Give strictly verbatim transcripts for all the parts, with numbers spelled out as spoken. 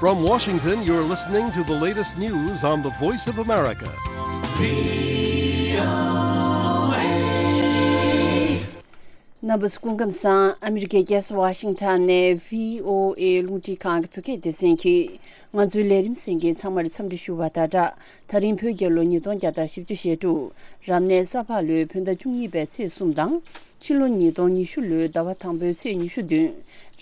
From Washington, you're listening to the latest news on the Voice of America. རྣམ་པ་ཚོ་སྐུ་ཁམས་བཟང་། ཨ་མི་རི་ཀའི་རྒྱལ་ས་ཝ་ཤིང་ཊོན་ནས་བྷི་ཨོ་ཨེ་རླུང་འཕྲིན་ཁང་གི་བོད་སྐད་སྡེ་ཚན་གྱིས་ང་ཚོའི་ལས་རིམ་གསན་མཁན་ཚང་མར་འཚམས་འདྲི་ཞུ་བ་དང་སྦྲགས། ད་རིང་བོད་རྒྱལ་ལོ་ཉིས་སྟོང་བརྒྱ་དང་བཞི་བཅུ་ཞེ་དྲུག་རབ་གནས་ས་ཕག་ལོའི་བོད་ཟླ་བཅུ་གཉིས་པའི་ཚེས་གསུམ་དང་། ཕྱི་ལོ་ཉིས་སྟོང་ཉི་ཤུ་ལོའི་ཟླ་བ་དང་པོའི་ཚེས་ཉི་ཤུ་བདུན།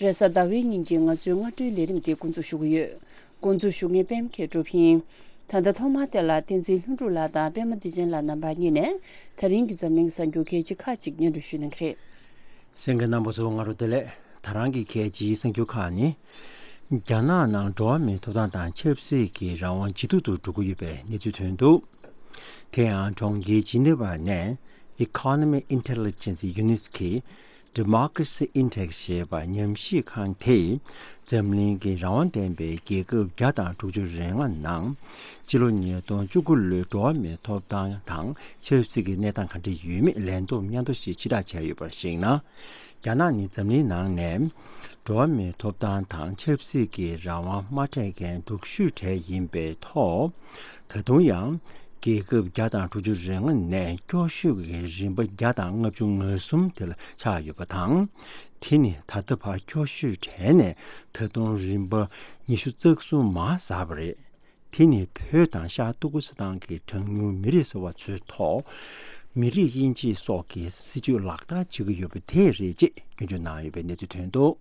རེས་གཟའ་ཟླ་བའི་ཉིན་གྱི་ང་ཚོའི་སྔ་དྲོའི་ལས་རིམ་དེ་འགོ་འཛུགས་ཞུ་གི་ཡོད། འགོ་འཛུགས་ཞུ་མཁན་པད་མ་མཁས་གྲུབ་ཡིན། ད་ལྟ་ཐོག་མར་དེ་ལ་བསྟན་འཛིན་ལྷུན་གྲུབ་ལགས་དང་པད་མ་བདེ་ཆེན་ལགས་རྣམ་པ་གཉིས་ནས་ད་རིང་གི་འཛམ་གླིང་གི་གསར་འགྱུར་གལ་ཆེ་ཁག་ཅིག་སྙན་སྒྲོན་ཞུ་གནང་གི་རེད། གསན་མཁན་རྣམ་པ་ཚོ་སྔ་དྲོ་བདེ་ལེགས། ད་རང་གི་གལ་ཆེའི་གསར་འགྱུར་ཁག་ནི། རྒྱ་ནག་ནང་འགྲོ་བ་མིའི་ཐོབ་ཐང་དང་ཆབ་སྲིད་ཀྱི་རང་དབང་ཇེ་སྡུག་ཏུ་འགྲོ་གི་ཡོད་པའི་གནས་ཚུལ་ཐོན་འདུག་དེ་ཡང་གྲོང་ཁྱེར་ཇི་ནི་ཝ་ནས་Economic Intelligence Unit གི་Democracy Index ཞེས་པ་ཉམས་ཞིབ་ཁང་དེས་འཛམ་གླིང་གི་རང་དབང་ལྡན་པའི་རྒྱལ་ཁབ་བརྒྱ་དང་དྲུག་ཅུ་རེ་ལྔ་ནང་སྤྱི་ལོ་ཉིས་སྟོང་བཅུ་དགུ་ལོའི་འགྲོ་བ་མིའི་ཐོབ་ཐང་དང་ཆབ་སྲིད་ཀྱི་གནས་སྟངས་ག་འདྲ་ཡོད་མེད་ལན་རྟོག་སྙན་ཐོ་ཞིག་ཕྱིར་བསྒྲགས་བྱས་ཡོད་པར་གཞིགས་ན། རྒྱ་ནག་ནི་འཛམ་གླིང་ནང་ནས་འགྲོ་བ་མིའི་ཐོབ་ཐང་དང་ཆབ་སྲིད་ཀྱི་རང་དབང་མ་སྤྲད་མཁན་སྡུག་ཤོས་གྲས་ཡིན་པའི་ཐོག་ད་དུང་ཡང་རྒྱལ་ཁབ་བརྒྱ་དང་དྲུག་ཅུ་རེ་ལྔ་ནས་སྐྱོ་ཤོས་ཀྱི་རིམ་པ་བརྒྱ་དང་ལྔ་བཅུ་ང་གསུམ་དེ་ལ་ཆགས་ཡོད་པ་དང་། དེ་ནི་ད་ལྟ་བར་སྐྱོ་ཤོས་གྲས་ནས་ད་དུང་རིམ་པ་ཉི་ཤུ་རྩ་གསུམ་མར་ཟགས་པ་རེད། དེ་ནི་བོད་དང་ཤར་ཏུར་ཀི་སི་ཐན་གྱི་གྲངས་ཉུང་མི་རིགས་ཟེར་བ་ཚོའི་ཐོག་མི་རིགས་དབྱེ་འབྱེད་སོགས་ཀྱི་སྲིད་བྱུས་ལག་བསྟར་བྱེད་ཀྱི་ཡོད་པ་དེ་རེད་ཅེས་སྐྱོན་བརྗོད་གནང་ཡོད་པའི་གནས་ཚུལ་ཐོན་འདུག་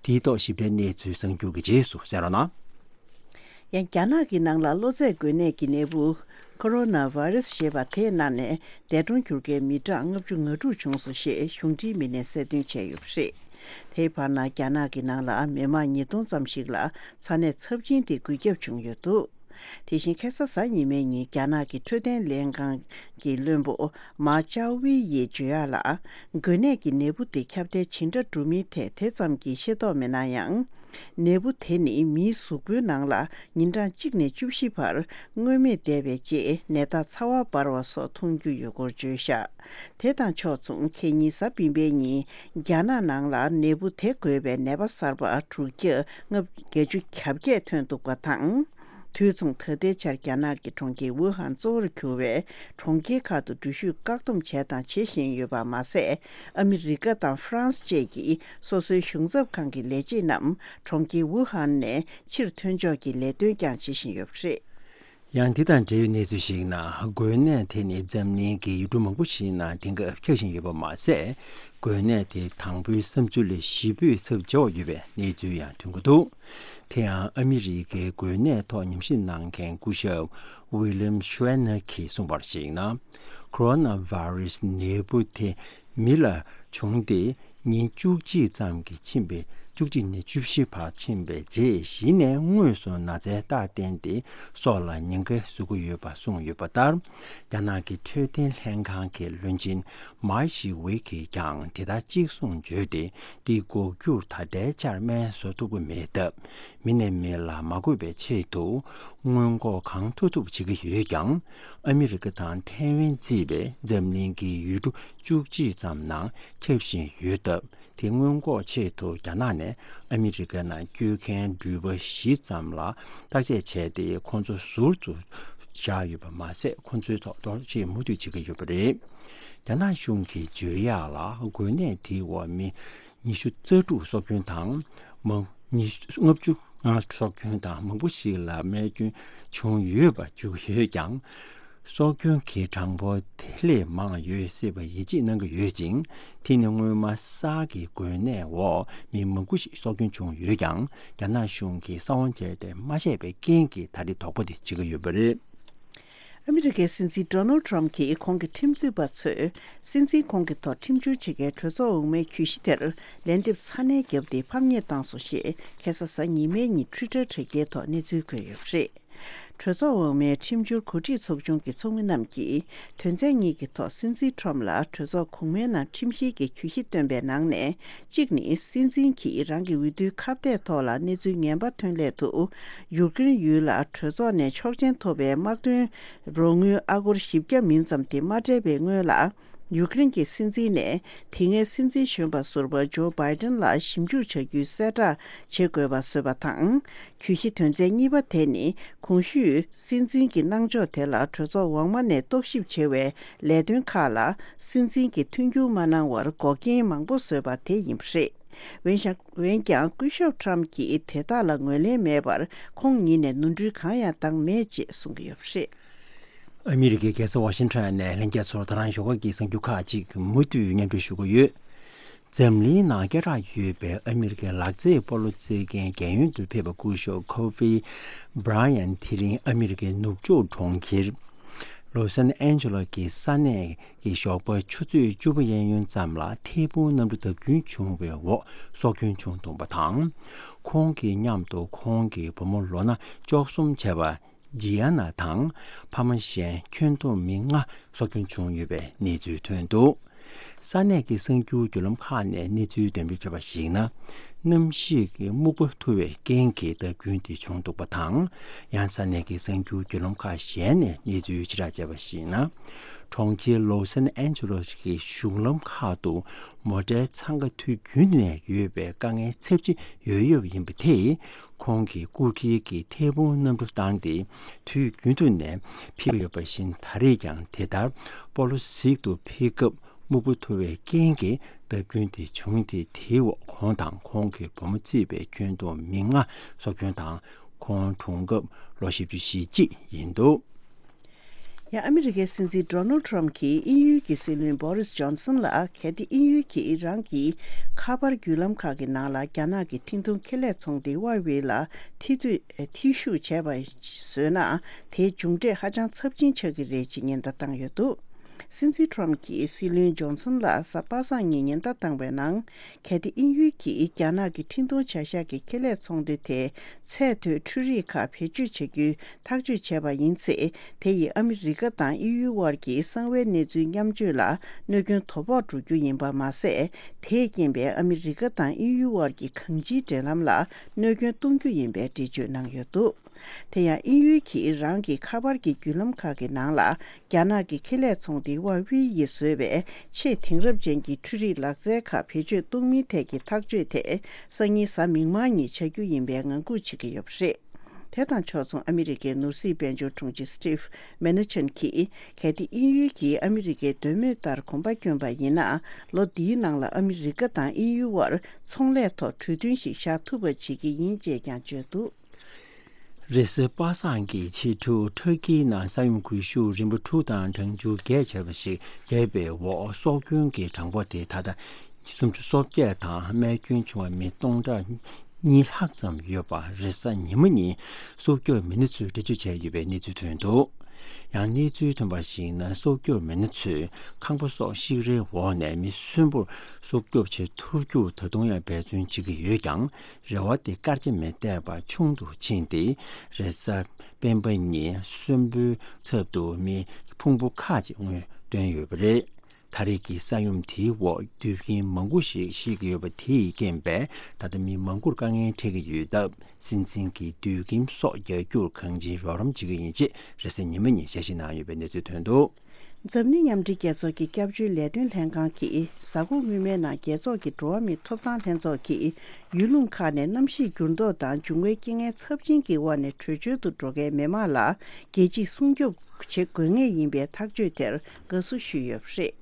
དེའི་ཐོག་ཞིབ་ཕྲའི་གནས་ཚུལ་གསར་འགྱུར་གྱི་རྗེས་སུ་གསན་རོགས་གནང་། ཡང་རྒྱ་ནག་གི་ནང་ལ་གློ་ཚད་འགོས་ནད་ཀྱི་ནད་འབུ་ཁོ་རོ་ན་ཝེ་རུ་སི་ཞེས་པ་དེ་ནང་ནས་འདས་གྲོངས་གྱུར་མཁན་མི་གྲངས་ལྔ་བཅུ་ང་དྲུག་བྱུང་སོང་ཞེས་གཞུང་འབྲེལ་མི་སྣས་གསལ་སྟོན་བྱས་ཡོད་པ་རེད། དེའི་བར་ན་རྒྱ་ནག་གི་ནང་ལ་མི་མང་ཉིས་སྟོང་ཙམ་ཞིག་ལ་ཚ་ནད་ཚབས་ཆེན་དེ་འགོས་ཁྱབ་བྱུང་ཡོད་འདུག་དེ་བཞིན་ཁ་སང་གཟའ་ཉི་མའི་ཉིན་རྒྱ་ནག་གི་འཕྲོད་བསྟེན་ལྷན་ཁང་གི་བློན་པོ་མཱ་ཅའོ་ཝི་ཡིས་བརྗོད་ཡག་ལ། འགོས་ནད་ཀྱི་ནད་འབུ་དེ་ཁྱབ་གདལ་ཇི་འདྲ་འགྲོ་མིན་ཐད་དེ་ཙམ་གྱི་ཤེས་རྟོགས་མེད་ན་ཡང་། ནད་འབུ་དེ་ནི་མིའི་གཟུགས་པོའི་ནང་ལ་ཉིན་གྲངས་གཅིག་ནས་བཅུ་བཞི་བར་མངོན་མེད་བསྡད་པའི་རྗེས་ནད་རྟགས་ཚ་བ་འབར་བ་སོགས་མཐོང་རྒྱུ་ཡོད་སྐོར་བརྗོད་བཞག་དེ་དང་ཕྱོགས་མཚུངས་ཁེ་ཉིན་གཟའ་སྤེན་པའི་ཉིན་རྒྱ་ནག་ནང་ལ་ནད་འབུ་དེ་འགོས་པའི་ནད་པ་གསར་པ་དྲུག་བརྒྱ་ལྔ་བརྒྱད་ཅུ་གྱ་བརྒྱད་ཐོན་འདུག་པ་དང་། དུས་མཚུངས་ད་ལྟའི་ཆར་རྒྱ་ནག་གི་གྲོང་ཁྱེར་ཝུ་ཧན་གཙོ་བོར་གྱུར་བའི་གྲོང་ཁྱེར་ཁག་ཏུ་འགྲུལ་བཞུད་བཀག་སྡོམ་བྱས་དང་བྱེད་བཞིན་ཡོད་པ་མ་ཟད། ཨ་མི་རི་ཀ་དང་ཧྥ་རན་སི་བཅས་ཀྱི་སོ་སོའི་གཞུང་ཚབ་ཁང་གི་ལས་བྱེད་རྣམས་གྲོང་ཁྱེར་ཝུ་ཧན་ནས་ཕྱིར་ཐོན་ཕྱོགས་ཀྱི་ལས་དོན་ཀྱང་བྱེད་བཞིན་ཡོད་པ་རེད། ཡང་འདི་དང་འབྲེལ་བའི་གནས་ཚུལ་ཞིག་ནང་འགོས་ནད་དེ་ནི་འཛམ་གླིང་གི་ཡུལ་གྲུ་མང་པོ་ཞིག་ནང་དེང་སྐབས་ཁྱབ་བཞིན་ཡོད་པ་མ་ཟད། འགོས་ནད་དེ་དང་པོའི་བསམ་ཚུལ་ལས་བཞི་པོས་ཚབས་ཆེ་བ་ཡོད་པའི་གནས་ཚུལ་ཡང་ཐོན་གྱི་འདུག་དེ་ཡང་ཨ་མི་རི་ཀའི་འགོས་ནད་ཐོག་ཉམས་ཞིབ་གནང་མཁན་སྐུ་ཞབས་ཝི་ལིམ་ཤུ་ཝེ་ནར་གྱིས་གསུངས་པར་གཞིགས་ན། ཁོ་རོ་ན་ཝེ་རུ་སི་ནད་འབུ་དེ་མི་ལ་བྱུང་སྟེ། ཉིན་བཅུ་གཅིག་ཙམ་གྱི་ཕྱིན་པའི་བཅུ་གཅིག་ནས་བཅུ་བཞི་བར་ཕྱིན་པའི་རྗེས་གཞི་ནས་དངོས་སུ་ན་ཚའི་རྟགས་བསྟན་ཏེ་སྲོག་ལ་ཉེན་ཁ་བཟོ་གི་ཡོད་པ་གསུངས་ཡོད་པ་ལྟར། རྒྱ་ནག་གི་འཕྲོད་བསྟེན་ལྷན་ཁང་གི་བློན་ཆེན་མཱ་ཞི་ཝེ་གིས་ཀྱང་དེ་ལྟར་གཅིག་གསུངས་བརྗོད་དེ། འདི་འགོག་རྒྱུར་ད་ལྟའི་ཆར་སྨན་བཟོ་ཐུབ་ཀྱི་མེད་སྟབས། མི་ནས་མི་ལ་མ་འགོས་པའི་ཆེད་དུ་སྔོན་འགོག་གང་ཐུབ་ཐུབ་བྱེད་ཀྱི་ཡོད་ཀྱང་། ཨ་མི་རི་ཀ་དང་ཐའེ་ཝན་བརྩིས་པའི་འཛམ་གླིང་གི་ཡུལ་གྲུ་བཅུ་གཅིག་ཙམ་ནང་ཁྱབ་བཞིན་ཡོད་སྟབས། དེ་སྔོན་འགོག་ཆེད་དུ་རྒྱ་ནག་ནས་ཨ་མི་རི་ཀ་ནང་བསྐྱོད་མཁན་འགྲུལ་པ་བཞི་ཙམ་ལ་བརྟག་དཔྱད་བྱས་ཏེ། ཁོང་ཚོ་ཟུར་དུ་བཞག་ཡོད་པ་མ་ཟད། ཁོང་ཚོའི་ཐོག་གཏོར་བཤིག་མུ་མཐུད་བྱེད་ཀྱི་ཡོད་པ་རེད། རྒྱ་ནག་གཞུང་གིས་བརྗོད་ཡག་ལ། འགོས་ནད་དེའི་འོག་མི་ཉི་ཤུ་རྩ་དྲུག་སྲོག་སྐྱོན་དང་། མང་ཉི་ལྔ་བཅུ་ལྔ་སྲོག་སྐྱོན་དང་མང་པོ་ཞིག་ལ་རྨས་སྐྱོན་བྱུང་ཡོད་པ་བརྗོད་ཡོད་ཀྱང་། སྲོག་སྐྱོན་གྱི་གྲངས་འབོར་དེ་ལས་མང་ཡོད་སྲིད་པ་ཡིད་ཆེས་གནང་གི་ཡོད་ཅིང་། དེ་ནི་སྔོན་མ་གསར་གྱི་འགོས་ནད་འོག་མི་མང་པོ་ཞིག་སྲོག་སྐྱོན་བྱུང་ཡོད་ཀྱང་། རྒྱ་ནག་གཞུང་གིས་གསང་བ་བྱས་ཏེ་མ་བཤད་པའི་རྐྱེན་གྱིས་ད་རེས་དོགས་པ་དེ་བྱེད་ཀྱི་ཡོད་པ་རེད། ཨ་མི་རི་ཀའི་སྲིད་འཛིན་ཌོ་ནལ་ཌི་ཊརམ་ཕི་གྱིས་ཁོང་གི་ཁྲིམས་རྩོད་པ་ཚོས་སྲིད་འཛིན་ཁོང་གི་ཐོག་ཁྲིམས་བསྒྱུར་བྱེད་མཁན་གྲོས་ཚོགས་འོག་མའི་གྱོད་གཞི་དེར་ལན་འདེབས་ཚ་ནན་བརྒྱབ་སྟེ་ཕམ་ཉེས་བཏང་སོང་ཞེས་ཁ་སང་གཟའ་ཉི་མའི་ཉིན་ཊུའི་ཊར་དྲ་རྒྱའི་ཐོག་གནས་ཚུལ་བཀོད་ཡོད་པ་རེད། གྲོས་ཚོགས་འོག་མའི་ཁྲིམས་བསྒྱུར་གོ་སྒྲིག་ཚོགས་ཆུང་གི་ཚོགས་མི་རྣམས་ཀྱིས་དོན་ཚན་གཉིས་ཀྱི་ཐོག་སྲིད་འཛིན་ཊརམ་ཕི་ལ་གྲོས་ཚོགས་གོང་མའི་ནང་ཁྲིམས་བཤེར་གྱི་གྱོད་གཞི་བཏོན་པའི་ནང་ནས། གཅིག་ནི། སྲིད་འཛིན་གྱིས་རང་གི་འོས་བསྡུའི་ཁ་གཏད་ཐོག་ལ་གནས་ཚུལ་ངན་པ་ཐོན་སླད་དུ། ཡུཀ་རེན་ཡུལ་ལ་གྲོས་ཚོགས་ནས་ཆོག་མཆན་ཐོབ་པའི་དམག་དོན་རོགས་དངུལ་ཨ་སྒོར་བཞི་བརྒྱ་མིན་ཙམ་དེ་མ་སྤྲད་པའི་སྔོན་ལ། ཡུཀ་རེན་གྱི་སྲིད་འཛིན་ནས་དེ་སྔའི་སྲིད་འཛིན་གཞོན་པ་ཟུར་པ་ཇོ་བྷའི་ཏན་ལ་ཞིབ་འཇུག་བྱ་རྒྱུའི་གསལ་བསྒྲགས་བྱེད་དགོས་པ་བཟོས་པ་དང་། གྱོད་གཞི་དོན་ཚན་གཉིས་པ་དེ་ནི་གོང་ཞུས་སྲིད་འཛིན་གྱི་གནང་ཕྱོགས་དེ་ལ་གྲོས་ཚོགས་འོག་མ་ནས་རྟོག་ཞིབ་བྱེད་པའི་ལས་དོན་ཁག་ལ་སྲིད་འཛིན་གྱིས་མཐུན་འགྱུར་མ་གནང་བར་འགོག་རྐྱེན་མང་པོ་བཟོས་པ་དེ་ཡིན་པ་རེད། འོན་ཀྱང་འོན་ཀྱང་སྐུ་ཞབས་ཁྲམ་གྱིས་དེ་དག་ལ་ངོས་ལེན་མེད་པར་ཁོང་ཉིད་ནས་ནོར་འཁྲུལ་གང་ཡང་བཏང་མེད་ཅེས་གསུང་གི་ཡོད་པ་རེད། ཨ་མི་རི་ཀའི་རྒྱལ་ས་ཝ་ཤིང་ཊོན་ནས་ལྷན་རྒྱས་ཚོར་ད་རང་ཞོགས་ཀ་གི་གསར་འགྱུར་ཁག་ཅིག་མུ་མཐུད་སྙན་སྒྲོན་ཞུ་གི་ཡོད། འཛམ་གླིང་ནང་སྐད་གྲགས་ཡོད་པའི་ཨ་མི་རི་ཀའི་ལག་རྩེད་སྤོ་ལོ་རྩེད་མཁན་རྒན་ཡོལ་དུ་ཕེབས་པ་སྐུ་ཞབས་ཁོ་ཧྥི་བྷ་ར་ཡན་དེ་རིང་ཨ་མི་རི་ཀའི་ནུབ་ཕྱོགས་གྲོང་ཁྱེར་ལོ་སན་ཨན་ཇེ་ལོ་གི་ས་གནས་ཀྱི་ཞོགས་པ་ཆུ་ཚོད་བཅུ་པ་གཡས་གཡོན་ཙམ་ལ་ཐལ་འབུང་གནམ་གྲུ་བརྡབ་སྐྱོན་བྱུང་བའི་འོག་སྲོག་སྐྱོན་བྱུང་འདུག་པ་དང་། ཁོང་གི་མཉམ་དུ་ཁོང་གི་བུ་མོ་ལོ་ན་བཅུ་གསུམ་བྱས་པ་ཇི་ཡ་ན་དང་ཕ་མ་གཞན་ཁྱོན་བསྡོམས་མི་ལྔ་སྲོག་སྐྱོན་བྱུང་ཡོད་པའི་གནས་ཚུལ་ཐོན་འདུག། ས་གནས་ཀྱི་གསར་འགྱུར་བརྒྱུད་ལམ་ཁག་ནས་གནས་ཚུལ་འདོན་སྤེལ་བྱས་པར་གཞིགས་ན། གནམ་གཤིས་ཀྱི་སྨུག་པ་འཐུ་བའི་རྐྱེན་གྱིས་བརྡབ་སྐྱོན་དེ་བྱུང་འདུག་པ་དང་། ཡང་ས་གནས་ཀྱི་གསར་འགྱུར་བརྒྱུད་ལམ་ཁག་གཞན་ནས་གནས་ཚུལ་ཕྱིར་བསྒྲགས་བྱས་པར་གཞིགས་ན། གྲོང་ཁྱེར་ལོ་སན་ཨན་ཇེ་ལོ་གི་གཞུང་ལམ་ཁག་ཏུ་མོ་ཊའི་འཚང་ཁ་དུས་རྒྱུན་ནས་ཡོད་པའི་དཀའ་ངལ་ཚབས་ཆེ་ཡོད་ཡོད་པ་ཡིན་པ་དེས། ཁོང་གིས་སྐུ་སྒེར་གྱི་ཐལ་འབུང་གནམ་གྲུ་བཏང་སྟེ་དུས་རྒྱུན་དུ་ནས་ཕེབས་ཡོད་པ་བཞིན་ད་རེས་ཀྱང་དེ་ལྟར་སྤོ་ལོ་གཟིགས་སུ་ཕེབས་སྐབས་སྨུག་པ་འཐུ་བའི་རྐྱེན་གྱིས་བརྡབ་སྐྱོན་དེ་བྱུང་སྟེ། དེའི་འོག་ཁོང་དང་ཁོང་གི་བུ་མོ་བརྩིས་པའི་ཁྱོན་བསྡོམས་མི་ལྔ་སྲོག་སྐྱོན་དང་། ཁོང་གྲོངས་སྐབས་ལོ་བཞི་བཅུ་ཞེ་གཅིག་ཡིན་འདུག། ཡང་ཨ་མི་རི་ཀའི་སྲིད་འཛིན་ཌོ་ནལ་ཌི་ཊརམ་གྱིས་དབྱིན་ཡུལ་གྱི་སྲིད་བློན་བྷོ་རིས་ཇོན་སན་ལ། གལ་ཏེ་དབྱིན་ཡུལ་གྱིས་རང་གི་ཁ་པར་བརྒྱུད་ལམ་ཁག་གི་ནང་ལ་རྒྱ་ནག་གི་འཕྲིན་གཏོང་ཁེ་ལས་ཚོང་སྡེ་ཧྭ་ཝེ་ལ་ཐེ་བསྡུ་ཐེ་ཞུགས་བྱས་པ་བཟོས་ན། དེའི་མཇུག་འབྲས་ཧ་ཅང་ཚབས་ཆེན་ཆགས་ཀྱི་རེད་ཅེས་ཉེན་བརྡ་བཏང་ཡོད་འདུག། སྲིད་འཛིན་ཊརམ་གྱིས་སྲིད་བློན་ཇོན་སན་ལ་གཟའ་པ་སངས་ཉིན་ཉེན་བརྡ་བཏང་བའི་ནང་། གལ་ཏེ་དབྱིན་ཡུལ་གྱིས་རྒྱ་ནག་གི་འཕྲིན་གཏོང་བྱ་གཞག་གི་ཁེ་ལས་ཚོང་སྡེ་དེ་ཚད་མཐོའི་འཕྲུལ་རིག་ཁག་བེད་སྤྱོད་བྱ་རྒྱུའི་ཐག་གཅོད་བྱས་པ་ཡིན་ཚེ། དེ་ཡིས་ཨ་མི་རི་ཀ་དང་དབྱིན་ཡུལ་དབར་གྱི་གསང་བའི་གནས་ཚུལ་མཉམ་སྤྱོད་ལ་གནོད་སྐྱོན་དོ་ཕོག་འགྲོ་རྒྱུ་ཡིན་པ་མ་ཟད། དེས་རྐྱེན་པས་ཨ་མི་རི་ཀ་དང་དབྱིན་ཡུལ་དབར་གྱི་གང་ཅིའི་འབྲེལ་ལམ་ལ་གནོད་སྐྱོན་གཏོང་རྒྱུ་ཡིན་པའི་འགྲེལ་བརྗོད་གནང་ཡོད་འདུག། དེ་ཡང་དབྱིན་ཡུལ་གྱིས་རང་གི་ཁ་པར་གྱི་བརྒྱུད་ལམ་ཁག་གི་ནང་ལ། རྒྱ་ནག་གི་ཁེ་ལས་ཚོང་སྡེ་ཧྭ་ཝེ་ཡིས་བཟོས་པའི་ཆེས་དེང་རབས་ཅན་གྱི་འཕྲུལ་རིག་ལག་རྩལ་ཁག་བེད་སྤྱོད་གཏོང་མིན་ཐད་ཀྱི་ཐག་གཅོད་དེ། སང་ཉིན་གཟའ་མིག་དམར་ཉིན་བྱ་རྒྱུ་ཡིན་པའི་ངང་སྒུག་བྱེད་ཀྱི་ཡོད་པ་རེད། དེ་དང་ཕྱོགས་མཚུངས། ཨ་མི་རི་ཀའི་ནོར་སྲིད་དཔལ་འབྱོར་དྲུང་ཆེ་སི་ཊིབ་མེ་ནུ་ཆན་གྱིས། གལ་ཏེ་དབྱིན་ཡུལ་གྱིས་ཨ་མི་རི་ཀའི་འདོད་མོས་ལྟར་གོམ་པ་བསྐྱོན་པ་ཡིན་ན། ལོ་འདིའི་ནང་ལ་ཨ་མི་རི་ཀ་དང་དབྱིན་ཡུལ་དབར་ཚོང་ལས་ཐོག་གྲོས་མཐུན་ཞིག་བཞག་ཐུབ་པ་བྱེད་ཀྱི་ཡིན་ཅེས་ཀྱང་བརྗོད་འདུག། རེས་གཟའ་པ་སངས་ཀྱི་ཕྱི་དྲོ་ཊར་ཀིའི་ནང་ས་ཡོམ་གྱི་ཤུགས་རིམ་པ་དྲུག་དང་གྲངས་ཆུང་བརྒྱད་བྱས་པ་ཞིག་བརྒྱབ་པའི་འོག་སྲོག་སྐྱོན་གྱི་གྲངས་འབོར་དེ་ད་ལྟ་སུམ་ཅུ་སོ་བརྒྱད་དང་རྨས་སྐྱོན་བྱུང་བ་མི་སྟོང་ཕྲག་གཉིས་ལྷག་ཙམ་ཡོད་པ་རེས་གཟའ་ཉི་མ་ཉིན་སྲོག་སྐྱོབ་མི་སྣ་ཚོས་འགྲེལ་བརྗོད་བྱས་ཡོད་པའི་གནས་ཚུལ་ཐོན་འདུག། ཡང་གནས་ཚུལ་ཐོན་པར་གཞིགས་ན། སྲོག་སྐྱོབ་མི་སྣ་ཚོས་ཁང་པ་སོགས་ཤིག་རལ་འོག་ནས་མི་གསོན་པོར་སྲོག་སྐྱོབ་ཆེད་ཐུབ་རྒྱུར་ད་དུང་ཡང་འབད་བརྩོན་བྱེད་ཀྱི་ཡོད་ཀྱང་། རེ་བ་དེ་སྐར་ཆ་མི་བཏད་པར་ཆུང་དུ་ཕྱིན་ཏེ། རེས་གཟའ་སྤེན་པ་ཉིན་གསོན་པོའི་ཚབ་ཏུ་མི་ཕུང་པོ་ཁག་ཅིག་དངོས་བཏོན་ཡོད་པ་རེད། ད་རེས་ཀྱི་ས་ཡོམ་དེའི་འོག་དུད་ཁྱིམ་མང་པོ་ཞིག་ཤི་གི་ཡོད་པ་དེས་རྐྱེན་པས། ད་ལྟ་མི་མང་པོར་དཀའ་ངལ་འཕྲད་ཀྱི་ཡོད་སྟབས། སྲིད་འཛིན་གྱིས་དུད་ཁྱིམ་སོགས་རྒྱག་རྒྱུར་གང་ཅིའི་རོགས་རམ་བྱེད་ཀྱི་ཡིན་ཅེས་རེས་གཟའ་ཉི་མ་ཉིན་ཞལ་བཞེས་གནང་ཡོད་པའི་གནས་ཚུལ་ཐོན་འདུག། འཛམ་གླིང་མཉམ་འབྲེལ་རྒྱལ་ཚོགས་ཀྱི་སྐྱབས་བཅོལ་ལས་དོན་ལྷན་ཁང་གིས། གཟའ་འཁོར་སྔོན་མའི་ནང་རྒྱལ་ཚོགས་ཀྱི་འགྲོ་བ་མིའི་ཐོབ་ཐང་ལྷན་ཚོགས་ཀྱིས། ཡུལ་ལུང་ཁག་ནས་གནམ་གཤིས་འགྱུར་ལྡོག་དང་འབྱུང་བའི་རྐྱེན་ངན་ཚབས་ཆེན་གྱི་དབང་ནས་བྲོས་བྱོལ་དུ་འགྲོ་མཁན་མི་མང་ལ། རྒྱལ་སྤྱིས་སྲུང་སྐྱོབ་བྱེད་དགོས་ངེས་ཡིན་པའི་ཐག་གཅོད་དེར་དགའ་བསུ་ཞུས་ཡོད་པ་རེད།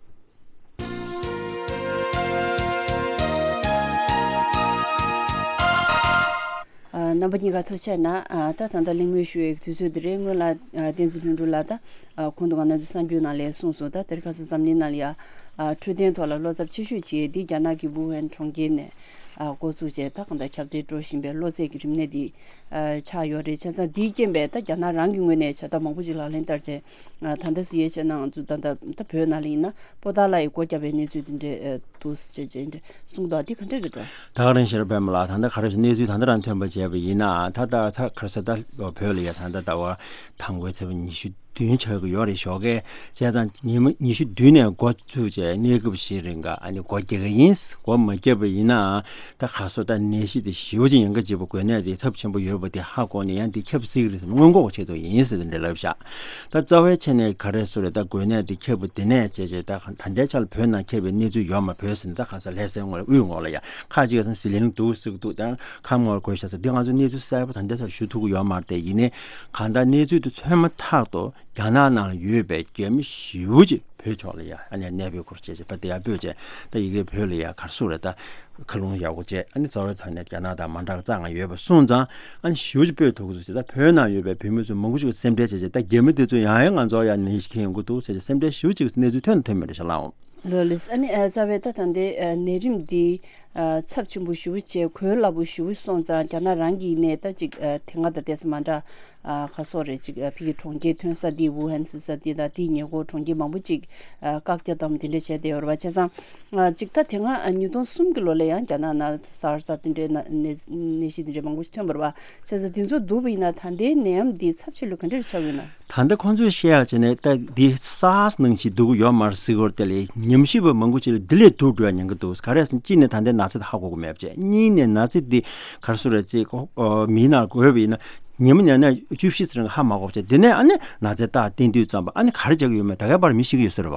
ཨ། རྣམ་པ་གཉིས་ཀ་ཐུགས་རྗེ་གནང་། ཨ། ད་ད་ལྟ་གླེང་མོལ་ཞུ་ཡའི་དུས་ཚོད་འདི་རེད། སྔོན་ལ། ཨ། བསྟན་འཛིན་ལྷུན་གྲུབ་ལགས་དང་། ཨ། ཁོང་དུ་ང་ཚོའི་གསར་འགྱུར་ནང་ལ་གསུངས་སོང་། ད་དེར་ཁ་སང་འཛམ་གླིང་ནང་ལ་ཡ། ཨ། འཕྲོད་བསྟེན་ཐོག་ལ་བློ་འཚབ་ཆེ་ཤོས་བྱེད་ཡས་འདི་རྒྱ་ནག་གི་ཝུ་ཧན་གྲོང་ཁྱེར་ནས། ཨ། འགོ་བཙུགས་བྱས། ད་གང་ལྟར་ཁྱབ་གདལ་འགྲོ་བཞིན་པའི་གློ་ཚད་ཀྱི་རིམས་ནད་འདི། ཨ། ཆགས་ཡོད་རེད། བྱས་ཙང་འདིའི་རྐྱེན་པས་ད་རྒྱ་ནག་རང་གི་ངོས་ནས་བྱ་ཐབས་མང་པོ་ཅིག་ལག་ལེན་བསྟར་བྱས། ཨ། ད་ལྟ་གཟིགས་ཡས་བྱས་ན། ང་ཚོ་ད་ལྟ་ད་བོད་ནང་ལ་ཡིན་ན། པོ་ཏཱ་ལ་ཡིས་སྒོ་བརྒྱབ་པའི་གནས་ཚུལ་དེ་འདྲ་འདུག་ཅེས་ཅེས་གསུངས་འདུག། འདི་ག་འདྲ་རེད་འགྲོ། ད་ག་རང་ཤེས་རབ་པད་མ་ལགས། ད་ལྟ་ག་རེ་ཟེར། གནས་ཚུལ་ད་ལྟ་རང་ཐོན་པ་བྱས་པ་ཡིན་ན། ད་ལྟ་ད་ག་རེ་ཟེར། ད་བོད་ལ་ཡ་ད་ལྟ་ཟླ་བ་དང་པོའི་ཚེས་པ་ཉི་ཤུ་ བདུན་ཆགས་ཀྱི་ཡོད་རེད། ཞོགས་ཀས་བྱས་ཙང་ཉི་མ་ཉི་ཤུ་བདུན་ནས་འགོ་ཚུགས་བྱས་གནས་སྐབས་བཞི་རིང་ག་ཨ་ནི་སྒོ་རྒྱག་གི་ཡིན། སྒོ་མ་བརྒྱབ་པ་ཡིན་ན་ད་ག་སོ་ད་ནད་གཞི་དེ་ཞེ་པོ་ཅིག་ཉེན་ཁ་ཆེ་པོ་འགོས་ནད་དེ་ཚབས་ཆེན་པོ་ཡོད་པ་དེ་ཧ་གོ་ནས་ཡང་དེ་ཁྱབ་སྲིད་ཀྱི་རེད་ཟེར་ནས་སྔོན་འགོག་བྱེད་དུ་ཡིན་ཟེར་དེ་འདྲ་ལབ་ཤག་ད་རྩ་བའི་ཆ་ནས་ག་རེ་ཟེར་རེད། ད་འགོས་ནད་དེ་ཁྱབ་པ་དེ་ནས་བྱས་བྱས་ད་ད་ལྟའི་ཆར་ལ་བོད་ནང་ཁྱབ་པའི་གནས་ཚུལ་ཡོད་མ། བོད་ཟེར་ན་ད་ག་ས་ལྷ་སའི་ངོས་ལ་དབུས་ངོས་ལ་ཡ་ཁ་ཅིག་ས་ཟི་ལིང་འདུག་ཟེར་གི་འདུག་ད་ཁམས་ངོས་ལ་དགོས་ཤག་ཟེར། འདི་ང་ཚོ་གནས་ཚུལ་གསལ་པོ་ད་ལྟའི་ཆར་ཞུ་ཐུབ་ཀྱི་ཡོད་མ་རེད་དེ། ཡིན་ནའི་གང་ལྟར་གནས་ཚུལ་དེ་ཐོན་མ་ཐག་ཏུ་རྒྱ་ནག་ནང་ལ་ཡོད་པའི་རྒྱ་མི་ཞེ་པོ་ཅིག་བོད་ཕྱོགས་ལ་ཡ་ཨ་ནི་གནས་སྤོས་སྐོར་བྱས་བྱས་པ་དེ་ཡར་སྤོས་བྱས་ད་ཡ་གིའི་བོད་ལ་ཡ་ག་རེ་ཟེར་རེད། ད་མཁའ་རླུང་ཡག་པོ་བྱས་ཨ་ནི་རྩ་བའི་ཐོག་ནས་རྒྱ་ནག་དང་མ་འདྲ་བའི་རྩ་ལྔ་ཡོད་པ་སོང་ཙང་ཨ་ནི་ཞེ་པོ་ཅིག་སྤོས་ཐུབ་ཀྱི་འདུག་ཟེར། ད་བོད་ནང་ཡོད་པའི་བོད་མི་ཚོ་མང་པོ་ཅིག་གིས་སེམས་ཁྲལ་བྱས་བྱས་ད་རྒྱ་མི་དེ་ཚོ་ཡང་ཡང་ང་ཚོ་ཡ་ནད་གཞི་འཁྱེར་ཡོང་གི་འདུག་ཟེར་བྱས་སེམས་ཁྲལ་ཞེ་པོ་ཅིག་གནས་ཚུལ་ཐོན་དང་ཐོན་མེད་རེད་ཤག་ལགས། ལགས་ལགས། ཨ་ནི་ཨ་རྩ་བའི་ད་ད་ལྟའི་ཨ་ནད་རིམས་འདི་ཨ་ཚབས་ཆེན་པོ་ཞེ་པོ་བྱས་གོ་སླ་པོ་ཞེ་པོ་སོང་ཙང་རྒྱ་ནག་རང་གི་ནས་ད་ཅིག་ཨ་དེ་སྔ་དང་དེ་ཚོ་མ་འདྲ་ཨ་ག་སོགས་རེད། ཅིག་ཨ་ཕ་གི་གྲོང་ཁྱེར་ཐོན་ས་འདི་ཝུ་ཧན་ཟེར་ས་འདི་དང་དེའི་ཉེ་འཁོར་གྲོང་ཁྱེར་མང་པོ་ཅིག་ཨ་བཀག་རྒྱ་དང་དེ་འདྲ་བྱས་བསྡད་ཡོད་རེད་པ། བྱས་ཙང་ཨ་ཅིག་ད་དེ་སྔ་ཨ་ཉིས་སྟོང་གསུམ་གྱི་ལོ་ལ་ཡང་རྒྱ་ནག་ནང་ལ་སར་ས་དེ་འདྲའི་ན་ནད་ནད་གཞི་དེ་འདྲའི་མང་པོ་ཞིག་ཐོན་པ་རེད་པ། བྱས་ཙང་དེ་ཚོ་བསྡུར་བ་ཡིན་ན་ད་ལྟའི་ནད་ཡམས་འདི་ཚབས་ཆེ་ལོས་ག་འདྲ་རེ་ཆགས་ཡོད་ན། ད་ལྟ་ཁོང་ཚོས་བཤད་ཡག་བྱས་ནས་ད་འདི་སར་ས་ནང་བཞིན་འདུག་གི་ཡོད་མ་རེད་ཟེར་གི་ཡོད་རེད། དེ་ལས་ཉམས་ཞིབ་པ་མང་པོ་ཅིག་ལ་འདི་ལས་སྡུག་འགྲོ་ཡ་ཉེན་ཁ་འདུག་ག་རེ་ཟེར་ན་གཅིག་ནས་ད་ལྟའི་ན་ཚ་དེ་ཧ་གོ་གི་མེད་པ་བྱས། གཉིས་ནས་ན་ཚ་འདི་ག་རེ་ཟེར་རེད་ཅེས་ཁོ་ཨ་མིའི་ནང་འགོས་པ་ཡིན་ན་ཉི་མ་ཉལ་ན་བཅུ་བཞི་ཙམ་ཧ་མ་གོ་བ་བྱས། དེ་ནས་ཨ་ནི་ན་ཚའི་རྟགས་བསྟན་དུས་ཙམ་པ་ཨ་ནི་ག་རེ་བྱ་གི་ཡོད་མེད་ད་གའི་བར་མི་ཤེས་ཀྱི་ཡོད་ས་རེད་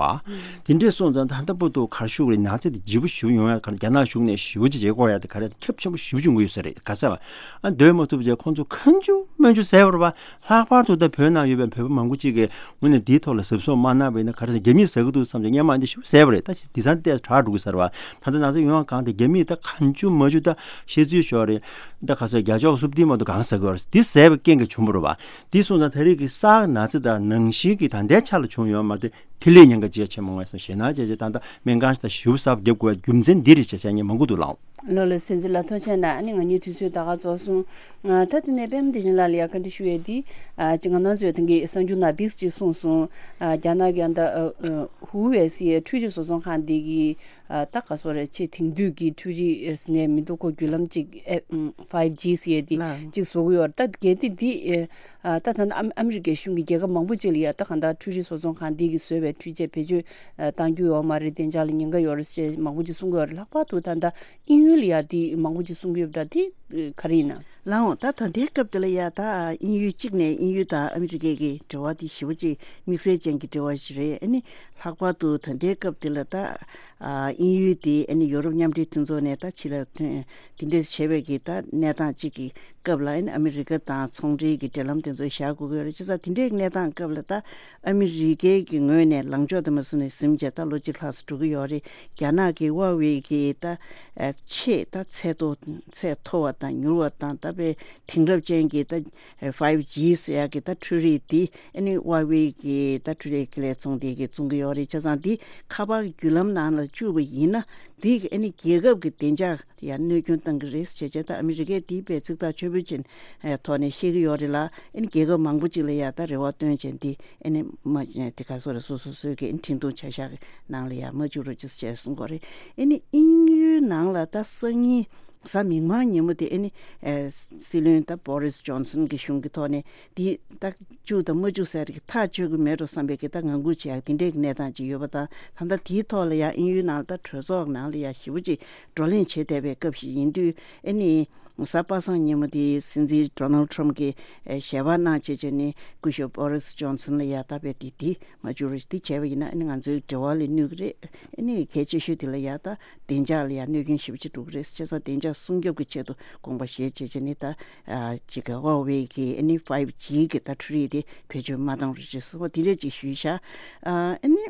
པ། དེ་འདྲས་སོང་ཙང་ད་ལྟ་བར་དུ་ག་རེ་ཞུ་དགོས་རེད། ན་ཚ་དེ་ལྗིད་པོ་ཞེ་པོ་ཡོང་ཡ་ག་རེ་རྒྱ་ནག་གཞུང་ནས་ཞེ་པོ་ཅིག་བྱེད་དགོས་ཡ་དེ་ག་རེ་ཁྱབ་ཆེན་པོ་ཞེ་པོ་ཅིག་ཡོང་གི་ཡོད་ས་རེད། ག་ས་བ་ཨ་སྡོད་མ་ཐུབ་བྱས་ཁོང་ཚོ་ཁ་མཆུ་མ་མཆུ་ཟས་པ་རེད་པ། ལྷག་པར་དུ་ད་བོད་ནང་ཡོད་པའི་བོད་པ་མང་པོ་ཅིག་གིས་དངོས་གནས་འདིའི་ཐོག་ལ་གཟབ་གཟབ་མ་གནང་བ་ཡིན་ན་ག་རེ་ཟེར་རྒྱ་མིས་ཟ་གི་འདུག་བསམ་བྱས་སྔོན་མ་འདི་ཞེ་པོ་ཟས་པ་རེད། ད་དེང་སང་ཏོག་ཙམ་དྲག་འགྲོ་གི་ས་རེད་པ། ད་ལྟ་ན་ཚ་ཡོང་བ་གང་དེ་རྒྱ་མིས་ད་ཁ་མཆུ་མ་མཆུ་ད་བཤད་ཚུལ་ཞོག་རེད། ད་ག་ས་རྒྱ་ཅོག་སུབ་ཏི་མ་གཏོགས་གང་ཟ་གི་ཡོད་རེད། འདི་ཟས་པའི་རྐྱེན་གྱིས་བྱུང་བ་རེད་པ། འདི་སོང་ཙང་ད་རེས་ཀྱི་སར་ས་ན་ཚ་དང་ནང་བཞིན་གྱི་ད་ལྟའི་ཆ་ལ་བྱུང་ཡོད་མ་རེད། དེ་ལས་ཉེན་ཁ་ཇེ་ཆེ་མང་བ་སོང་ཞེད་སྣང་ཇེ་ཆེ་དང་ད་སྨན་ཁང་ཞིག་ད་ཞིབ་གསལ་བརྒྱབ་དགོས་རྒྱུ་མཚན་འདི་རེད་ཅེས་བཤད་མཁན་མང་པོ་འདུག་ལགས། ལགས་ལགས། གསན་གཟིགས་ལགས་ཐུགས་རྗེ་གནང་། ཨ་ནི་ང་གཉིས་དུས་ཚོད་ད་ག་རྫོགས་སོང་། ཨ་ད་དེ་ནས་པད་མ་བདེ་ཆེན་ལགས་ལ་ཡ་བཀའ་འདྲི་ཞུ་ཡས་འདི་ཨ་ཅིག་ང་རང་ཚོས་ད་གིན་གསར་འགྱུར་ནང་འདི་ཅིག་གསུངས་སོང་། ཨ་རྒྱ་ནག་གི་ཨ་ད་ཨ་ཨ་ཧུའུ་ཝེ་ཟེར་ཡས་འཕྲུལ་རིག་བཟོ་ཚོང་ཁང་འདི་གི་ཨ་ད་ག་སོ་རེད། ཆེས་དེང་དུས་ཀྱི་འཕྲུལ་རིག་ཟེར་ནས་མི་འདུག་གོ་བརྒྱུད་ལམ་ཅིག་ཨེ་ཕའིབ་ཇི་ཟེར་ཡས་འདི་ལགས། ཅིག་བཟོ་གི་ཡོད་རེད། ད་གལ་ཏེ་འདི་ཨེ་ཨ་ད་ད་ལྟ་ཨ་ཨ་མི་རི་ཀའི་གཞུང་གིས་རྒྱལ་ཁབ་མང་པོ་ཅིག་ལ་ཡ་ད་གང་ལྟར་འཕྲུལ་རིག་བཟོ་ཚོང་ཁང་འདི་གིས་བཟོས་པའི་འཕྲུལ་ཆས་བེད་སྤྱོད་ཨ་བཏང་རྒྱུ་ཡོད་མ་རེད། བདེ་འཇགས་ལ་ཉེན་ཁ་ཡོད་རེད་ཅེས་མང་པོ་ཅིག་གསུང་གི་ཡོད་རེད། ལྷག་པར་དུ་ད་ལྟ་དབྱིན་ཡུལ་ལ་ཡ་འདི་མང་པོ་ཅིག་གསུང་གི་ཡོད་པ་འདྲ། འདི་ཨ་ག་རེ་ཡིན་ན། ལགས་འོང་། ད་ད་ལྟའི་སྐབས་འདི་ལ་ཡ་ད་དབྱིན་ཡུལ་གཅིག་ནས་དབྱིན་ཡུལ་དང་ཨ་མི་རི་ཀའི་གི་འབྲེལ་བ་འདི་ཞེ་པོ་ཅིག་དམིགས་བསལ་ཅན་གྱི་འབྲེལ་བ་ཞིག་རེད། ཨ་ནི་ལྷག་པར་དུ་ད་ལྟའི་སྐབས་འདི་ལ་ད་ཨ་དབྱིན་ཡུལ་དེ་ཨ་ནི་ཡོ་རོབ་མཉམ་འབྲེལ་མཐུན་ཚོགས་ནས་ད་ཕྱི་ལ་ཐོན་དེ་འདྲས་བྱས་པའི་གི་ད་གནས་སྟངས་གཅིག་གི་སྐབས་ལ་ཨ་ནི་ཨ་མི་རི་ཀ་དང་ཚོང་འབྲེལ་གྱི་འབྲེལ་ལམ་དེ་ཚོ་བཞག་དགོས་ཀྱི་ཡོད་རེད། བྱས་ཙང་དེ་འདྲའི་གནས་སྟངས་སྐབས་ལ་ད་ཨ་མི་རི་ཀའི་གི་ངོས་ནས་ལངས་ཕྱོགས་དེ་མ་སུ་ནས་ཟིན་བྱས་ད་ལོ་གཅིག་ལྷག་ཙམ་འགྲོ་གི་ཡོད་རེད། རྒྱ་ནག་གི་ཧྭ་ཝེ་གི་ད་ཨ་ཆེས་ད་ཚད་མཐོ་ཚད་མཐོ་བ་དང་མྱུར་བ་དང་ད་དཔེ་དེང་རབས་ཅན་གྱི་ད་ཕའིབ་ཇི་ཟེར་ཡག་གི་ད་འཕྲུལ་རིག་འདི་ཨ་ནི་ཧྭ་ཝེ་གི་ད་འཕྲུལ་རིག་ལས་ཚོང་དེ་གི་བཙོང་གི་ཡོད་རེད། བྱས་ཙང་འདི་ཁ་པར་བརྒྱུད་ལམ་ནང་ལ་བཅུག་པ་ཡིན་ན་འདི་ཨ་ནི་རྒྱལ་ཁབ་ཀྱི་བདེ་འཇགས་ཡང་གནོད་སྐྱོན་བཏང་གི་རེད་ཟེར་བྱས་ད་ཨ་མི་རི་ཀས་དེའི་དཔེ་ཚིག་ཐག་ཆོད་པོ་ཅན་ཐོག་ནས་བཤད་ཀྱི་ཡོད་རེད་ལ། ཨ་ནི་རྒྱལ་ཁབ་མང་པོ་ཅིག་ལ་ཡ་ད་རེ་བ་བཏོན་བྱས་འདི་ཨ་ནི་མ་དེ་ག་སོ་རེད། སོ་སོ་སོའི་གི་ཨ་ནི་འཕྲིན་ཐུང་བྱ་བཞག་གི་ནང་ལ་ཡ་མ་བཅུག་རོགས་ཅེས་བྱས་གསུང་གི་ཡོད་རེད། ཨ་ནི་དབྱིན་ཡུལ་ནང་ལ་ད་སང་ཉིན་གཟའ་མིག་དམར་ཉིན་མོ་དེ་ཨ་ནི་ཨ་སྲིད་བློན་ད་བོ་རིས་ཇོན་སན་གྱི་གཞུང་གི་ཐོག་ནས་འདི་ད་བཅུག་དང་མ་བཅུག་ཟེར་གི་ཐག་ཆོད་གི་མེད་འགྲོ་བསམ་པའི་གི་ད་ངང་སྒུག་བྱེད་ཡག་དེ་འདྲའི་གི་གནས་སྟངས་ཅིག་ཡོད་པ་དང་། ད་ལྟ་དེའི་ཐོག་ལ་ཡང་དབྱིན་ཡུལ་ནང་ལ་ད་གྲོས་ཚོགས་ནང་ལ་ཡང་ཞེ་པོ་ཅིག་བགྲོ་གླེང་བྱེད་བསྡད་པའི་སྐབས་ཤིག་ཡིན་དུས་ཨ་ནི་གཟའ་པ་སངས་ཉིན་མོ་དེ་སྲིད་འཛིན་ཌོ་ནལ་ཊམ་གྱིས་ཨ་ཞལ་པར་གནང་བྱས་བྱས་ནས་སྐུ་ཞབས་བོ་རིས་ཇོན་སན་ལ་ཡང་ད་དཔེ་དེ་དེ་མ་བཅུག་རོགས་ཞེས་དེ་བྱས་པ་ཡིན་ན་ཨ་ནི་ང་ཚོའི་འབྲེལ་བ་ལ་གནོད་གི་རེད། ཨ་ནི་གལ་ཆེ་ཤོས་དེ་ལ་ཡ་ད་བདེ་འཇགས་ལ་ཡ་གནོད་སྐྱོན་ཞེ་པོ་ཅིག་འགྲོ་གི་རེད། བྱས་ཙང་བདེ་འཇགས་སྲུང་སྐྱོབ་ཀྱི་ཆེད་དུ་དགོངས་པ་བཞེས་བྱས་བྱས་ནས་ད་ཨ་ཅིག་གི་ཧྭ་ཝེ་གི་ཨ་ནི་ཕའིབ་ཇི་གི་ད་འཕྲུལ་རིག་དེ་བེད་སྤྱོད་མ་བཏང་རོགས་ཞེས་གསུངས་པ་དེ་འདྲས་ཅིག་ཞུས་ཤག་ཨ་ནི་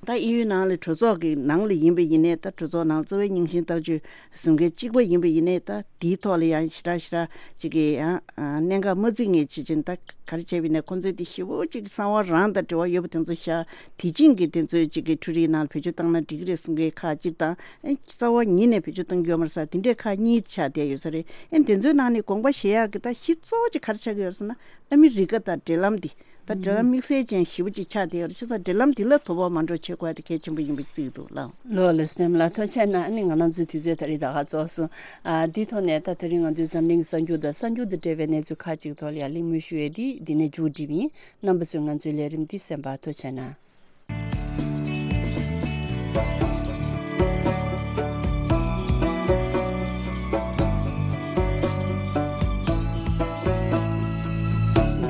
ད་དབྱིན་ཡུལ་ནང་ལ་གྲོས་ཚོགས་ཀྱི་ནང་ལ་ཡིན་པ་ཡིན་ནའི་ད་གྲོས་ཚོགས་ནང་གཙོ་བོའི་རྙིང་ཞེན་ལྟ་སྤྱོད་བཟུང་མཁན་གཅིག་པ་ཡིན་པ་ཡིན་ནའི་ད་དེའི་ཐོག་ལ་ཡང་ཞེ་དྲག་ཞེ་དྲག་ཅིག་གི་ཡང་གནད་འགག་མ་བརྩི་མཁན་བྱེད་ཅིང་ད་ག་རེ་བྱས་པ་ཡིན་ནའི་ཁོང་ཚོས་དེ་ཞེ་པོ་ཅིག་གསང་བ་རང་དང་འབྲེལ་བ་ཡོད་པ་དེ་ཚོ་ཤ་དེ་ཅིང་གི་དེ་ཚོས་ཅིག་གི་འཕྲུལ་རིག་ནང་ལ་བེད་སྤྱོད་བཏང་ན་འགྲིག་གི་རེད་གསུང་མཁན་ཁག་ཅིག་དང་། ཨེ་རྩ་བ་ཉིད་ནས་བེད་སྤྱོད་གཏོང་རྒྱུ་ཡོད་མ་རེད་ས་དེ་འདྲས་ཁག་གཉིས་ཆགས་བསྡད་ཡོད་ས་རེད། ཨེ་དེ་ཚོའི་ནང་ནས་དགོངས་པ་བཞེས་ཡག་གི་ད་གཞི་གཙོ་བོ་ཅིག་ག་རེ་ཆགས་ཀྱི་ཡོད་རེད་ཟེར་ན་ཨ་མི་རི་ཀ་དང་འབྲེལ་ལམ་འདི་ ད་འབྲེལ་ལམ་དམིགས་བསལ་ཅན་ཞེ་པོ་ཅིག་ཆགས་བསྡད་ཡོད་རེད། བྱས་ཙང་འབྲེལ་ལམ་འདི་ལ་དོ་ཕོག་མ་འགྲོ་བྱེད་དགོས་དེ་གལ་ཆེན་པོ་ཡིན་པ་བརྩི་གི་འདུག་ལགས། ལགས་ལགས་སོ། པད་མ་ལགས་ཐུགས་རྗེ་ཆེ་གནང་། ཨ་ནི་ང་རང་ཚོའི་དུས་ཚོད་ད་རེས་ད་ག་རྫོགས་སོང་། ཨ་འདིའི་ཐོག་ནས་ད་དེ་རིང་ང་ཚོའི་འཛམ་གླིང་གསར་འགྱུར་དང་གསར་འགྱུར་དང་འབྲེལ་བའི་གནས་ཚུལ་ཁག་ཅིག་ཐོག་ལ་ཡང་གླེང་མོལ་ཞུ་ཡས་འདི་འདི་ནས་མཇུག་སྒྲིལ་ཡིན། རྣམ་པ་ཚོས་ང་ཚོའི་ལས་རིམ་འདི་གསན་པར་ཐུགས་རྗེ་གནང་།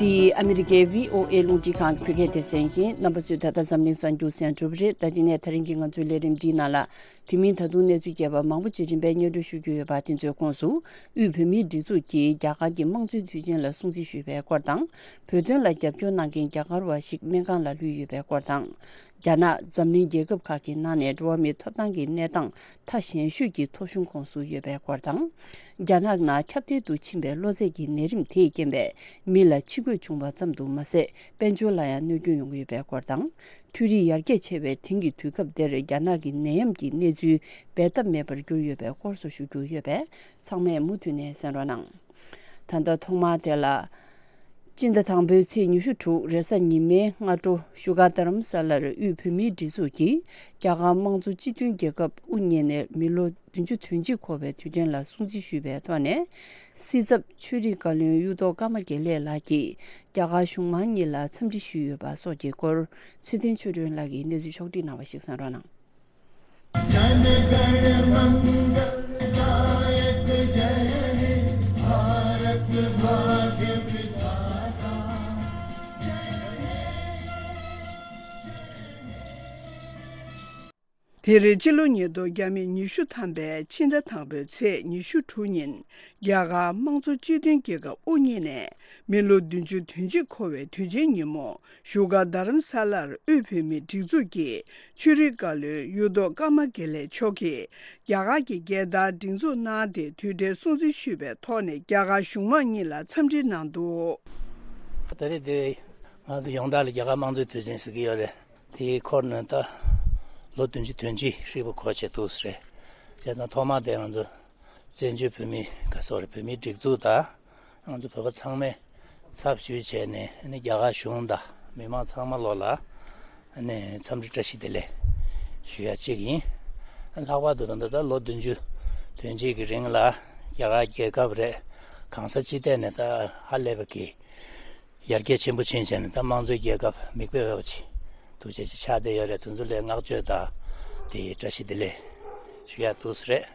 འདི་ཨ་མི་རི་ཀའི་བྷི་ཨོ་ཨེ་རླུང་འཕྲིན་ཁང་གི་བོད་སྐད་སྡེ་ཚན་ཡིན། རྣམ་པ་ཚོས་ད་ལྟ་འཛམ་གླིང་གསར་འགྱུར་གསན་གྲུབ་རེད། ད་འདི་ནས་ད་རིང་གི་ང་ཚོའི་ལས་རིམ་འདིའི་ནང་ལ། དེ་མིན་ད་དུང་གནས་ཚུལ་རྒྱས་པ་མང་པོ་ཅིག་རིམ་པས་སྙན་སྒྲོན་ཞུ་རྒྱུ་ཡོད་པ་དེ་ཚོའི་ཁོངས་སུ། དབུས་བོད་མིའི་སྒྲིག་འཛུགས་ཀྱིས་རྒྱ་གར་གྱི་དམངས་གཙོའི་དུས་ཆེན་ལ་སྲུང་བརྩི་ཞུས་པའི་སྐོར་དང་། བོད་དོན་ལ་རྒྱབ་སྐྱོར་གནང་མཁན་རྒྱ་གར་བ་ཞིག་སྨན་ཁང་ལ་ལུས་ཡོད་པའི་སྐོར་དང་། རྒྱ་ནག་འཛམ་གླིང་རྒྱལ་ཁབ་ཁག་གི་ནང་ནས་འགྲོ་བ་མིའི་ཐོབ་ཐང་གི་གནས་སྟངས་མཐའ་ཞན་ཤོས་ཀྱི་ཐོ་གཞུང་ཁོངས་སུ་ཡོད་པའི་སྐོར་དང་། རྒྱ་ནག་ནང་ཁྱབ་གདལ་དུ་ཕྱིན་པའི་གློ་ཚད་ཀྱི་ནད་རིམས་དེས་རྐྱེན་པས་མི་ལ་ཕྱི་གོས་བྱུང་བ་ཙམ་དུ་མ་ཟད། དཔལ་འབྱོར་ལ་ཡང་གནོད་སྐྱོན་ཡོང་གི་ཡོད་པའི་སྐོར་དང་། འཕྲུལ་རིག་ཡར་རྒྱས་ཆེ་བའི་དེང་གི་དུས་སྐབས་འདིར་རྒྱ་ནག་གི་ནད་ཡམས་ཀྱི་གནས་ཚུལ་འབད་ཐབས་མེད་པར་གྱུར་ཡོད་པའི་སྐོར་སོགས་ཞུ་རྒྱུ་ཡོད་པས། ཚང་མས་མུ་མཐུད་ནས་གསན་རོགས་གནང་། ད་ལྟ་ཐོག་མར་དེ་ལ། སྤྱི་ཟླ་དང་པོའི་ཚེས་ཉི་ཤུ་དྲུག་རེས་གཟའ་ཉི་མའི་སྔ་དྲོ་བཞུགས་སྒར་རྡ་རམ་ས་ལར་དབུས་བོད་མིའི་སྒྲིག་འཛུགས་ཀྱིས་རྒྱ་གར་དམངས་གཙོ་སྤྱི་མཐུན་རྒྱལ་ཁབ་དབུ་བརྙེས་ནས་མི་ལོ་བདུན་ཅུ་དོན་གཅིག་འཁོར་བའི་དུས་དྲན་ལ་སྲུང་བརྩི་ཞུས་པའི་ཐོག་ནས། སྲིད་ཚབ་ཆོས་རིག་བཀའ་བློན་གཡུ་ཐོག་ཀརྨ་དགེ་ལེགས་ལགས་ཀྱིས་རྒྱ་གར་གཞུང་མང་གཉིས་ལ་འཚམས་འདྲི་ཞུས་ཡོད་པ་སོགས་ཀྱི་སྐོར་ཚེ་བརྟན་ཆོས་སྒྲོན་ལགས་ཀྱིས་གནས་ཚུལ་ཕྱོགས་བསྒྲིགས་གནང་བ་ཞིག་གསན་རོགས་གནང་། དེ་རིང་སྤྱི་ལོ་ཉིས་སྟོང་ཉི་ཤུ་ཐམ་པའི་ཕྱི་ཟླ་དང་པོའི་ཚེས་ཉི་ཤུ་དྲུག་ཉིན། རྒྱ་གར་དམངས་གཙོ་སྤྱི་མཐུན་རྒྱལ་ཁབ་དབུ་བརྙེས་ནས་མི་ལོ་བདུན་ཅུ་དོན་གཅིག་འཁོར་བའི་དུས་ཆེན་ཉིན་མོ། བཞུགས་སྒར་རྡ་རམ་ས་ལར་དབུས་བོད་མིའི་སྒྲིག་འཛུགས་ཀྱི་ཆོས་རིག་བཀའ་བློན་གཡུ་ཐོག་ཀརྨ་དགེ་ལེགས་མཆོག་གིས་རྒྱ་གར་གྱི་རྒྱལ་དར་སྒྲེང་འཛུགས་གནང་སྟེ་དུས་དྲན་སྲུང་བརྩི་ཞུས་པའི་ཐོག་ནས་རྒྱ་གར་གཞུང་མང་གཉིས་ལ་འཚམས་འདྲི་གནང་འདུག། ད་རེས་འདི་ང་ཚོ་ཡོངས་གྲགས་ལ་རྒྱ་གར་དམངས་གཙོའི་དུས་ཆེན་ཟེར་གྱི་ཡོད་རེད། དེའི་འཁོར་ནས་ད་ལོ་བདུན་ཅུ་དོན་གཅིག་ཧྲིལ་པོ་འཁོར་བྱས་འདུག་ཟེར། བྱས་ཙང་ཐོག་མ་དེ་ང་ཚོ་བཙན་བྱོལ་བོད་མི་ག་ཚོད་རེད། བོད་མིའི་སྒྲིག་འཛུགས་དང་ང་ཚོ་བོད་པ་ཚང་མས་ཚབ་ཞུས་བྱས་ནས་ཨ་ནི་རྒྱ་གར་གཞུང་དང་མི་མང་ཚང་མ་ལོ་ལ་ཨ་ནི་འཚམས་འདྲི་བཀྲ་ཤིས་བདེ་ལེགས་ཞུ་ཡ་གཅིག་ཡིན། ལྷག་པར་དུ་ད་ལྟ་ད་ལོ་བདུན་ཅུ་དོན་གཅིག་གི་རིང་ལ་རྒྱ་གར་རྒྱལ་ཁབ་རེད། གང་ས་ཅི་ཐད་ནས་ད་ཧ་ལས་པ་གི་ཡར་རྒྱས་ཆེན་པོ་ཕྱིན་བྱས་ནས་ད་དམངས་གཙོའི་རྒྱལ་ཁབ་མིག་དཔེ་འོས་པ་ཅིག་ཐུགས་རྗེ་ཆེ་ཆགས་བསྡད་ཡོད་རེད། དེ་ཚོ་ལ་བསྔགས་བརྗོད་དང་དེ་བཀྲ་ཤིས་བདེ་ལེགས་ཞུ་ཡག་འདུག་ཟེར།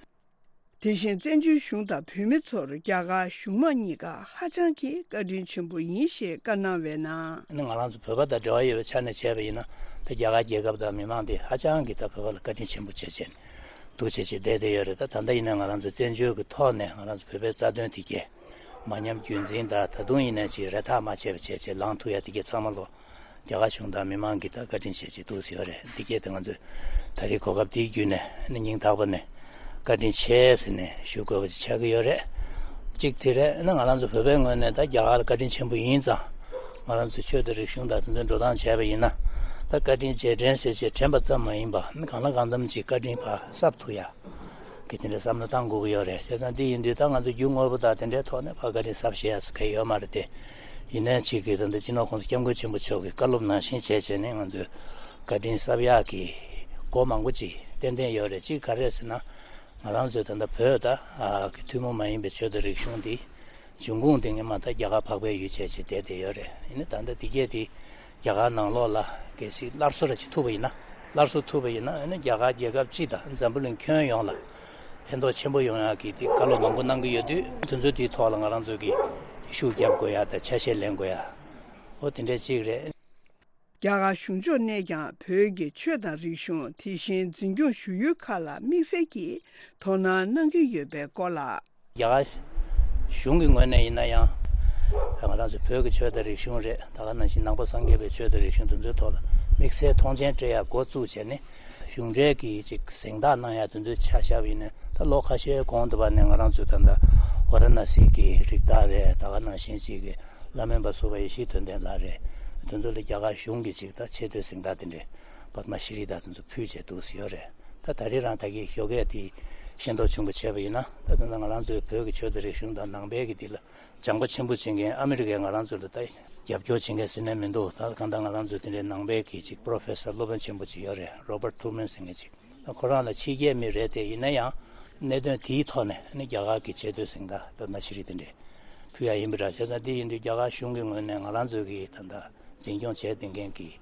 དེ་བཞིན་བཙན་བྱོལ་གཞུང་དང་བོད་མི་ཚོར་རྒྱ་གར་གཞུང་མང་གཉིས་ཀ་ཧ་ཅང་གི་བཀའ་དྲིན་ཆེན་པོ་ཡིན་ཞེས་བཀའ་གནང་བའི་ནང་། ང་རང་ཚོ་བོད་པ་དང་འབྲེལ་བ་ཡོད་པའི་ཆ་ནས་བྱས་པ་ཡིན་ན་ད་རྒྱ་གར་རྒྱལ་ཁབ་དང་མི་མང་དེ་ཧ་ཅང་གི་ད་བོད་པ་ལ་བཀའ་དྲིན་ཆེན་པོ་བྱེད་བྱས་ནས་འདུག་བྱེད་བྱེད་བསྡད་བསྡད་ཡོད་རེད། ད་ད་ལྟ་ཡིན་ན་ང་རང་ཚོ་བཙན་བྱོལ་གྱི་ཐོག་ནས་ང་རང་ཚོ་བོད་པའི་རྩ་དོན་དེ་གས་མ་ཉམས་རྒྱུན་འཛིན་དང་ད་དུང་ཡིན་ན་ཅིག་རེ་ཐག་མ་ཆད་པ་བྱས་བྱས་ལངས་ཐུབ་ཡ་དེ་གས་ཚང་མ་ལོ་རྒྱ་གར་གཞུང་དང་མི་མང་གིས་ད་བཀའ་དྲིན་ཆེ་ཆེ་འདུག་ཟེར་བ་རེད། འདི་སྐད་དེ་ང་ཚོས་ད་རེས་གོ་སྐབས་འདི་བརྒྱུད་ནས་ནི་སྙིང་ཐག་པ་ནས་བཀའ་དྲིན་ཆེ་ཟེར་ནས་ཞུ་དགོས་པ་ཅིག་ཆགས་ཀྱི་ཡོད་རེད། གཅིག་དེ་རེད། ནི་ང་རང་ཚོ་བོད་པའི་ངོས་ནས་ད་རྒྱ་གར་ལ་བཀའ་དྲིན་ཆེན་པོ་ཡིན་ཙང་། ང་རང་ཚོ་ཆོས་དང་རིག་གཞུང་དང་དེ་ཚོའི་འགྲོ་སྟངས་བྱས་པ་ཡིན་ན། ད་བཀའ་དྲིན་རྗེས་དྲན་ཟེར་བྱས་དྲན་པ་ཙམ་མ་ཡིན་པ་ནི་གང་ལ་གང་འཚམ་ཅིག་བཀའ་དྲིན་ཕར་གསབ་ཐུབ་ཡ། གི་དེ་འདྲ་བསམ་བློ་བཏང་དགོས་ཀྱི་ཡོད་རེད། བྱས་ཙང་འདི་ཡིན་དུས་ད་ང་ཚོ་རྒྱུ་དངོས་པོ་དང་དེ་འདྲའི་ཐོག་ནས་ཕར་བཀའ་དྲིན་གསབ་ཤེས་ཡ་ཟེར་མཁན་ཡོད་མ་རེད་དེ། ཡིན་ནའི་གཅིག་གིས་ད་ལྟ་སྤྱི་ནོར་༸གོང་ས་༸སྐྱབས་མགོན་ཆེན་པོ་མཆོག་གི་བཀའ་སློབ་ནང་བཞིན་བྱས་བྱས་ནས་ང་ཚོས་བཀའ་དྲིན་གསབ་ཡག་གི་སྒོ་མང་པོ་ཅིག་ཏན་ཏན་ཡོད་རེད། གཅིག་ག་རེ་ཟེར་ན། ང་རང་ཚོའི་ད་ལྟ་བོད་ད་གི་ཐུན་མོང་མ་ཡིན་པའི་ཆོས་དང་རིག་གཞུང་འདི་འབྱུང་ཁུངས་དེ་སྔོན་མ་ད་རྒྱ་གར་འཕགས་པའི་ཡུལ་བྱས་བྱས་བསྡད་བསྡད་ཡོད་རེད། ཡིན་ནའི་ད་ལྟ་འདི་གས་དེ་རྒྱ་གར་ནང་ལོགས་ལ་གལ་སྲིད་སླར་གསོ་ར་ཅིག་ཐུབ་པ་ཡིན་ན། སླར་གསོ་ཐུབ་པ་ཡིན་ན་ཨ་ནི་རྒྱ་གར་རྒྱལ་ཁབ་སྤྱི་དང་འཛམ་བུ་གླིང་ཁྱོན་ཡོངས་ལ་ཕན་ཐོགས་ཆེན་པོ་ཡོང་ཡག་གི་དེ་བཀའ་སློབ་མང་པོ་གནང་གི་ཡོད་དུས། དེ་ཚོ་དེའི་ཐོག་ལ་ང་རང་ཚོ་གིས་ཤུགས་རྒྱབ་དགོས་ཡ་དང་ཆ་ཤས་ལེན་དགོས་ཡ། འོ་དེ་འདྲ་ཅིག་རེད། རྒྱ་གར་གཞུང་ཕྱོགས་ནས་ཀྱང་བོད་ཀྱི་ཆོས་དང་རིག་གཞུང་དེ་བཞིན་འཛིན་སྐྱོང་ཞུ་ཡུལ་ཁག་ལ་དམིགས་བསལ་གྱིས་དོ་སྣང་གནང་གི་ཡོད་པའི་སྐོར་ལ། རྒྱ་གར་གཞུང་གི་ངོས་ནས་ཡིན་ན་ཡང་། ང་རང་ཚོ་བོད་ཀྱི་ཆོས་དང་རིག་གཞུང་རེད། ད་ག་ནང་བཞིན་ནང་པ་སངས་རྒྱས་པའི་ཆོས་དང་རིག་གཞུང་དེ་ཚོའི་ཐོག་ལ་དམིགས་བསལ་མཐོང་ཆེན་སྤྲད་ཡ་འགོ་བཙུགས་བྱས་ནས། གཞུང་འབྲེལ་གྱི་ཅིག་གཟེངས་རྟགས་གནང་ཡ་དེ་ཚོའི་ཆ་བཞག་པ་ཡིན་ན། ད་ལོ་ཁ་ཤས་གོང་དུ་བ་ནས་ང་རང་ཚོས་ད་ལྟ་ཝཱ་ར་ཎ་སི་གི་རིགས་བདག་རེད། ད་ག་ནང་བཞིན་ཅིག་གི་བླ་སྨན་པ་ཟུར་པ་ཡེ་ཤེས་དོན་ལྡན་ལགས་རེད། དེ་ཚོ་ལ་རྒྱ་གར་གཞུང་གི་ཅིག་ད་ཆེ་བསྟོད་གཟེངས་རྟགས་དེ་འདྲའི་པདྨ་ཤྲི་རི་དང་དེ་ཚོ་ཕུལ་བྱས་འདུག་ཟེར་ཡོད་རེད། ད་ད་རེས་རང་ད་གི་ཞོགས་ཀས་དེ་ ཤེས་རྟོགས་ཆེན་པོ་བྱས་པ་ཡིན་ན། ད་ད་ལྟ་ང་རང་ཚོའི་བོད་ཀྱི་ཆོས་དང་རིག་གཞུང་དང་ནང་པའི་གི་འདི་ལ་སྦྱང་པ་ཆེན་པོ་བྱེད་མཁན་ཨ་མི་རི་ཀས་ང་རང་ཚོ་ལ་ད་རྒྱབ་སྐྱོར་བྱེད་མཁན་ཟེར་ནས་མི་འདུག་ད་གང་ལྟར་ང་རང་ཚོ་དེ་འདྲའི་ནང་པའི་གི་ཅིག་པོ་རོ་ཕེ་སར་སློབ་དཔོན་ཆེན་པོ་ཅིག་ཡོད་རེད། རོ་བར་ཊི་ཐུར་མན་ཟེར་མཁན་ཅིག་ད་ཁོ་རང་ལ་ཕྱི་རྒྱལ་མི་རེད་དེ། ཡིན་ན་ཡང་གནད་དོན་དེའི་ཐོག་ནས་ནི་རྒྱ་གར་གྱི་ཆེས་མཐོའི་གཟེངས་རྟགས་ད་མ་ཤི་རི་དེ་འདྲས་ཕུལ་ཡ་ཡིན་པ་འདྲ། བྱས་ཙང་དེ་ཡིན་དུས་རྒྱ་གར་གཞུང་གི་ངོས་ནས་ང་རང་ཚོའི་གི་ད་ལྟ་འཛིན་སྐྱོང་བྱས་བསྡད་མཁན་གྱི་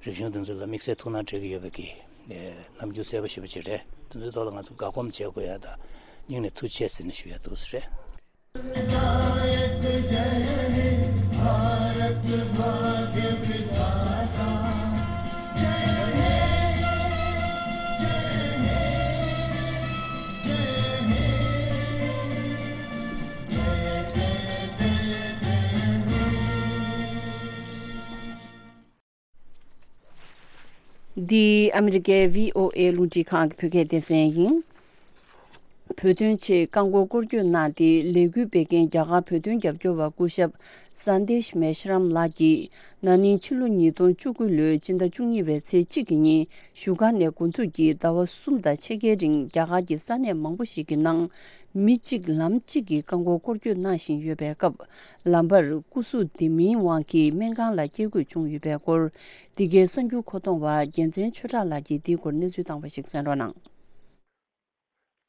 རིག་གཞུང་དེ་ཚོ་ལ་དམིགས་བསལ་ཐུགས་སྣང་སྤྲད་ཀྱི་ཡོད་པའི་གི་རྣམ་འགྱུར་གསལ་པོ་ཞེ་པོ་ཅིག་རེད། དེ་ཚོའི་ཐོག་ལ་ང་ཚོ་དགའ་སྒོམ་བྱེད་དགོས་ཡ་དང་སྙིང་ནས་ཐུགས་རྗེ་ཆེ་ཟེར་ནས་ཞུ་ཡ་འདུག་ཟེར་རེད། འདི་ཨ་མི་རི་ཀའི་བྷི་ཨོ་ཨེ་རླུང་འཕྲིན་ཁང་གི་བོད་སྐད་སྡེ་ཚན་ཡིན། བོད་དོན་ཆེད་རྐང་འཁོར་སྐོར་སྐྱོད་གནང་སྟེ་ལས་འགུལ་སྤེལ་མཁན་རྒྱ་གར་བོད་དོན་རྒྱབ་སྐྱོར་བ་སྐུ་ཞབས་སན་དེཤ་མེ་ཤི་རམ་ལགས་ཀྱིས་ན་ནིང་ཕྱི་ལོ་ཉིས་སྟོང་བཅུ་དགུ་ལོའི་སྤྱི་ཟླ་བཅུ་གཉིས་པའི་ཚེས་གཅིག་གི་ཉིན་བཞུགས་སྒར་ནས་འགོ་འཛུགས་ཀྱིས་ཟླ་བ་གསུམ་དང་ཕྱེད་ཀའི་རིང་རྒྱ་གར་གྱི་ས་གནས་མང་པོ་ཞིག་གི་ནང་མི་གཅིག་ལམ་གཅིག་གི་རྐང་འཁོར་སྐོར་སྐྱོད་གནང་བཞིན་ཡོད་པའི་སྐབས། ལམ་བར་སྐུ་གཟུགས་བདེ་མིན་དབང་གིས་སྨན་ཁང་ལ་སྐྱེལ་དགོས་བྱུང་ཡོད་པའི་སྐོར། འདི་གའི་གསར་འགྱུར་མཁོ་གཏོང་བ་རྒྱལ་མཚན་ཆོས་གྲགས་ལགས་ཀྱིས་འདིའི་སྐོར་གནས་ཚུལ་བཏང་བ་ཞིག་གསན་རོགས་གནང་།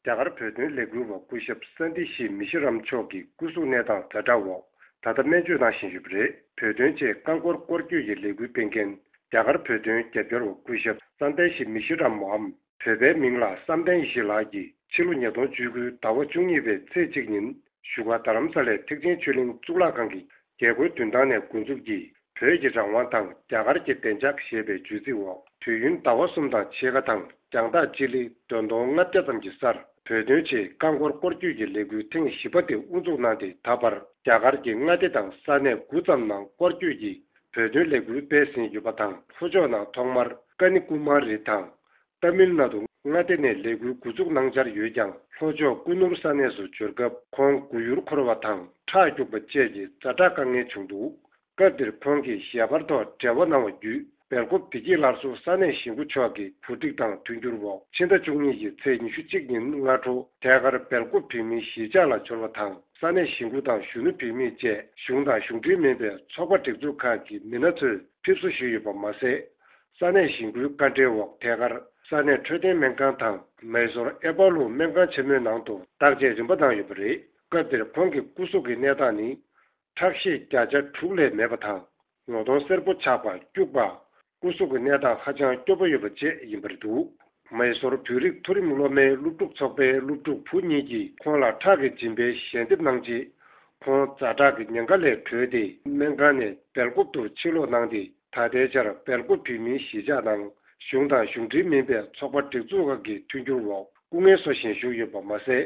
རྒྱ་གར་བོད་དོན་ལས་འགུལ་བ་སྐུ་ཞབས་སན་དི་ཤི་མི་ཤི་རམ་མཆོག་གི་སྐུ་གཟུགས་གནས་སྟངས་ཛ་དྲག་འོག་ད་ལྟ་སྨན་བཅོས་གནང་བཞིན་ཡོད་པ་རེད། བོད་དོན་ཆེད་རྐང་འཁོར་སྐོར་སྐྱོད་ཀྱི་ལས་འགུལ་སྤེལ་མཁན་རྒྱ་གར་བོད་དོན་རྒྱབ་སྐྱོར་བ་སྐུ་ཞབས་སན་དི་ཤི་མི་ཤི་རམ་མོའམ། བོད་པའི་མིང་ལ་བསམ་གཏན་ཡེ་ཤེས་ལགས་ཀྱིས་ཕྱི་ལོ་ཉིས་སྟོང་བཅུ་དགུ་ཟླ་བ་བཅུ་གཉིས་པའི་ཚེས་གཅིག་ཉིན་བཞུགས་སྒར་རྡ་རམ་ས་ལའི་ཐེག་ཆེན་ཆོས་གླིང་གཙུག་ལག་ཁང་གི་རྒྱལ་སྒོའི་མདུན་ཐང་ནས་འགོ་འཛུགས་ཀྱིས་བོད་ཀྱི་རང་དབང་དང་རྒྱ་གར་གྱི་བདེ་འཇགས་ཞེས་པའི་བརྗོད་ཚིག་འོག་དུས་ཡུན་ཟླ་བ་གསུམ་དང་ཕྱེད་ཀ་དང་རྒྱང་ཐག་སྤྱི་ལེ་འདོན་སྟོང་ལྔ་བརྒྱ་ཙམ་གྱི་སར་བོད་དོན་ཆེད་རྐང་འཁོར་སྐོར་སྐྱོད་ཀྱི་ལས་འགུལ་ཐེངས་བཞི་པ་དེ་དབུ་འཛུགས་གནང་སྟེ། ད་བར་རྒྱ་གར་གྱི་མངའ་སྡེ་དང་ས་གནས་དགུ་ཙམ་ནང་སྐོར་སྐྱོད་ཀྱིས་བོད་དོན་ལས་འགུལ་སྤེལ་ཟིན་ཡོད་པ་དང་། ལྷོ་ཕྱོགས་ནང་ཐོག་མར་ཀ་ནི་ཀུ་མ་རི་དང་། ཏ་མིལ་ནཱ་ཌུ་མངའ་སྡེ་ནས་ལས་འགུལ་འགོ་འཛུགས་གནང་འཆར་ཡོད་ཀྱང་། ལྷོ་ཕྱོགས་ཀུ་ནུར་ས་གནས་སུ་འབྱོར་སྐབས་ཁོང་མགོ་ཡུར་འཁོར་བ་དང་ཁྲག་སྐྱུག་པ་བཅས་ཀྱི་ཛ་དྲག་དཀའ་ངལ་བྱུང་འདུག་སྐབས་དེར་ཁོང་གིས་ཞལ་པར་ཐོག་འབྲེལ་བ་གནང་བ་བརྒྱུད། སྦེལ་ཀོབ་བདེ་སྐྱིད་སླར་གསོ་ས་གནས་གཞིས་འགོ་མཆོག་གི་གོ་སྒྲིག་དང་མཐུན་འགྱུར་འོག་ཕྱི་ཟླ་བཅུ་གཉིས་ཀྱི་ཚེས་ཉི་ཤུ་གཅིག་ཉིན་སྔ་དྲོ་ཐད་ཀར་སྦེལ་ཀོབ་བོད་མིའི་གཞིས་ཆགས་ལ་འབྱོར་བ་དང་། ས་གནས་གཞིས་འགོ་དང་གཞོན་ནུ་བོད་མི་བཅས་གཞུང་དང་གཞུང་འབྲེལ་མིན་པའི་ཚོགས་པ་སྒྲིག་འཛུགས་ཁག་གི་མི་སྣ་ཚོས་ཕེབས་བསུ་ཞུས་ཡོད་པ་མ་ཟད། ས་གནས་གཞིས་འགོའི་བཀའ་འབྲེལ་འོག་ཐད་ཀར་ས་གནས་འཕྲོད་བསྟེན་སྨན་ཁང་དང་མའི་སོར་ཨེ་པ་ལུ་སྨན་ཁང་ཆེན་མོའི་ནང་དུ་བརྟག་དཔྱད་རིམ་པ་གནང་ཡོད་པ་རེད། སྐབས་དེར་ཁོང་གི་སྐུ་གཟུགས་ཀྱི་གནས་སྟངས་ནི་ཁྲག་ཤེད་བརྒྱ་ཆ་དྲུག་ལས་མེད་པ་དང་། ངོ་གདོང་སེར་པོ་ཆགས་པ། སྐྱུག་པ། སྐུ་གཟུགས་ཀྱི་གནས་སྟངས་ཧ་ཅང་སྐྱོ་པོ་ཡོད་པ་བཅས་ཡིན་པ་རེད་འདུག་མའི་སོར་བོད་རིགས་མཐོ་རིམ་སློབ་མའི་སློབ་ཕྲུག་ཚོགས་པའི་སློབ་ཕྲུག་བུ་གཉིས་ཀྱིས་ཁོང་ལ་ཁྲག་གི་སྦྱིན་པའི་ཞལ་འདེབས་གནང་རྗེས། ཁོང་ཛ་དྲག་གི་ཉེན་ཁ་ལས་གྲོལ་ཏེ་སྨན་ཁང་ནས་སྦེལ་ཀོབ་ཏུ་ཕྱིར་ལོག་གནང་སྟེ། ད་ལྟའི་ཆར་སྦེལ་ཀོབ་བོད་མིའི་གཞིས་ཆགས་ནང་གཞུང་དང་གཞུང་འབྲེལ་མིན་པའི་ཚོགས་པ་སྒྲིག་འཛུགས་ཁག་གི་མཐུན་འགྱུར་འོག་སྐུ་ངལ་གསོ་བཞིན་བཞུགས་ཡོད་པ་མ་ཟད།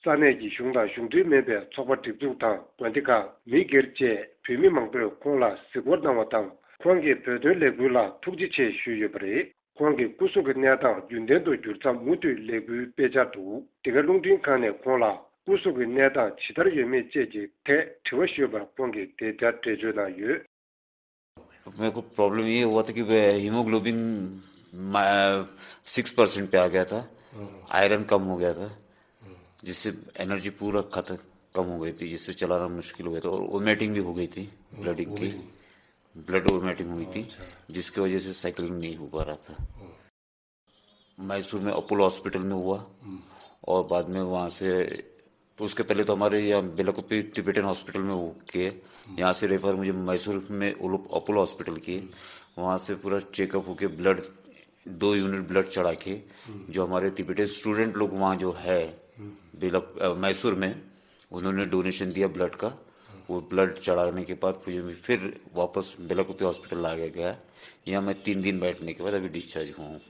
ས་གནས་ཀྱི་གཞུང་དང་གཞུང་འབྲེལ་མིན་པའི་ཚོགས་པ་སྒྲིག་འཛུགས་དང་དགོན་སྡེ་ཁག་མི་སྒེར་བཅས་བོད་མི་མང་པོས་ཁོང་ལ་གཟིགས་སྐོར་གནང་བ་དང་། ཁོང་གིས་བོད་དོན་ལས་འགུལ་ལ་ཐུགས་རྗེ་ཆེ་ཞུས་ཡོད་པ་རེད། ཁོང་གི་སྐུ་གཟུགས་ཀྱི་གནས་སྟངས་རྒྱུན་ལྡན་དུ་འགྱུར་མཚམས་མུ་མཐུད་ལས་འགུལ་སྤེལ་འཆར་འདུག་འདི་ག་རླུང་འཕྲིན་ཁང་ནས་ཁོང་ལ་སྐུ་གཟུགས་ཀྱི་གནས་སྟངས་ཇི་ལྟར་ཡོད་མེད་བཅས་ཀྱི་ཐད་དྲི་བ་ཞུས་པར། ཁོང་གིས་དེ་ལྟར་འགྲེལ་བརྗོད་གནང་ཡོད། मेरे को प्रॉब्लम ये हुआ था कि हीमोग्लोबिन सिक्स परसेंट पे आ गया था। आयरन कम हो गया था, जिससे एनर्जी पूरा खत्म कम हो गई थी, जिससे चलाना मुश्किल हो गया था और वोमिटिंग भी हो गई थी। ब्लडिंग की, ब्लड वोमिटिंग हुई थी, जिसकी वजह से साइकिलिंग नहीं हो पा रहा था। मैसूर में अपोलो हॉस्पिटल में हुआ और बाद में वहाँ से, उसके पहले तो हमारे यहाँ बेलाकोपी टिबेटन हॉस्पिटल में हो के, यहाँ से रेफर मुझे मैसूर में उलुप-, अपोलो हॉस्पिटल की, वहाँ से पूरा चेकअप होके ब्लड, दो यूनिट ब्लड चढ़ा के, जो हमारे तिबेटन स्टूडेंट लोग वहाँ जो है बेला-, अ, मैसूर में, उन्होंने डोनेशन दिया ब्लड का। वो ब्लड चढ़ाने के बाद फिर फिर वापस बेलाकोपी हॉस्पिटल लाया गया। यहाँ मैं तीन दिन बैठने के बाद अभी डिस्चार्ज हुआ हूँ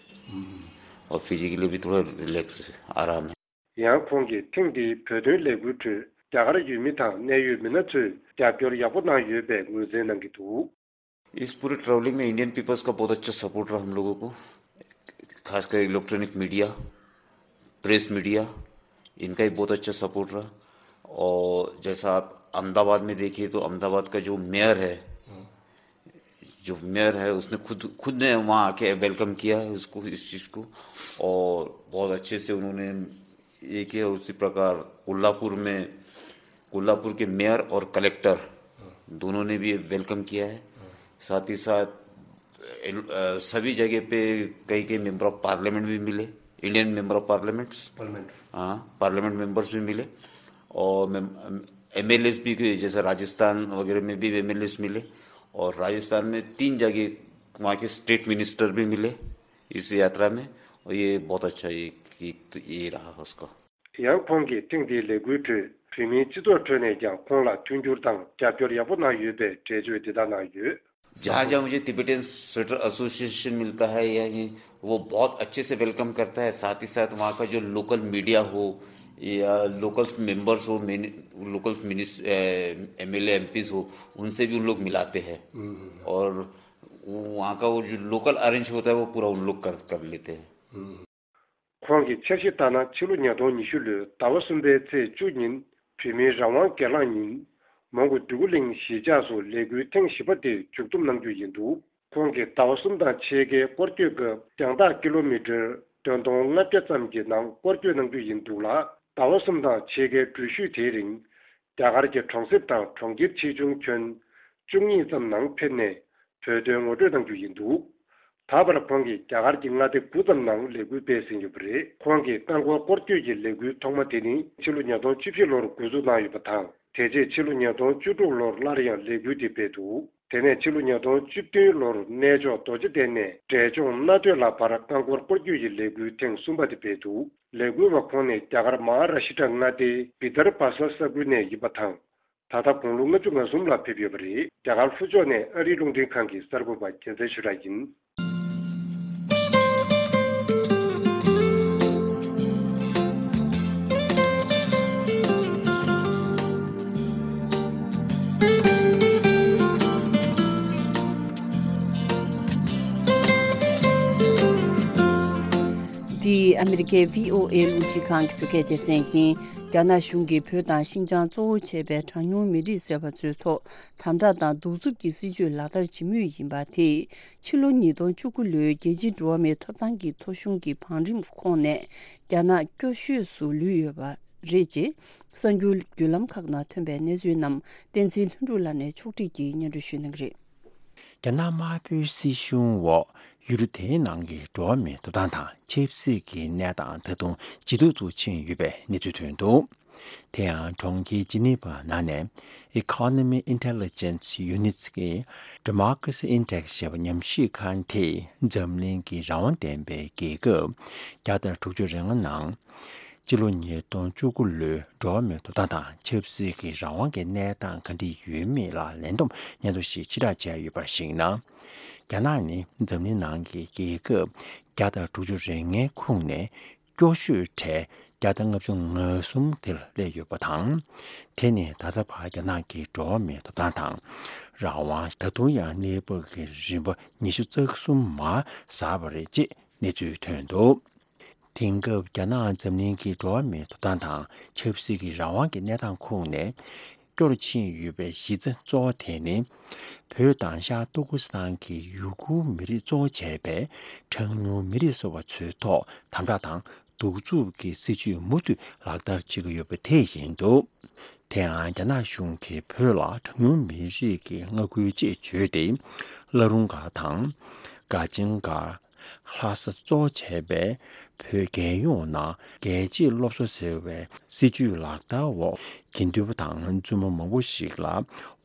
और फिजिकली भी थोड़ा रिलैक्स, आराम है। ཡང་ཁོང་གིས་ཐེངས་འདིའི་བོད་དོན་ལས་འགུལ་ཁྲོད་རྒྱ་གར་ཡུལ་མི་དང་གནད་ཡོད་མི་སྣ་ཚོས་རྒྱབ་སྐྱོར་ཡག་པོ་གནང་ཡོད་པའི་ངོས་འཛིན་གནང་གི་འདུག། इस पूरे ट्रैवलिंग में इंडियन पीपल्स का बहुत अच्छा सपोर्ट रहा हम लोगों को, खासकर इलेक्ट्रॉनिक मीडिया, प्रेस मीडिया, इनका ही बहुत अच्छा सपोर्ट रहा। और जैसा आप अहमदाबाद में देखिए तो अहमदाबाद का जो मेयर है, जो मेयर है उसने खुद, खुद ने वहाँ आके वेलकम किया है उसको, इस चीज़ को, और बहुत अच्छे से उन्होंने एक है, उसी प्रकार कोल्हापुर में, कोल्हापुर के मेयर और कलेक्टर दोनों ने भी वेलकम किया है। साथ ही साथ एल-, अ, सभी जगह पे कई कई मेंबर ऑफ पार्लियामेंट भी मिले, Indian member of parliaments, parliament. हाँ, पार्लियामेंट मेंबर्स भी मिले और एमएलएस भी, जैसे राजस्थान वगैरह में भी एमएलएस मिले और राजस्थान में तीन जगह वहाँ के स्टेट मिनिस्टर भी मिले इस यात्रा में। और ये बहुत अच्छा, ये, ये, ये रहा उसका। ཡང་ཁོང་གིས་ཐེངས་འདིའི་ལས་འགུལ་ཁྲོད་བོད་མིའི་སྤྱི་ཚོགས་ཁྲོད་ནས་ཀྱང་ཁོང་ལ་མཐུན་འགྱུར་དང་རྒྱབ་སྐྱོར་ཡག་པོ་གནང་ཡོད་པའི་འགྲེལ་བརྗོད་འདི་ལྟར་གནང་ཡོད། जहाँ जहाँ मुझे तिबेटन स्वेटर एसोसिएशन मिलता है या ये, वो बहुत अच्छे से वेलकम करता है। साथ ही साथ वहाँ का जो लोकल मीडिया हो या लोकल मेंबर्स हो, लोकल मिनिस एमएलए एमपीज हो, उनसे भी उन लोग मिलाते हैं। और वो वहाँ का वो जो लोकल अरेंज होता है, वो पूरा उन लोग कर कर लेते हैं। ཁོང་གིས་འཆར་གཞི་ལྟར་ན་ཕྱི་ལོ་ཉིས་སྟོང་ཉི་ཤུ་ལོའི་ཟླ་བ་གསུམ་པའི་ཚེས་བཅུ་ཉིན་བོད་མིའི་རང་དབང་སྒེར་ལངས་ཉིན་མོན་གྷོ་འདོད་རྒུ་གླིང་གཞིས་ཆགས་སུ་ལས་འགུལ་ཐེངས་བཞི་པ་དེ་མཇུག་བསྡོམས་གནང་རྒྱུ་ཡིན་འདུག་ཁོང་གིས་ཟླ་བ་གསུམ་དང་ཕྱེད་ཀའི་སྐོར་སྐྱོད་སྐབས་རྒྱང་ཐག་ཀི་ལོ་མི་ཊར་བདུན་སྟོང་ལྔ་བརྒྱ་ཙམ་གྱི་ནང་སྐོར་སྐྱོད་གནང་རྒྱུ་ཡིན་འདུག་ལ། ཟླ་བ་གསུམ་དང་ཕྱེད་ཀའི་འགྲུལ་བཞུད་དེའི་རིང་རྒྱ་གར་གྱི་གྲོང་གསེབ་དང་གྲོང་ཁྱེར་ཆེ་ཆུང་ཁྱོན་བཅུ་གཉིས་ཙམ་ནང་ཕེབས་ནས་བོད་དོན་ངོ་སྤྲོད་གནང་རྒྱུ་ཡིན་འདུག་ད་བར་ཁོང་གིས་རྒྱ་གར་གྱི་མངའ་སྡེ་དགུ་ཙམ་ནང་ལས་འགུལ་སྤེལ་ཟིན་ཡོད་པ་རེད། ཁོང་གིས་རྐང་འཁོར་སྐོར་སྐྱོད་ཀྱི་ལས་འགུལ་ཐོག་མ་དེ་ནི་ཕྱི་ལོ་ཉིས་སྟོང་བཅུ་བཞི་ལོར་འགོ་འཛུགས་གནང་ཡོད་པ་དང་། དེ་རྗེས་ཕྱི་ལོ་ཉིས་སྟོང་བཅུ་དྲུག་ལོར་སླར་ཡང་ལས་འགུལ་དེ་སྤེལ་འདུག་དེ་ནས་ཕྱི་ལོ་ཉིས་སྟོང་བཅུ་བདུན་ལོར་གནས་མཆོག་རྡོ་རྗེ་གདན་ནས་འབྲས་ལྗོངས་མནའ་སྟོད་ལ་བར་རྐང་འཁོར་སྐོར་སྐྱོད་ཀྱི་ལས་འགུལ་ཐེངས་གསུམ་པ་དེ་སྤེལ་འདུག་ལས་འགུལ་བ་ཁོང་ནི་རྒྱ་གར་མ་ཧཱ་ར་ཤི་ཏྲ་མངའ་སྡེའི་བི་དར་བྷ་ས་ས་ཁུལ་ནས་ཡིན་པ་དང་། ད་ལྟ་དགུང་ལོ་ལྔ་བཅུ་ང་གསུམ་ལ་ཕེབས་ཡོད་པ་རེད། རྒྱ་གར་ལྷོ་ཕྱོགས་ནས་ཨ་རིའི་རླུང་འཕྲིན་ཁང་གི་གསར་འགོད་པ་རྒྱལ་མཚན་ཆོས་གྲགས་ཡིན། འདི་ཨ་མི་རི་ཀའི་བྷི་ཨོ་ཨེ་རླུང་འཕྲིན་ཁང་གི་བོད་སྐད་སྡེ་ཚན་ཡིན། རྒྱ་ནག་གཞུང་གིས་བོད་དང་ཤིན་ཅང་གཙོ་བོ་བྱས་པའི་གྲངས་ཉུང་མི་རིགས་ཟེར་བ་ཚོའི་ཐོག་དམ་དྲག་དང་གདུག་རྩུབ་ཀྱི་སྲིད་བྱུས་ལག་བསྟར་བྱེད་མུས་ཡིན་པ་དེས། ཕྱི་ལོ་ཉིས་སྟོང་བཅུ་དགུ་ལོའི་རྒྱལ་སྤྱིའི་འགྲོ་བ་མིའི་ཐོབ་ཐང་གི་ཐོ་གཞུང་གི་བང་རིམ་ཁོངས་ནས་རྒྱ་ནག་སྐྱོ་ཤོས་སུ་ལུས་ཡོད་པ་རེད་ཅེས། གསར་འགྱུར་བརྒྱུད་ལམ་ཁག་ནང་ཐོན་པའི་གནས་ཚུལ་རྣམས་བསྟན་འཛིན་ལྷུན་གྲུབ་ལགས་ནས་ཕྱོགས་སྒྲིག་གིས་སྙན་སྒྲོན་ཞུ་གནང་གི་རེད། རྒྱ་ནག་དམར་པོའི་སྲིད་གཞུང་འོག་ཡུལ་གྲུ་དེའི་ནང་གི་འགྲོ་བ་མིའི་ཐོབ་ཐང་དང་ཆབ་སྲིད་ཀྱི་གནས་སྟངས་ད་དུང་ཇེ་སྡུག་ཏུ་ཕྱིན་ཡོད་པའི་གནས་ཚུལ་ཐོན་འདུག་དེ་ཡང་གྲོང་ཁྱེར་ཇི་ནི་ཝ་ནང་ནས་Economy Intelligence Unitགིས་Democracy Index ཞེས་པ་ཉམས་ཞིབ་ཁང་དེས་འཛམ་གླིང་གི་རང་དབང་ལྡན་པའི་རྒྱལ་ཁབ་བརྒྱ་དང་དྲུག་ཅུ་རེ་ལྔ་ནང་སྤྱི་ལོ་ཉིས་སྟོང་བཅུ་དགུ་ལོའི་འགྲོ་བ་མིའི་ཐོབ་ཐང་དང་ཆབ་སྲིད་ཀྱི་རང་དབང་གི་གནས་སྟངས་ག་འདྲ་ཡོད་མེད་ལ་ལན་འདེབས་སྙན་ཐོ་ཞིག་ཕྱིར་བསྒྲགས་བྱས་ཡོད་པར་གཞིགས་ན། རྒྱ་ནག་ནི་འཛམ་གླིང་ནང་གི་རྒྱལ་ཁབ་བརྒྱ་དང་དྲུག་ཅུ་རེ་ལྔའི་ཁོངས་ནས་སྐྱོ་ཤོས་གྲས་བརྒྱ་དང་ལྔ་བཅུ་ང་གསུམ་དེར་སླེབས་ཡོད་པ་དང་། དེ་ནི་ད་ལྟ་བར་རྒྱ་ནག་གི་འགྲོ་བ་མིའི་ཐོབ་ཐང་དང་རང་དབང་ད་དུང་ཡང་གནས་བབ་ཀྱི་རིམ་པ་ཉི་ཤུ་རྩ་གསུམ་མར་ཟགས་པ་རེད་ཅེས་གནས་ཚུལ་ཐོན་འདུག་དེང་སྐབས་རྒྱ་ནག་འཛམ་གླིང་གི་འགྲོ་བ་མིའི་ཐོབ་ཐང་དང་ཆབ་སྲིད་ཀྱི་རང་དབང་གི་གནས་སྟངས་ཁོངས་ནས་སྐྱོ་རུ་ཕྱིན་ཡོད་པའི་གཞི་རྩ་གཙོ་བོ་དེ་ནི། བོད་དང་ཤར་ཏུར་ཀུ་སི་ཐན་གྱི་ཡུ་གུར་མི་རིགས་གཙོ་བོ་བྱས་པའི་གྲངས་ཉུང་མི་རིགས་ཟེར་བ་ཚོའི་ཐོག་དམ་དྲག་དང་གདུག་རྩུབ་ཀྱི་སྲིད་བྱུས་མུ་མཐུད་ལག་བསྟར་བྱེད་ཀྱི་ཡོད་པ་དེ་ཡིན་འདུག་དེ་ཡང་རྒྱ་ནག་གཞུང་གིས་བོད་ལ་གྲངས་ཉུང་མི་རིགས་ཀྱི་མངའ་ཁུལ་ཅེས་བརྗོད་དེ། བླ་རུང་སྒར་དང་། སྒར་ཆེན་སྒར། ལྷ་ས་གཙོ་བྱས་པའི་བོད་རྒྱལ་ཡོངས་ནང་རྒྱལ་གཅེས་སློབ་གསོ་ཟེར་བའི་སྲིད་བྱུས་ལག་བསྟར་འོག་དགེ་འདུན་པ་དང་བཙུན་མ་མང་པོ་ཞིག་ལ་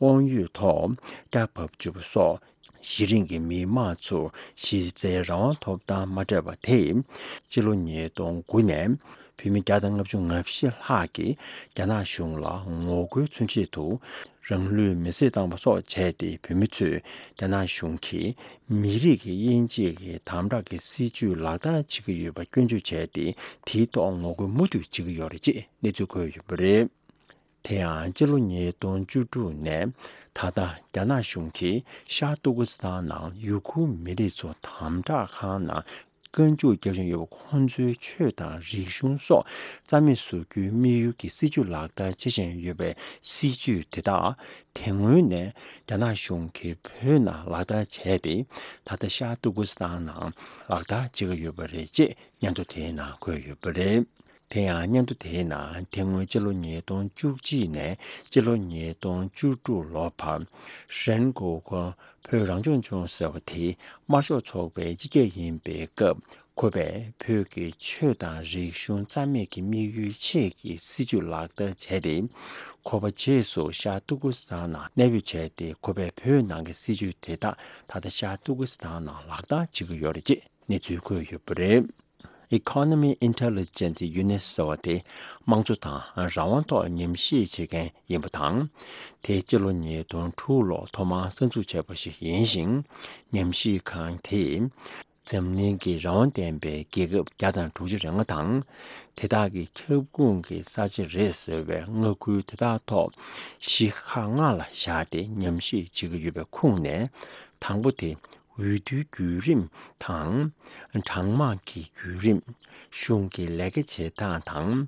དབང་ཡོད་ཐོག་སྐྱ་བབས་བཅུག་པ་སོགས་གཞི་རིམ་གྱི་མི་མང་ཚོར་གཞི་རྩའི་རང་དབང་ཐོབ་ཐང་མ་སྤྲད་པ་དེས་སྤྱི་ལོ་ཉིས་སྟོང་དགུ་ནས་བོད་མི་བརྒྱ་དང་ལྔ་བཅུ་ང་བཞི་ལྷག་གིས་རྒྱ་ནག་གཞུང་ལ་ངོ་རྒོལ་མཚོན་ཆེད་དུ། རང་ལུས་མེར་སྲེག་བཏང་བ་སོགས་བྱས་ཏེ་བོད་མི་ཚོས་རྒྱ་ནག་གཞུང་གིས་མི་རིགས་ཀྱི་དབྱེ་འབྱེད་ཀྱི་དམ་དྲག་གི་སྲིད་བྱུས་ལག་བསྟར་བྱེད་ཀྱི་ཡོད་པ་སྐྱོན་བརྗོད་བྱས་ཏེ་དེའི་ཐོག་ངོ་རྒོལ་མུ་མཐུད་བྱེད་ཀྱི་ཡོད་རེད་ཅེས་གནས་ཚུལ་འཁོད་ཡོད་པ་རེད། དེ་ཡང་སྤྱི་ལོ་ཉིས་སྟོང་བཅུ་དྲུག་ནས་ད་ལྟ་རྒྱ་ནག་གཞུང་གིས་ཤར་ཏུར་ཀུ་སི་ཐན་ནང་ཡུ་གུར་མི་རིགས་ཚོ་དམ་དྲག་ཁང་ནང་བཀའ་འཇུག་རྒྱབ་བཞིན་ཡོད་པ་ཁོང་ཚོའི་ཆོས་དང་རིག་གཞུང་སོགས་རྩ་མེད་བཟོ་རྒྱུའི་དམིགས་ཡུལ་གྱི་སྲིད་བྱུས་ལག་བསྟར་བྱེད་བཞིན་ཡོད་པའི་སྲིད་བྱུས་དེ་དག་དེ་སྔོན་ནས་རྒྱ་ནག་གཞུང་གིས་བོད་ནང་ལག་བསྟར་བྱས་ཏེ་ད་ལྟ་ཤར་ཏུར་ཀུ་སི་ཐན་ནང་ལག་བསྟར་བྱེད་ཀྱི་ཡོད་པ་རེད་ཅེས་སྙན་ཐོ་དེའི་ནང་འཁོད་ཡོད་པ་རེད། དེ་ཡང་སྙན་ཐོ་དེའི་ནང་དེ་སྔོན་ཕྱི་ལོ་ཉིས་སྟོང་བཅུ་གཅིག་ནས་ཕྱི་ལོ་ཉིས་སྟོང་བཅུ་དྲུག་ལོ་བར་ཧྲན་གོ་གོ་བོད་རང་སྐྱོང་ལྗོངས་ཟེར་བ་དེས་དམར་ཤོག་ཚོགས་པའི་སྤྱི་ཁྱབ་ཡིན་པའི་སྐབས། ཁོ་པས་བོད་ཀྱི་ཆོས་དང་རིག་གཞུང་རྩ་མེད་ཀྱི་དམིགས་ཡུལ་ཆེད་ཀྱི་སྲིད་བྱུས་ལག་བསྟར་བྱས་ཏེ། ཁོ་པ་རྗེས་སུ་ཤར་ཏུར་ཀི་སི་ཐན་ནང་གནས་སྤོས་བྱས་ཏེ། ཁོ་པས་བོད་ནང་གི་སྲིད་བྱུས་དེ་དག་ད་ལྟ་ཤར་ཏུར་ཀི་སི་ཐན་ནང་ལག་བསྟར་བྱེད་ཀྱི་ཡོད་རེད་ཅེས་གནས་ཚུལ་བཀོད་ཡོད་པ་རེད། Economy Intelligence Unit ཟེར་བ་དེ་དམངས་གཙོ་དང་རང་དབང་ཐོག་ཉམས་ཞིབ་བྱེད་མཁན་ཡིན་པ་དང་། དེ་སྤྱི་ལོ་ཉིས་སྟོང་དྲུག་ལོར་ཐོག་མར་གསར་འཛུགས་བྱས་པ་ཞིག་ཡིན་ཞིང་། ཉམས་ཞིབ་ཁང་དེས་འཛམ་གླིང་གི་རང་དབང་ལྡན་པའི་རྒྱལ་ཁབ་བརྒྱ་དང་དྲུག་ཅུ་རེ་ལྔ་དང་། དེ་དག་གི་ཁྱབ་ཁོངས་ཀྱི་ས་ཆ་རེད་ཟེར་བའི་མངའ་ཁུལ་དེ་དག་ཐོག་གཞི་ཁག་ལྔ་ལ་བཞག་སྟེ་ཉམས་ཞིབ་བྱེད་ཀྱི་ཡོད་པའི་ཁོངས་ནས། དང་པོ་དེ། འོས་བསྡུའི་བརྒྱུད་རིམ་དང་། གྲངས་མང་གི་བརྒྱུད་རིམ། གཞུང་གི་ལས་ཀ་བྱེད་སྟངས་དང་།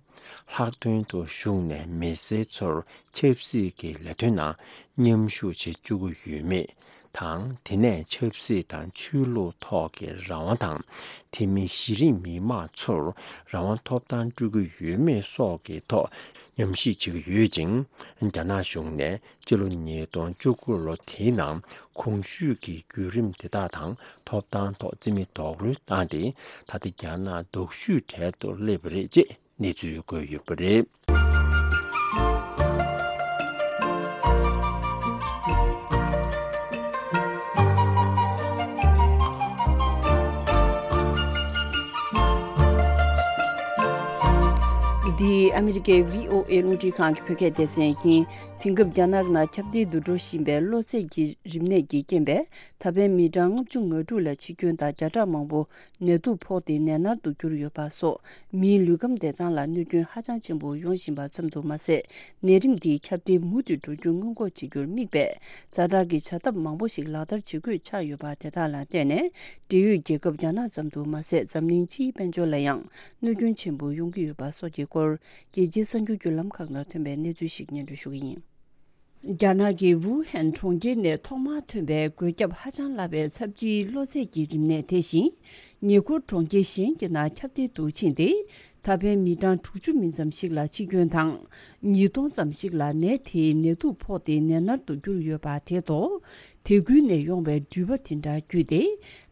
ལྷག་དོན་དུ་གཞུང་ནས་མི་སེར་ཚོར་ཆབ་སྲིད་ཀྱི་ལས་དོན་ནང་མཉམ་ཞུགས་བྱེད་བཅུག་གི་ཡོད་མེད་དང་། དེ་ནས་ཆབ་སྲིད་དང་ཆོས་ལུགས་ཐོག་གི་རང་དབང་དང་། དེ་མིན་གཞི་རིམ་མི་མང་ཚོར་རང་དབང་ཐོབ་ཐང་སྤྲོད་ཀྱི་ཡོད་མེད་སོགས་ཀྱི་ཐོག་ཉམས་ཞིབ་བྱེད་ཀྱི་ཡོད་ཅིང་། རྒྱ་ནག་གཞུང་ནས་སྤྱི་ལོ་ཉིས་སྟོང་བཅུ་དགུ་ལོ་དེའི་ནང་གོང་ཞུས་ཀྱི་བརྒྱུད་རིམ་དེ་དག་དང་ཐོབ་ཐང་ཐོག་རྩིས་མེད་རྡོག་རོལ་བཏང་སྟེ། ད་ལྟ་རྒྱ་ནག་སྡུག་ཤོས་གྲལ་དུ་སླེབས་པ་རེད་ཅེས་གནས་ཚུལ་བཀོད་ཡོད་པ་རེད། འདི་ཨ་མི་རི་ཀའི་བྷི་ཨོ་ཨེ་རླུང་འཕྲིན་ཁང་གི་བོད་སྐད་སྡེ་ཚན་ཡིན། དེང་སྐབས་རྒྱ་ནག་ནང་ཁྱབ་གདལ་དུ་འགྲོ་བཞིན་པའི་གློ་ཚད་ཀྱི་རིམས་ནད་ཀྱི་རྐྱེན་པས་ད་ཕན་མི་གྲངས་ལྔ་བཅུ་ང་དྲུག་ལ་འཆི་སྐྱོན་དང་བརྒྱ་ཕྲག་མང་པོ་ནད་དུག་ཕོག་སྟེ་ནད་མནར་དུ་གྱུར་ཡོད་པ་སོགས་མིའི་ལུས་ཁམས་བདེ་ཐང་ལ་གནོད་སྐྱོན་ཧ་ཅང་ཆེན་པོ་ཡོང་བཞིན་པ་ཙམ་དུ་མ་ཟད། ནད་རིམས་འདིའི་ཁྱབ་གདལ་མུ་མཐུད་འགྲོ་རྒྱུ་སྔོན་འགོག་བྱེད་རྒྱུར་དམིགས་པའི་ཛ་དྲག་གི་བྱ་ཐབས་མང་པོ་ཞིག་ལག་བསྟར་བྱེད་དགོས་ཆགས་ཡོད་པ་དེ་དག་ལ་བརྟེན་ནས་འབྲེལ་ཡོད་རྒྱལ་ཁབ་རྒྱ་ནག་ཙམ་དུ་མ་ཟད་འཛམ་གླིང་སྤྱིའི་དཔལ་འབྱོར་ལ་ཡང་གནོད་སྐྱོན་ཆེན་པོ་ཡོང་གི་ཡོད་པ་སོགས་ཀྱི་སྐོར་རྒྱལ་སྤྱིའི་གསར་འགྱུར་བརྒྱུད་ལམ་ཁག་ནང་ཐོན་པའི་གནས་ཚུལ་ཞིག་སྙན་སྒྲོན་ཞུ་གི་ཡིན། རྒྱ་ནག་གི་ཝུ་ཧན་གྲོང་ཁྱེར་ནས་ཐོག་མར་ཐོན་པའི་འགོས་ཁྱབ་ཧ་ཅང་སླ་བའི་ཚབས་ཆེའི་གློ་ཚད་ཀྱི་རིམས་ནད་དེ་བཞིན་ཉེ་འཁོར་གྲོང་ཁྱེར་གཞན་གྱི་ནང་ཁྱབ་གདལ་དུ་ཕྱིན་ཏེ། ད་ཕན་མི་གྲངས་དྲུག་ཅུ་མིན་ཙམ་ཞིག་ལ་འཆི་སྐྱོན་དང་། ཉིས་སྟོང་ཙམ་ཞིག་ལ་ནད་དེའི་ནད་དུག་ཕོག་སྟེ་ནད་མནར་དུ་གྱུར་ཡོད་པ་དེ་དང་། དེ་ཁུལ་ནས་ཡོང་བའི་འགྲུལ་པ་དེ་འདྲ་བརྒྱུད་དེ།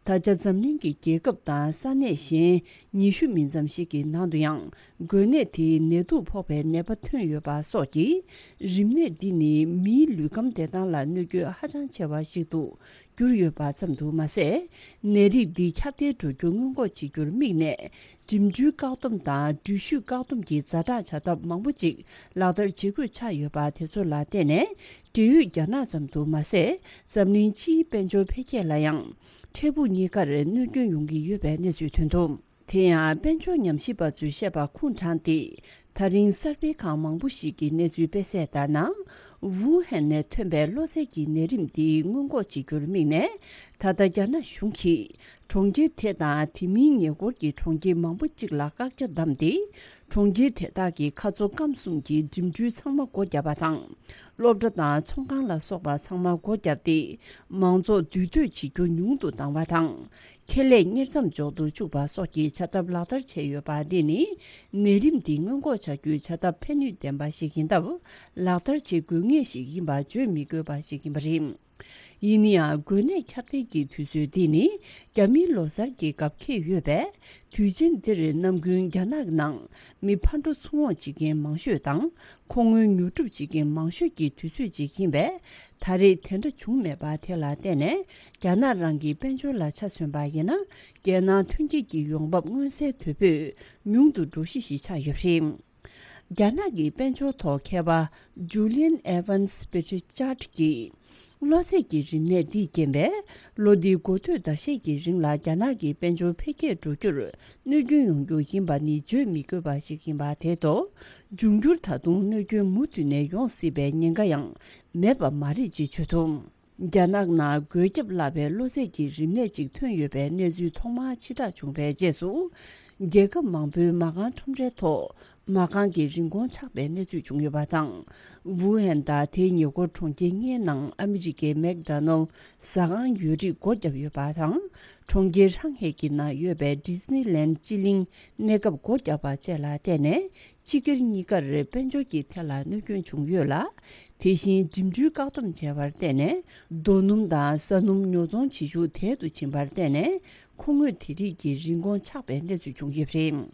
ད་ཆ་འཛམ་གླིང་གི་རྒྱལ་ཁབ་དང་ས་གནས་གཞན་ཉི་ཤུ་མིན་ཙམ་ཞིག་གི་ནང་དུ་ཡང་འགོས་ནད་དེའི་ནད་དུག་ཕོག་པའི་ནད་པ་ཐོན་ཡོད་པ་སོགས་ཀྱིས། རིམས་ནད་འདི་ནི་མིའི་ལུས་ཁམས་བདེ་ཐང་ལ་གནོད་སྐྱོན་ཧ་ཅང་ཆེ་བ་ཞིག་ཏུ་གྱུར་ཡོད་པ་ཙམ་དུ་མ་ཟད། ནད་རིགས་འདི་ཁྱབ་གདལ་འགྲོ་རྒྱུ་སྔོན་འགོག་བྱེད་རྒྱུར་དམིགས་ནས། འགྲིམ་འགྲུལ་བཀག་སྡོམ་དང་འགྲུལ་བཞུད་བཀག་སྡོམ་གྱི་ཛ་དྲག་བྱ་ཐབས་མང་པོ་ཅིག་ལག་བསྟར་བྱེད་དགོས་ཆགས་ཡོད་པ་དེ་ཚོ་ལ་བརྟེན་ནས། འབྲེལ་ཡོད་རྒྱ་ནག་ཙམ་དུ་མ་ཟད། འཛམ་གླིང་སྤྱིའི་དཔལ་འབྱོར་འཕེལ་རྒྱས་ལ་ཡང་། འཕྲལ་ཕུགས་གཉིས་ཀར་གནོད་སྐྱོན་ཡོང་གི་ཡོད་པའི་གནས་ཚུལ་ཐོན་འདུག་དེ་ཡང་དཔལ་འབྱོར་ཉམས་ཞིབ་པ་ཚོས་བཤད་པ་ཁུངས་དྲངས་ཏེ། ད་རིང་གསར་སྤེལ་ཁང་མང་པོ་ཞིག་གི་གནས་ཚུལ་སྤེལ་གསལ་ལྟར་ན། ཝུ་ཧན་ནས་ཐོན་པའི་གློ་ཚད་ཀྱི་ནད་རིམས་འདི་སྔོན་འགོག་བྱེད་རྒྱུར་དམིགས་ནས། ད་ལྟ་རྒྱ་ནག་གཞུང་གིས་གྲོང་ཁྱེར་དེ་དང་དེ་མིན་ཉེ་འཁོར་གྱི་གྲོང་ཁྱེར་མང་པོ་གཅིག་ལ་བཀག་རྒྱ་བསྡམས་ཏེ། གྲོང་ཁྱེར་དེ་དག་གི་ཁ་མཚོ་སྐམ་གསུམ་གྱི་འགྲིམ་འགྲུལ་ཚང་མ་སྒོ་བརྒྱབ་པ་དང་། སློབ་གྲྭ་དང་ཚོང་ཁང་ལ་སོགས་པ་ཚང་མ་སྒོ་བརྒྱབ་སྟེ། མང་ཚོགས་འདུས་སྡོད་བྱེད་རྒྱུ་ཉུང་དུ་བཏང་བ་དང་། ཁེ་ལས་གཉེར་མཚམས་འཇོག་ཏུ་བཅུག་པ་སོགས་ཀྱི་བྱ་ཐབས་ལག་བསྟར་བྱས་ཡོད་པ་འདི་ནི། ནད་རིམས་འདི་སྔོན་འགོག་བྱ་རྒྱུའི་བྱ་ཐབས་ཕན་ནུས་ལྡན་པ་ཞིག་ཡིན་སྟབས། ལག་བསྟར་བྱེད་དགོས་ངེས་ཤིག་ཡིན་པ་བརྗོད་མི་དགོས་པ་ཞིག་ཡིན་པ་རེད། ཡིན་ན་ཡང་། འགོས་ནད་ཁྱབ་གདལ་གྱི་དུས་ཚོད་འདི་ནི་རྒྱ་མིའི་ལོ་གསར་གྱི་སྐབས་འཁེལ་ཡོད་པས། དུས་ཆེན་འདིར་ནམ་རྒྱུན་རྒྱ་ནག་ནང་མི་ཕར་འགྲོ་ཚུར་འོང་བྱེད་མཁན་མང་ཤོས་དང་། མཁོ་དངོལ་ཉོ་སྒྲུབ་བྱེད་མཁན་མང་ཤོས་ཀྱི་དུས་ཚོད་ཅིག་ཡིན་པས། ད་རེས་དེ་འདྲ་བྱུང་མེད་པ་དེ་ལ་བརྟེན་ནས། རྒྱ་ནག་རང་གི་དཔལ་འབྱོར་ལ་ཆ་མཚོན་པ་ཡིན་ན། རྒྱལ་ནང་ཐོན་སྐྱེད་ཀྱི་ཡོང་འབབ་མངོན་གསལ་དོད་པོས་ཉུང་དུ་འགྲོ་གཞི་ཞིག་ཆགས་ཡོད་པ་རེད། རྒྱ་ནག་གི་དཔལ་འབྱོར་ཐོག་མཁས་པ་Julian Evans Pritchard གྱིས། གློ་ཚད་ཀྱི་རིམས་ནད་འདིས་རྐྱེན་པས། ལོ་འདིའི་འགོ་སྟོད་ཟླ་ཤས་ཀྱི་རིང་ལ་རྒྱ་ནག་གི་དཔལ་འབྱོར་འཕེལ་རྒྱས་འགྲོ་རྒྱུར་གནོད་སྐྱོན་ཡོང་རྒྱུ་ཡིན་པ་ནི་བརྗོད་མི་དགོས་པ་ཞིག་ཡིན་པ་དེ་དང་། འབྱུང་འགྱུར་ད་དུང་གནོད་སྐྱོན་མུ་མཐུད་ནས་ཡོང་སྲིད་པའི་ཉེན་ཁ་ཡང་མེད་པ་མ་རེད་ཅེས་བརྗོད་འདུག་རྒྱ་ནག་ནང་འགོས་ཁྱབ་སླ་བའི་གློ་ཚད་ཀྱི་རིམས་ནད་ཅིག་ཐོན་ཡོད་པའི་གནས་ཚུལ་ཐོག་མར་ཕྱིར་བསྒྲགས་བྱུང་བའི་རྗེས་སུ། རྒྱལ་ཁབ་མང་པོའི་མ་རྐང་ཁྲོམ་རའི་ཐོག་མ་རྐང་གི་རིན་གོང་ཆག་པའི་གནས་ཚུལ་བྱུང་ཡོད་པ་དང་། ཝུ་ཧན་དང་དེའི་ཉེ་འཁོར་གྲོང་ཁྱེར་ལྔའི་ནང་ཨ་མི་རི་ཀའི་མེག་ཌོ་ནལ་ཟ་ཁང་ཡོད་རིགས་སྒོ་བརྒྱབ་ཡོད་པ་དང་། གྲོང་ཁྱེར་ཧྲང་ཧེ་གི་ནང་ཡོད་པའི་ཌི་སི་ནི་ལན་སྤྱི་གླིང་གནས་སྐབས་སྒོ་བརྒྱབ་པ་བཅས་ལ་བརྟེན་ནས། སྤྱི་སྒེར་གཉིས་ཀར་དཔལ་འབྱོར་གྱི་ཐད་ལ་གནོད་སྐྱོན་བྱུང་ཡོད་ལ། དེ་བཞིན་འགྲིམ་འགྲུལ་བཀག་སྡོམ་བྱས་པར་བརྟེན་ནས། རྡོ་སྣུམ་དང་ས་སྣུམ་ཉོ་ཚོང་བྱེད་ཤུགས་དལ་དུ་ཕྱིན་པར་བརྟེན་ནས། མཁོ་དངོས་དེ་རིགས་ཀྱི་རིན་གོང་ཆག་པའི་གནས་ཚུལ་བྱུང་ཡོད་པ་རེད།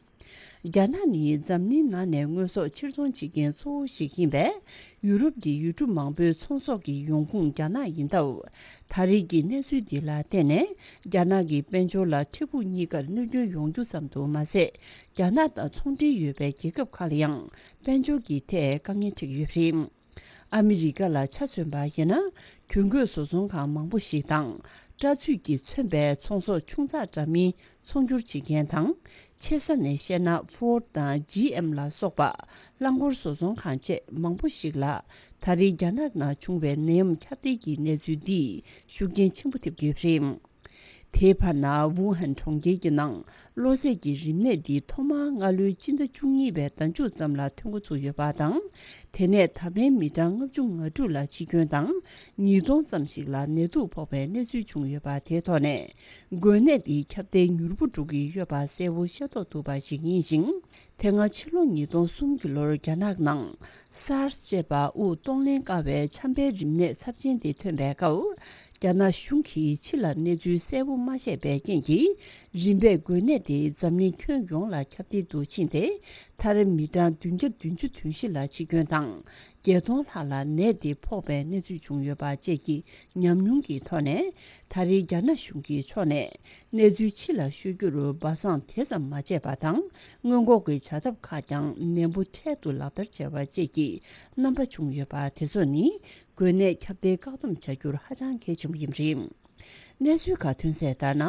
རྒྱ་ནག་ནི་འཛམ་གླིང་ནང་ནས་དངོས་ཟོག་ཕྱིར་ཚོང་བྱེད་མཁན་གཙོ་བོ་ཞིག་ཡིན་པས། ཡུ་རོབ་ཀྱི་ཡུལ་གྲུ་མང་པོའི་ཚོང་ཟོག་གི་ཡོང་ཁུངས་རྒྱ་ནག་ཡིན་སྟབས། ད་རེས་ཀྱི་གནས་ཚུལ་འདི་ལ་བརྟེན་ནས། རྒྱ་ནག་གི་དཔལ་འབྱོར་ལ་འཕྲལ་ཕུགས་གཉིས་ཀར་གནོད་སྐྱོན་ཡོང་རྒྱུ་ཙམ་དུ་མ་ཟད། རྒྱ་ནག་དང་ཚོང་འབྲེལ་ཡོད་པའི་རྒྱལ་ཁབ་ཁག་ལ་ཡང་དཔལ་འབྱོར་གྱི་ཐད་དཀའ་ངལ་འཕྲད་ཀྱི་ཡོད་པ་རེད། ཨ་མི་རི་ཀ་ལ་ཆ་མཚོན་པ་ཡིན་ན། གྱོན་གོས་བཟོ་ཚོང་ཁང་མང་པོ་ཞིག་དང་། སྐྲ་ཚོས་ཀྱིས་མཚོན་པའི་ཚོང་ཟོག་ཆུང་ཙག་འདྲ་མིན་ཚོང་སྒྱུར་བྱེད་མཁན་དང་། ཆེ་ས་ནས་བཤད་ན་ཧྥོར་ཌི་དང་ཇི་ཨེམ་ལ་སོགས་པ། རླངས་འཁོར་བཟོ་ཚོང་ཁང་བཅས་མང་པོ་ཞིག་ལ། ད་རེས་རྒྱ་ནག་ནང་བྱུང་བའི་ནད་ཡམས་ཁྱབ་གདལ་གྱི་གནས་ཚུལ་འདིས་ཤུགས་རྐྱེན་ཆེན་པོ་ཐེབས་ཀྱི་ཡོད་པ་རེད། དེའི་བར་ན་ཝུ་ཧན་གྲོང་ཁྱེར་གྱི་ནང་གློ་ཚད་ཀྱི་རིམས་ནད་འདི་ཐོག་མར་སྔ་ལོའི་སྤྱི་ཟླ་བཅུ་གཉིས་པའི་ཟླ་མཇུག་ཙམ་ལ་ཐོན་འགོ་ཚུགས་ཡོད་པ་དང་། དེ་ནས་ད་ཕན་མི་གྲངས་ལྔ་བཅུ་ང་དྲུག་ལ་འཆི་སྐྱོན་དང་། ཉིས་སྟོང་ཙམ་ཞིག་ལ་ནད་དུག་ཕོག་པའི་གནས་ཚུལ་བྱུང་ཡོད་པ་དེའི་ཐོག་ནས། འགོས་ནད་འདིའི་ཁྱབ་གདལ་མྱུར་པོ་འགྲོ་གི་ཡོད་པ་གསལ་པོ་ཤེས་རྟོགས་ཐུབ་པ་ཞིག་ཡིན་ཞིང་། དེ་སྔ་ཕྱི་ལོ་ཉིས་སྟོང་གསུམ་གྱི་ལོར་རྒྱ་ནག་ནང་སཱར་སི་ཅེས་པ་དབུགས་གཏོང་ལེན་དཀའ་བའི་ཆམ་པའི་རིམས་ནད་ཚབས་ཆེན་དེ་ཐོན་པའི་སྐབས། རྒྱ་ནག་གཞུང་གིས་ཕྱི་ལ་གནས་ཚུལ་གསལ་པོ་མ་བཤད་པའི་རྐྱེན་གྱིས། རིམ་པས་འགོས་ནད་དེ་འཛམ་གླིང་ཁྱོན་ཡོངས་ལ་ཁྱབ་གདལ་དུ་ཕྱིན་ཏེ། མཐར་མི་གྲངས་བདུན་བརྒྱ་བདུན་ཅུ་དོན་བཞི་ལ་འཆི་སྐྱོན་དང་། བརྒྱད་སྟོང་ལྷག་ལ་ནད་དེ་ཕོག་པའི་གནས་ཚུལ་བྱུང་ཡོད་པ་བཅས་ཀྱི་ཉམས་མྱོང་གི་ཐོག་ནས། ད་རེས་རྒྱ་ནག་གཞུང་གི་ཕྱོགས་ནས། གནས་ཚུལ་ཕྱི་ལ་ཤོད་རྒྱུར་སྦ་གསང་དེ་ཙམ་མ་བྱས་པ་དང་། སྔོན་འགོག་གི་བྱ་ཐབས་ཁག་ཀྱང་ནན་པོ་འཕྲལ་དུ་ལག་བསྟར་བྱས་པ་བཅས་ཀྱི་རྣམ་པ་བྱུང་ཡོད་པ་དེ་ཚོ་ནི། འགོས་ནད་ཁྱབ་གདལ་བཀག་སྡོམ་བྱ་རྒྱུར་ཧ་ཅང་གལ་ཆེན་པོ་ཡིན་པ་རེད། གནས་ཚུལ་ཁག་ཐོན་གསལ་ལྟར་ན།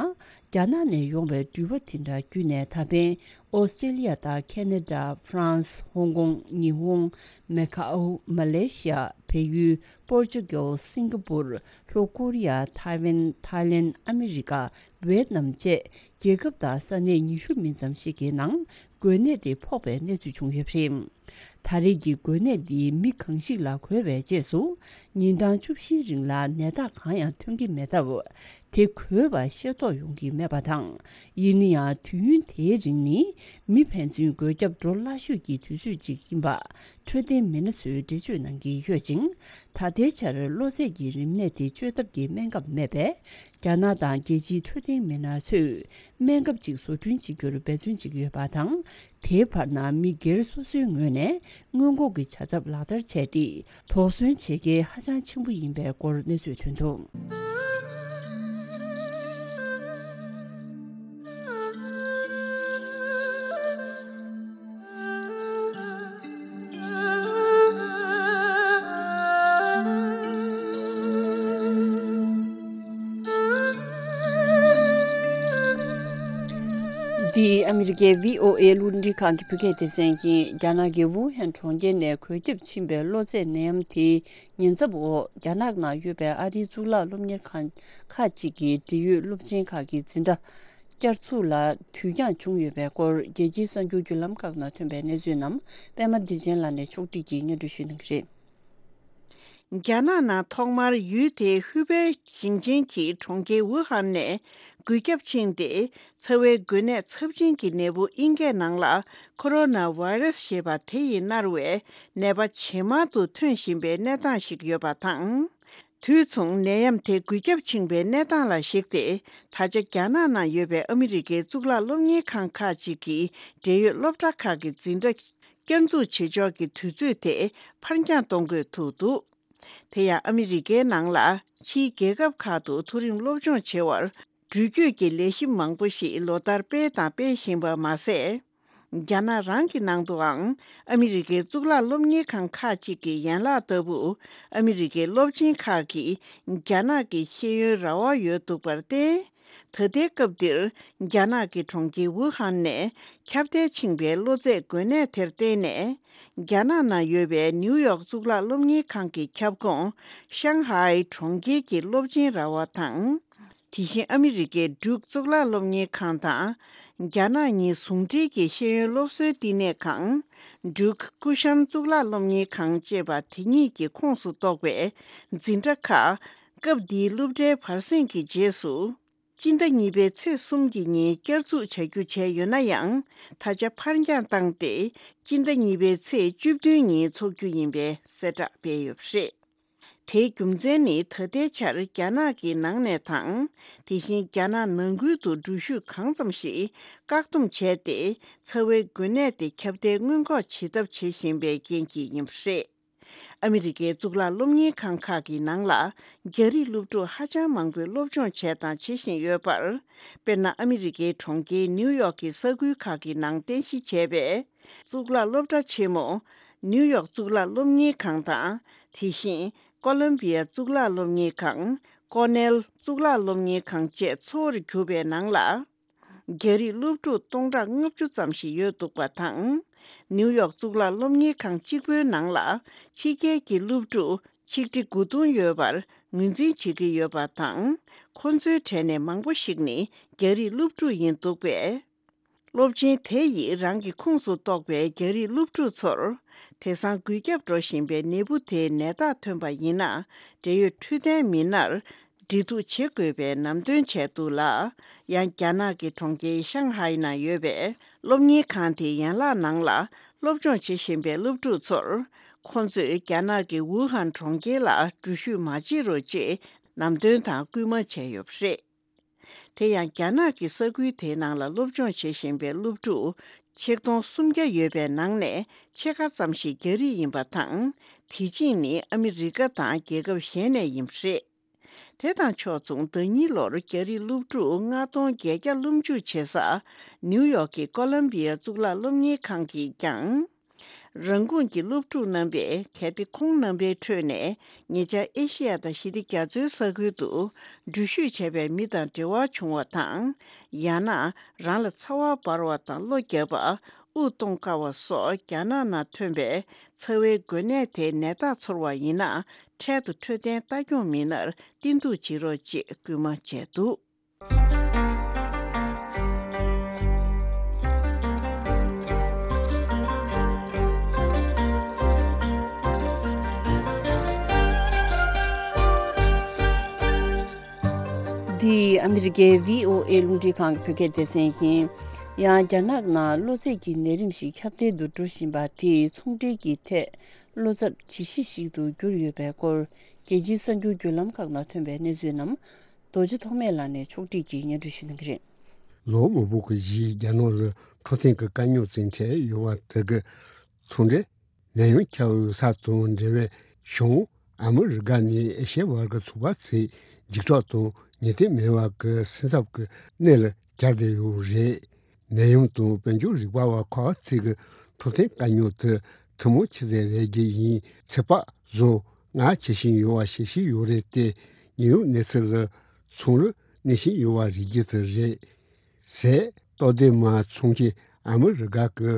རྒྱ་ནག་ནས་ཡོང་བའི་འགྲུལ་པ་དེ་འདྲ་བརྒྱུད་ནས་ད་ཕན་ཨོ་སི་ཀྲེ་ལི་ཡ་དང་ཁེ་ན་ཌ། ཧྥ་རན་སི། ཧོང་ཀོང་། ཉི་ཧོང་། མེ་ཁའོ། མ་ལེ་ཤི་ཡ། བལ་ཡུལ། པོར་ཅུ་གལ། སིང་ག་པུར། ལྷོ་ཀོ་རི་ཡ། ཐའེ་ཝན། ཐའི་ལེན། ཨ་མི་རི་ཀ། ཝེད་ནམ་བཅས་རྒྱལ་ཁབ་དང་ས་གནས་ཉི་ཤུ་མིན་ཙམ་ཞིག་གི་ནང་འགོས་ནད་དེ་ཕོག་པའི་གནས་ཚུལ་བྱུང་ཡོད་པ་རེད། ད་རེས་ཀྱི་འགོས་ནད་འདི་མི་གང་ཞིག་ལ་འགོས་པའི་རྗེས་སུ། ཉིན་གྲངས་བཅུ་བཞིའི་རིང་ལ་ནད་རྟགས་གང་ཡང་ཐོན་གྱི་མེད་སྟབས། དེ་འགོས་པ་ཤེས་རྟོགས་ཡོང་གི་མེད་པ་དང་། ཡིན་ན་ཡང་དུས་ཡུན་དེའི་རིང་ནི་མི་ཕན་ཚུན་འགོས་ཁྱབ་འགྲོ་སླ་ཤོས་ཀྱི་དུས་ཚོད་ཅིག་ཡིན་པ་འཕྲོད་བསྟེན་མི་སྣ་ཚོས་འགྲེལ་བརྗོད་གནང་གི་ཡོད་ཅིང་། ད་ལྟའི་ཆར་གློ་ཚད་ཀྱི་རིམས་ནད་དེ་བཅོས་ཐབས་ཀྱི་སྨན་ཁབ་མེད་པས། རྒྱ་ནག་དང་རྒྱལ་སྤྱིའི་འཕྲོད་བསྟེན་མི་སྣ་ཚོས་སྨན་ཁབ་ཅིག་བཟོ་སྐྲུན་བྱེད་རྒྱུར་འབད་བརྩོན་བྱེད་ཀྱི་ཡོད་པ་དང་། དེའི་བར་ན་མི་སྒེར་སོ་སོའི་ངོས་ནས་སྔོན་འགོག་གི་བྱ་ཐབས་ལག་བསྟར་བྱས་ཏེ། དོགས་ཟོན་བྱེད་གལ་ཧ་ཅང་ཆེན་པོ་ཡིན་པའི་སྐོར་གནས་ཚུལ་ཐོན་འདུག། འདི་ཨ་མི་རི་ཀའི་བྷི་ཨོ་ཨེ་རླུང་འཕྲིན་ཁང་གི་བོད་སྐད་སྡེ་ཚན་ཡིན། རྒྱ་ནག་གི་ཝུ་ཧན་གྲོང་ཁྱེར་ནས་འགོས་ཁྱབ་ཕྱིན་པའི་གློ་ཚད་ནད་ཡམས་དེའི་ཉེན་ཚབས་འོག་རྒྱ་ནག་ནང་ཡོད་པའི་ཨ་རིའི་གཙུག་ལག་སློབ་གཉེར་ཁང་ཁག་ཅིག་གི་འབྲེལ་ཡོད་སློབ་ཆེན་ཁག་གི་འཛིན་གྲྭ་བསྐྱར་ཚུགས་ལ་དུས་འགྱངས་བྱུང་ཡོད་པའི་སྐོར། རྒྱལ་སྤྱིའི་གསར་འགྱུར་བརྒྱུད་ལམ་ཁག་ནང་ཐོན་པའི་གནས་ཚུལ་རྣམས་པད་མ་བདེ་ཆེན་ལགས་ནས་ཕྱོགས་སྒྲིག་གིས་སྙན་སྒྲོན་ཞུ་གནང་གི་རེད། རྒྱ་ནག་ནང་ཐོག་མར་ཡུལ་དེའི་ཧུའུ་པེ་ཞིང་ཆེན་གྱི་གྲོང་ཁྱེར་ཝུ་ཧན་ནས་འགོས་ཁྱབ་ཕྱིན་ཏེ། ཚ་བའི་འགོས་ནད་ཚབས་ཆེན་གྱི་ནད་འབུ་ཨིན་སྐད་ནང་ལ་ཁོ་རོ་ན་ཝེ་རུ་སི་ཞེས་པ་དེ་ཡིས་མནར་བའི་ནད་པ་ཇེ་མང་དུ་ཐོན་བཞིན་པའི་གནས་སྟངས་ཤིག་ཡོད་པ་དང་། དུས་མཚུངས་ནད་ཡམས་དེ་འགོས་ཁྱབ་ཕྱིན་པའི་གནས་སྟངས་ལ་གཞིགས་ཏེ། ད་ཆ་རྒྱ་ནག་ནང་ཡོད་པའི་ཨ་མི་རི་ཀའི་གཙུག་ལག་སློབ་གཉེར་ཁང་ཁག་ཅིག་གི་འབྲེལ་ཡོད་སློབ་གྲྭ་ཁག་གི་འཛིན་གྲྭ་བསྐྱར་འཛུགས་བྱེད་ཕྱོགས་ཀྱི་དུས་ཚོད་དེ་ཕར་འགྱངས་གཏོང་དགོས་ཐུག་འདུག། དེ་ཡང་ཨ་མི་རི་ཀའི་ནང་ལ་ཕྱིའི་རྒྱལ་ཁབ་ཁག་ཏུ་མཐོ་རིམ་སློབ་སྦྱོང་བྱེད་པར་འགྲུལ་སྐྱོད་ཀྱི་ལས་གཞི་མང་པོ་ཞིག་ལོ་ལྟར་སྤེལ་དང་སྤེལ་བཞིན་པ་མ་ཟད། རྒྱ་ནག་རང་གི་ནང་དུའང་ཨ་མི་རི་ཀའི་གཙུག་ལག་སློབ་གཉེར་ཁང་ཁག་ཅིག་གི་ཡན་ལག་ལྟ་བུ། ཨ་མི་རི་ཀའི་སློབ་ཆེན་ཁག་གིས་རྒྱ་ནག་གི་ཤེས་ཡོན་ར་བ་ཡོད་འདུག་པར་བརྟེན། ད་ལྟའི་སྐབས་འདིར་རྒྱ་ནག་གི་གྲོང་ཁྱེར་ཝུ་ཧན་ནས་ཁྱབ་གདལ་ཕྱིན་པའི་གློ་ཚད་འགོས་ནད་དེར་བརྟེན་ནས། རྒྱ་ནག་ནང་ཡོད་པའི་ནིའུ་ཡོག་གཙུག་ལག་སློབ་གཉེར་ཁང་གི་ཁྱབ་ཁོངས་ཤང་ཧའེ་གྲོང་ཁྱེར་གྱི་སློབ་ཆེན་ར་བ་དང་། དེ་བཞིན་ཨ་མི་རི་ཀའི་ཌུག་གཙུག་ལག་སློབ་གཉེར་ཁང་དང་། རྒྱ་ནག་གཉིས་ཟུང་འབྲེལ་གྱི་ཤེས་ཡོན་སློབ་གསོའི་བསྟི་གནས་ཁང་། Duke Kunshan་གཙུག་ལག་སློབ་གཉེར་ཁང་ཅེས་པ་དེ་གཉིས་ཀྱི་ཁོངས་སུ་གཏོགས་པའི་འཛིན་གྲྭ་ཁག་སྐབས་འདིའི་སློབ་གྲྭའི་བར་གསེང་གི་རྗེས་སུ། སྤྱི་ཟླ་གཉིས་པའི་ཚེས་གསུམ་གྱི་ཉིན་བསྐྱར་འཛུགས་བྱ་རྒྱུ་བྱས་ཡོད་ན་ཡང་། ད་ཆ་ཕར་འགྱངས་བཏང་སྟེ། སྤྱི་ཟླ་གཉིས་པའི་ཚེས་བཅུ་བདུན་ཉིན་འཚོགས་རྒྱུ་ཡིན་པའི་གསལ་བསྒྲགས་སྤེལ་ཡོད་པ་རེད། དེའི་རྒྱུ་མཚན་ནི། ད་ལྟའི་ཆར་རྒྱ་ནག་གི་ནང་ནས་དང་། དེ་བཞིན་རྒྱ་ནག་ནང་ཁུལ་དུ་འགྲུལ་བཞུད་གང་ཙམ་ཞིག་བཀག་སྡོམ་བྱས་ཏེ། ཚ་བའི་འགོས་ནད་དེ་ཁྱབ་གདལ་སྔོན་འགོག་བྱེད་ཐབས་བྱེད་བཞིན་པའི་རྐྱེན་གྱིས་ཡིན་པ་རེད། ཨ་མི་རི་ཀའི་གཙུག་ལག་སློབ་གཉེར་ཁང་ཁག་གི་ནང་ལ། རྒྱ་རིགས་སློབ་ཕྲུག་ཧ་ཅང་མང་པོས་སློབ་སྦྱོང་བྱས་དང་བྱེད་བཞིན་ཡོད་པར། དཔེར་ན། ཨ་མི་རི་ཀའི་གྲོང་ཁྱེར་ནིའུ་ཡོག་གི་ས་ཁུལ་ཁག་གི་ནང་རྟེན་གཞི་བྱས་པའི་གཙུག་ལག་སློབ་གྲྭ་ཆེན་མོ། ནིའུ་ཡོག་གཙུག་ལག་སློབ་གཉེར་ཁང་དང་། དེ་བཞིན་ཀོ་ལམ་བི་ཡ་གཙུག་ལག་སློབ་གཉེར་ཁང་། ཀོ་ནེལ་གཙུག་ལག་སློབ་གཉེར་ཁང་བཅས་གཙོ་བོར་གྱུར་པའི་ནང་ལ། རྒྱ་རིགས་སློབ་ཕྲུག་སྟོང་ཕྲག་ལྔ་བཅུ་ཙམ་ཞིག་ཡོད་འདུག་པ་དང་། ནིའུ་ཡོག་གཙུག་ལག་སློབ་གཉེར་ཁང་གཅིག་པུའི་ནང་ལ་ཕྱི་རྒྱལ་གྱི་སློབ་ཕྲུག་ཆིག་ཁྲི་དགུ་སྟོང་ཡོད་པར་ངོས་འཛིན་བྱེད་ཀྱི་ཡོད་པ་དང་། ཁོ་ཚོའི་གྲས་ནས་མང་པོ་ཞིག་ནི་རྒྱ་རིགས་སློབ་ཕྲུག་ཡིན་འདུག་པས། སློབ་ཆེན་དེ་ཡིས་རང་གི་ཁོངས་སུ་གཏོགས་པའི་རྒྱ་རིགས་སློབ་ཕྲུག་ཚོར། དེང་སང་འགོས་ཁྱབ་འགྲོ་བཞིན་པའི་ནད་འབུ་དེའི་ནད་རྟགས་ཐོན་པ་ཡིན་ན། འབྲེལ་ཡོད་འཕྲོད་བསྟེན་མི་སྣར་འབྲེལ་གཏུག་བྱེད་དགོས་པའི་ལམ་སྟོན་བྱས་འདུག་ལ། ཡང་རྒྱ་ནག་གི་གྲོང་ཁྱེར་ཤང་ཧའེ་ནང་ཡོད་པའི་སློབ་གཉེར་ཁང་དེའི་ཡན་ལག་ནང་ལ་སློབ་སྦྱོང་བྱེད་བཞིན་པའི་སློབ་ཕྲུག་ཚོར། ཁོང་ཚོས་རྒྱ་ནག་གི་ཝུ་ཧན་གྲོང་ཁྱེར་ལ་འགྲུལ་བཞུད་མ་བྱེད་རོགས་ཅེས་ལམ་སྟོན་དང་སྐུལ་མ་བྱས་ཡོད་པ་རེད། དེ་ཡང་རྒྱ་ནག་གི་ས་ཁུལ་དེའི་ནང་ལ་སློབ་སྦྱོང་བྱེད་བཞིན་པའི་སློབ་ཕྲུག་ཆིག་སྟོང་སུམ་བརྒྱ་ཡོད་པའི་ནང་ནས་ཕྱེད་ཀ་ཙམ་ཞིག་རྒྱ་རིགས་ཡིན་པ་དང་། དེ་གཅིག་ནི་ཨ་མི་རི་ཀ་དང་རྒྱལ་ཁབ་གཞན་ནས་ཡིན་པ་རེད། དེ་དང་ཕྱོགས་མཚུངས། ཟླ་གཉིས་ལོར་རྒྱ་རིགས་སློབ་ཕྲུག་ལྔ་སྟོང་བརྒྱད་བརྒྱ་སློབ་འཇུག་བྱེད་ས་ནིའུ་ཡོག་གི་ཀོ་ལམ་བི་ཡ་གཙུག་ལག་སློབ་གཉེར་ཁང་གིས་ཀྱང་། རང་ཁོངས་ཀྱི་སློབ་ཕྲུག་རྣམ་པས། གལ་ཏེ་ཁོང་རྣམ་པའི་ཁྲོད་ནས་ཉེ་ཆར་ཨེ་ཤེ་ཡ་དང་ཞི་བདེ་རྒྱ་མཚོའི་ས་ཁུལ་དུ་འགྲུལ་བཞུད་བྱས་པའི་མི་དང་འབྲེལ་བ་བྱུང་བ་དང་། ཡང་ན་རང་ལ་ཚ་བ་འབར་བ་དང་གློ་རྒྱག་པ། དབུགས་གཏོང་དཀའ་བ་སོགས་རྒྱ་ནག་ནང་ཐོན་པའི་ཚ་བའི་འགོས་ནད་དེའི་ནད་རྟགས་ཚོར་བ་ཡིན་ན། འཕྲལ་དུ་འཕྲོད་བསྟེན་ལྟ་སྐྱོང་མི་སྣར་བསྟེན་གཏུག་བྱེད་རོགས་ཅེས་སྐུལ་མ་བྱས་འདུག། འདི་ཨ་མི་རི་ཀའི་བྷི་ཨོ་ཨེ་རླུང་འཕྲིན་ཁང་གི་བོད་སྐད་སྡེ་ཚན་ཡིན། ཡང་རྒྱ་ནག་ནང་གློ་ཚད་ཀྱི་ནད་རིམས་ཤིག་ཁྱབ་གདལ་དུ་འགྲོ་བཞིན་པ་དེས་ཚོང་འབྲེལ་གྱི་ཐད་བློ་འཚབ་ཇི་ཞིག་ཞིག་ཏུ་གྱུར་ཡོད་པའི་སྐོར། རྒྱལ་སྤྱིའི་གསར་འགྱུར་བརྒྱུད་ལམ་ཁག་ནང་ཐོན་པའི་གནས་ཚུལ་རྣམས། རྡོ་རྗེ་ཐོགས་མེད་ལགས་ནས་ཕྱོགས་སྒྲིག་གིས་སྙན་སྒྲོན་ཞུ་གནང་གི་རེད། ལོ་མང་པོ་གི་རྗེས་རྒྱ་ནག་ལ་འཕྲོད་བསྟེན་གྱི་དཀའ་རྙོག་ཅིག་འཕྲད་ཡོད་པ་དེ་གི་ཚོང་འབྲེལ་ནད་ཡམས་ཁྱབ་ཡོད་ས་དང་འབྲེལ་བའི་བྱུང་། ཨ་མི་རི་ཀ་ནས་ཨེ་ཤེ་ཡ་བར་གྱི་ཚོགས་པ་ཚོས་འཇིགས་སྐྲག་དང་ངེས་གཏན་མེད་པ་གི་སེམས་འཚབ་ཀྱི་གནས་ལ་གྱར་བསྡད་ཡོད་རེད། ནད་ཡམས་དང་དཔལ་འབྱོར་རིག་པ་བ་ཁག་ཅིག་གི་འཕྲོད་བསྟེན་དཀའ་རྙོག་དེ་ཐུན་མོང་ཆུ་ཚོད་རེད་རྒྱུ་ཡིན། ཚེ་དཔག་བཟོ་ང་བྱེད་བཞིན་ཡོད་པ་ཤེས་བཞིན་ཡོད་རེད་དེ། ཉེན་གཡོལ་གནས་ཚུལ་ལ་ཚོང་རུ་གནས་བཞིན་ཡོད་པ་རིག་རྒྱུ་དེ་རེད། ཟས་ལྟོ་ལྡན་མ་འཚོང་མཁན་ཨ་མི་རི་ཀ་གི་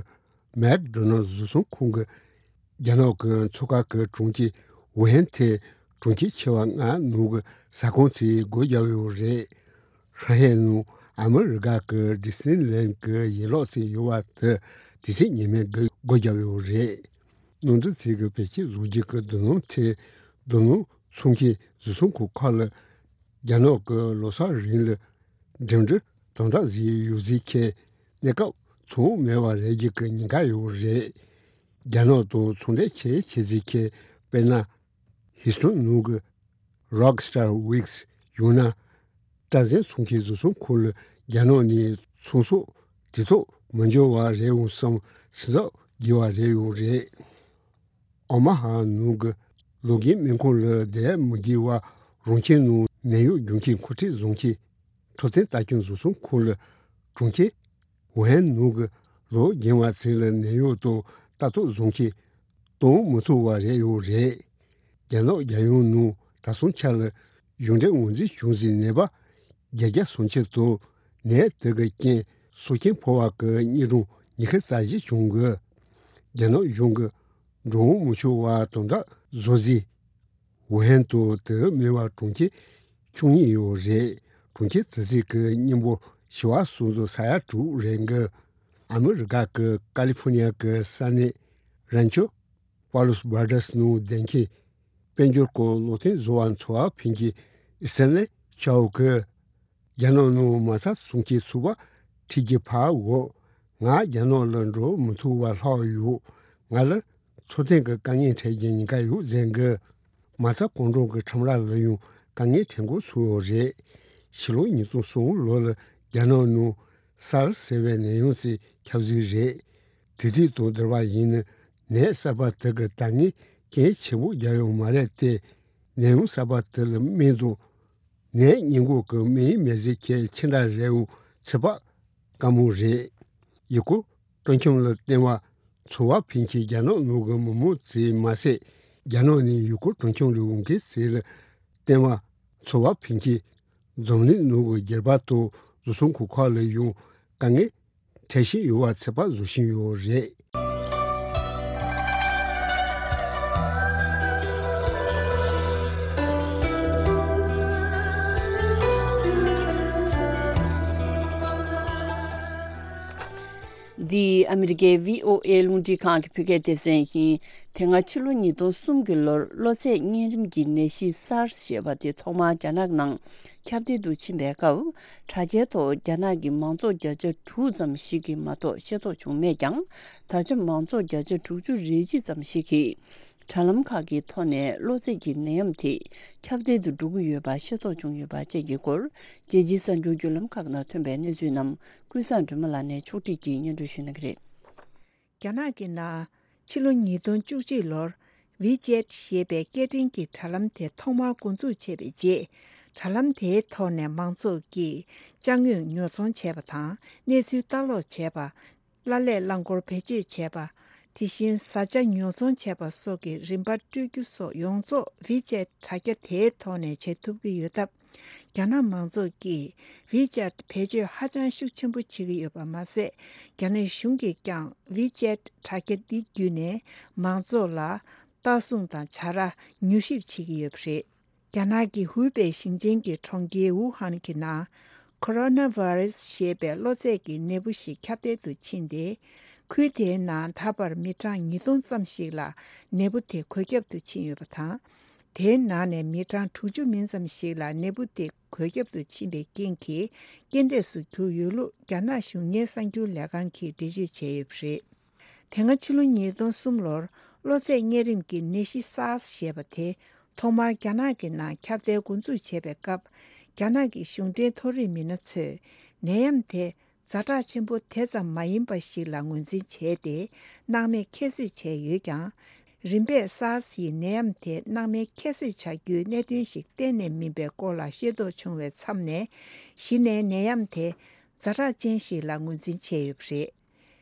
མེག་ཌོ་ནལ་བཟོ་ཚོང་ཁང་གི་རྒྱ་ནག་གི་མཚོ་ཁ་གི་གྲོང་ཁྱེར་ཝུ་ཧན་དེ་གྲོང་ཁྱེར་ཆེ་བ་ལྔ་ནང་གི་ཟ་ཁང་ཚོས་སྒོ་བརྒྱབ་ཡོད་རེད། ཧྲང་ཧའེ་ནང་ཨ་མི་རི་ཀ་གི་ཌི་སི་ནི་ལན་གྱི་ཡན་ལག་ཅིག་ཡོད་པ་དེ་དུས་ཚོད་ངེས་མེད་སྒོ་བརྒྱབ་ཡོད་རེད། ནང་འདྲེན་ཚིག་གི་བེད་སྤྱོད་བཟོ་རྒྱུ་གི་རྡོ་སྣུམ་ཐེ་རྡོ་སྣུམ་འཚོང་མཁན་བཟོ་ཚོང་ཁང་ཁག་ལ་རྒྱ་ནག་གི་ལོ་གསར་རིང་ལ་འགྲིམ་འགྲུལ་དམ་དྲག་བཟོས་ཡོད་ཟེར་མཁན་གནས་སྐབས་ཚོང་མེད་པ་རེད་རྒྱུ་གི་ཉེན་ཁ་ཡོད་རེད། རྒྱ་ནག་དང་ཚོང་འབྲེལ་ཆེ་ཆེ་ཟེར་མཁན་དཔེར་ན། ཧིས་ཊོན་ནང་གི་རོག་སི་ཊར་ཝིག་སི་ཡང་ན་སྐྲ་རྫས་འཚོང་མཁན་བཟོ་ཚོང་ཁང་ལ་རྒྱ་ནག་ནས་ཚོང་ཟོག་དུས་ཐོག་མི་འབྱོར་བ་རེད་འོང་བསམ་སེམས་འཚབ་རྒྱས་པ་རེད་ཡོད་རེད། ཨོ་མ་ཧ་ནང་གི་ལོ་རྒན་སྨན་ཁང་ལ་བསྡད་མི་དགོས་པ་རང་ཁྱིམ་ནང་ནད་གཡོག་རྒྱུག་མཁན་མཁོ་སྤྲོད་བཟོ་མཁན་འཕྲོད་བསྟེན་ལྟ་སྐྱོང་བཟོ་ཚོང་ཁང་ལ་གྲོང་ཁྱེར་ཝུ་ཧན་ནང་གི་ལོ་རྒན་པ་ཚོ་ལ་ནད་གཡོག་དང་ལྟ་རྟོག་བཟོ་མཁན་གཏོང་མི་ཐུབ་པ་རེད་ཡོད་རེད། རྒྱ་ནག་རྒྱལ་ཡོངས་ནང་ད་སོང་ཆ་ལ་གཞུང་འབྲེལ་ངོས་འཛིན་བྱུང་ཟིན་ནད་པ་བརྒྱད་བརྒྱ་སུམ་ཅུ་དང་ནད་དེ་གི་རྐྱེན་སྲོག་སྐྱོན་ཕོག་པ་གི་དངོས་གྲངས་ཉི་ཤུ་རྩ་བཞི་བྱུང་གི། རྒྱ་ནག་གཞུང་གི་འགྲོ་འོང་མི་ཆོག་པ་དམ་དྲག་བཟོ་རྗེས། ཝུ་ཧན་དང་དེ་མིན་པ་གྲོང་ཁྱེར་བཅུ་གཉིས་ཡོད་རེད། གྲོང་ཁྱེར་དེ་ཚོའི་གི་མཉམ་པོ་ བཞི་བ་སོང་ཙང་ས་ཡ་དྲུག་རེད་འགི། ཨ་མི་རི་ཀ་གི་ཀ་ལི་ཧྥོ་ནི་ཡ་གི་ས་གནས་རན་ཆོ་པ་ལོས་བར་ཌས་ནང་བསྡད་མཁན་དཔལ་འབྱོར་སྐོར་བློ་བརྟན་བཟོ་བ་འཚོ་བ་ཕིན་གྱི་ཨི་སྟན་ལེ་ཆའོ་གི། རྒྱ་ནག་ནང་མ་རྩ་སྲུང་སྐྱེལ་ཚོགས་པ་ཁྲིད་ཀྱི་ཕར་འོ། ང་རྒྱ་ནག་ལ་འགྲོ་མི་ཐུབ་པ་ལྷག་ཡོད། ང་ལ་འཚོ་རྟེན་གྱི་དཀའ་ངལ་འཕྲད་ཀྱི་ཉེན་ཁ་ཡོད་ཟེར་གི། མ་རྩ་གུང་ཁྲན་གྱི་ཁྲོམ་ར་ལ་ཡང་དཀའ་ངལ་འཕྲད་འགོ་ཚུགས་ཡོད་རེད། ཕྱི་ལོ་ཉིས་སྟོང་གསུམ་ལོ་ལ་རྒྱ་ནག་ནང་སཱར་ཟེར་བའི་ནད་ཡམས་ཅིག་ཁྱབ་ཟིག་རེད། དེ་དུས་དང་བསྡུར་བ་ཡིན་ན་ནད་གསར་པ་དེ་གི་དར་ངན་གལ་ཆེན་པོ་རྒྱག་ཡོད་མ་རེད་དེ། ནད་ཡམས་གསར་པ་དེ་ལ་སྨན་དང་ནད་སྔོན་འགོག་གི་སྨན་མེད་ཟེར་མཁན་ཅི་འདྲ་རེད་འོང་ཚོད་དཔག་དཀའ་མོ་རེད། ཡུལ་སྐོར་སྤྲོ་འཆམ་ལ་བརྟེན་པ་འཚོ་བ་ཕིན་གྱི་རྒྱ་ནག་ནང་གི་མི་མང་ཚོས་མ་ཟད། རྒྱ་ནག་ནས་ཡུལ་སྐོར་སྤྲོ་འཆམ་ལ་འོང་མཁན་ཚོ་ལ་བརྟེན་པ་འཚོ་བ་ཕིན་གྱི་འཛམ་གླིང་ནང་གི་སྒེར་པ་དང་བཟོ་ཚོང་གི་ཁག་ལ་ཡང་དཀའ་ངལ་འཕྲད་བཞིན་ཡོད་པ་ཚོད་དཔག་བཟོ་བཞིན་ཡོད་རེད། འདི་ཨ་མི་རི་ཀའི་བྷི་ཨོ་ཨེ་རླུང་འཕྲིན་ཁང་གི་བོད་སྐད་སྡེ་ཚན་ཡིན། དེ་སྔ་ཕྱི་ལོ་ཉིས་སྟོང་གསུམ་གྱི་ལོར་གློ་ཚད་གཉན་རིམས་ཀྱི་ནད་གཞི་སཱར་ཞེས་པ་དེ་ཐོག་མར་རྒྱ་ནག་ནང་ཁྱབ་གདལ་དུ་ཕྱིན་པའི་སྐབས། དྲ་རྒྱའི་ཐོག་རྒྱ་ནག་གི་མང་ཚོགས་བརྒྱ་ཆ་དྲུག་ཙམ་ཞིག་གིས་མ་གཏོགས་ཤེས་རྟོགས་བྱུང་མེད་ཀྱང་། ད་ཆ་མང་ཚོགས་བརྒྱ་ཆ་དྲུག་ཅུ་རེ་གཅིག་ཙམ་ཞིག་གིས་དྲ་ལམ་ཁག་གི་ཐོག་ནས་གློ་ཚད་ཀྱི་ནད་ཡམས་དེ་ཁྱབ་གདལ་དུ་འགྲོ་གི་ཡོད་པ་ཤེས་རྟོགས་བྱུང་ཡོད་པ་བཅས་ཀྱི་སྐོར། རྒྱལ་སྤྱིའི་གསར་འགྱུར་བརྒྱུད་ལམ་ཁག་ནང་ཐོན་པའི་གནས་ཚུལ་རྣམས་ཀུན་བཟང་སྒྲོལ་མ་ལགས་ནས་ཕྱོགས་སྒྲིག་གིས་སྙན་སྒྲོན་ཞུ་གནང་གི་རེད། རྒྱ་ནག་གི་ནང་ཕྱི་ལོ་ཉིས་སྟོང་བཅུ་གཅིག་ལོར་ཝི་ཅེད་ཞེས་པའི་སྐད་འཕྲིན་གྱི་དྲ་ལམ་དེ་ཐོག་མར་འགོ་འཛུགས་བྱས་པའི་རྗེས། དྲ་ལམ་དེའི་ཐོག་ནས་མང་ཚོགས་ཀྱིས་ཅ་དངོས་ཉོ་ཚོང་བྱས་པ་དང་གནས་ཚུལ་ལྟ་ཀློག་བྱས་པ། གླ་ལས་རླངས་འཁོར་བེད་སྤྱོད་བྱས་པ། དེ་བཞིན་བཟའ་བཅའ་ཉོ་ཚོང་བྱས་པ་སོགས་ཀྱི་རིན་པ་སྤྲོད་རྒྱུ་སོགས་ཡོངས་རྫོགས་ཝི་ཅེད་དྲ་རྒྱ་དེའི་ཐོག་ནས་བྱེད་ཐུབ་ཀྱི་ཡོད་སྟབས། རྒྱ་ནག་མང་ཚོགས་ཀྱིས་ཝི་ཅེད་བེད་སྤྱོད་ཧ་ཅང་ཤུགས་ཆེན་པོ་བྱེད་ཀྱི་ཡོད་པ་མ་ཟད། རྒྱ་ནག་གཞུང་གིས་ཀྱང་ཝི་ཅེད་དྲ་རྒྱ་འདི་བརྒྱུད་ནས་མང་ཚོགས་ལ་ལྟ་སྲུང་དང་བྱ་ར་ཉོ་ཞིབ་བྱེད་ཀྱི་ཡོད་པ་རེད། རྒྱ་ནག་གི་ཧུའུ་པེ་ཞིང་ཆེན་གྱི་གྲོང་ཁྱེར་ཝུ་ཧན་གྱི་ནང་ཁོ་རོ་ན་བྷ་རེ་སི་ཞེས་པའི་གློ་ཚད་ཀྱི་ནད་འབུ་ཞིག་ཁྱབ་གདལ་དུ་ཕྱིན་ཏེ། ཁུལ་དེའི་ནང་ད་བར་མི་གྲངས་ཉིས་སྟོང་ཙམ་ཞིག་ལ་ནད་འབུ་དེ་འགོས་ཁྱབ་ཏུ་ཕྱིན་ཡོད་པ་དང་། དེའི་ནང་ནས་མི་གྲངས་དྲུག་ཅུ་མིན་ཙམ་ཞིག་ལ་ནད་འབུ་དེ་འགོས་ཁྱབ་ཏུ་ཕྱིན་པའི་རྐྱེན་གྱིས་རྐྱེན་འདས་སུ་གྱུར་ཡོད་ལུགས་རྒྱ་ནག་གཞུང་གཉེར་གསར་འགྱུར་ལས་ཁང་གིས་འགྲེལ་བརྗོད་བྱས་ཡོད་པ་རེད། དེ་སྔ་ཕྱི་ལོ་ཉིས་སྟོང་གསུམ་ལོར་གློ་ཚད་གཉན་རིམས་ཀྱི་ནད་གཞི་སཱར་སི་ཞེས་པ་དེ་ཐོག་མར་རྒྱ་ནག་གི་ནང་ཁྱབ་གདལ་འགོ་འཛུགས་བྱས་པའི་སྐབས། རྒྱ་ནག་གི་གཞུང་འབྲེལ་མཐོ་རིམ་མི་སྣ་ཚོས་ནད་ཡམས་དེ་ཛ་དྲག་ཆེན་པོ་དེ་ཙམ་མ་ཡིན་པ་ཞིག་ལ་ངོས་འཛིན་བྱས་ཏེ། སྣང་མེད་ཁྱད་གསོད་བྱས་ཡོད་ཀྱང་། རིམ་པས་སཱར་སི་ཡི་ནད་ཡམས་དེ་སྣང་མེད་ཁྱད་གསོད་བྱ་རྒྱུའི་གནད་དོན་ཞིག་གཏན་ནས་མིན་པའི་སྐོར་ལ་ཤེས་རྟོགས་བྱུང་བའི་མཚམས་ནས། གཞི་ནས་ནད་ཡམས་དེ་ཛ་དྲག་ཅན་ཞིག་ལ་ངོས་འཛིན་བྱས་ཡོད་པ་རེད།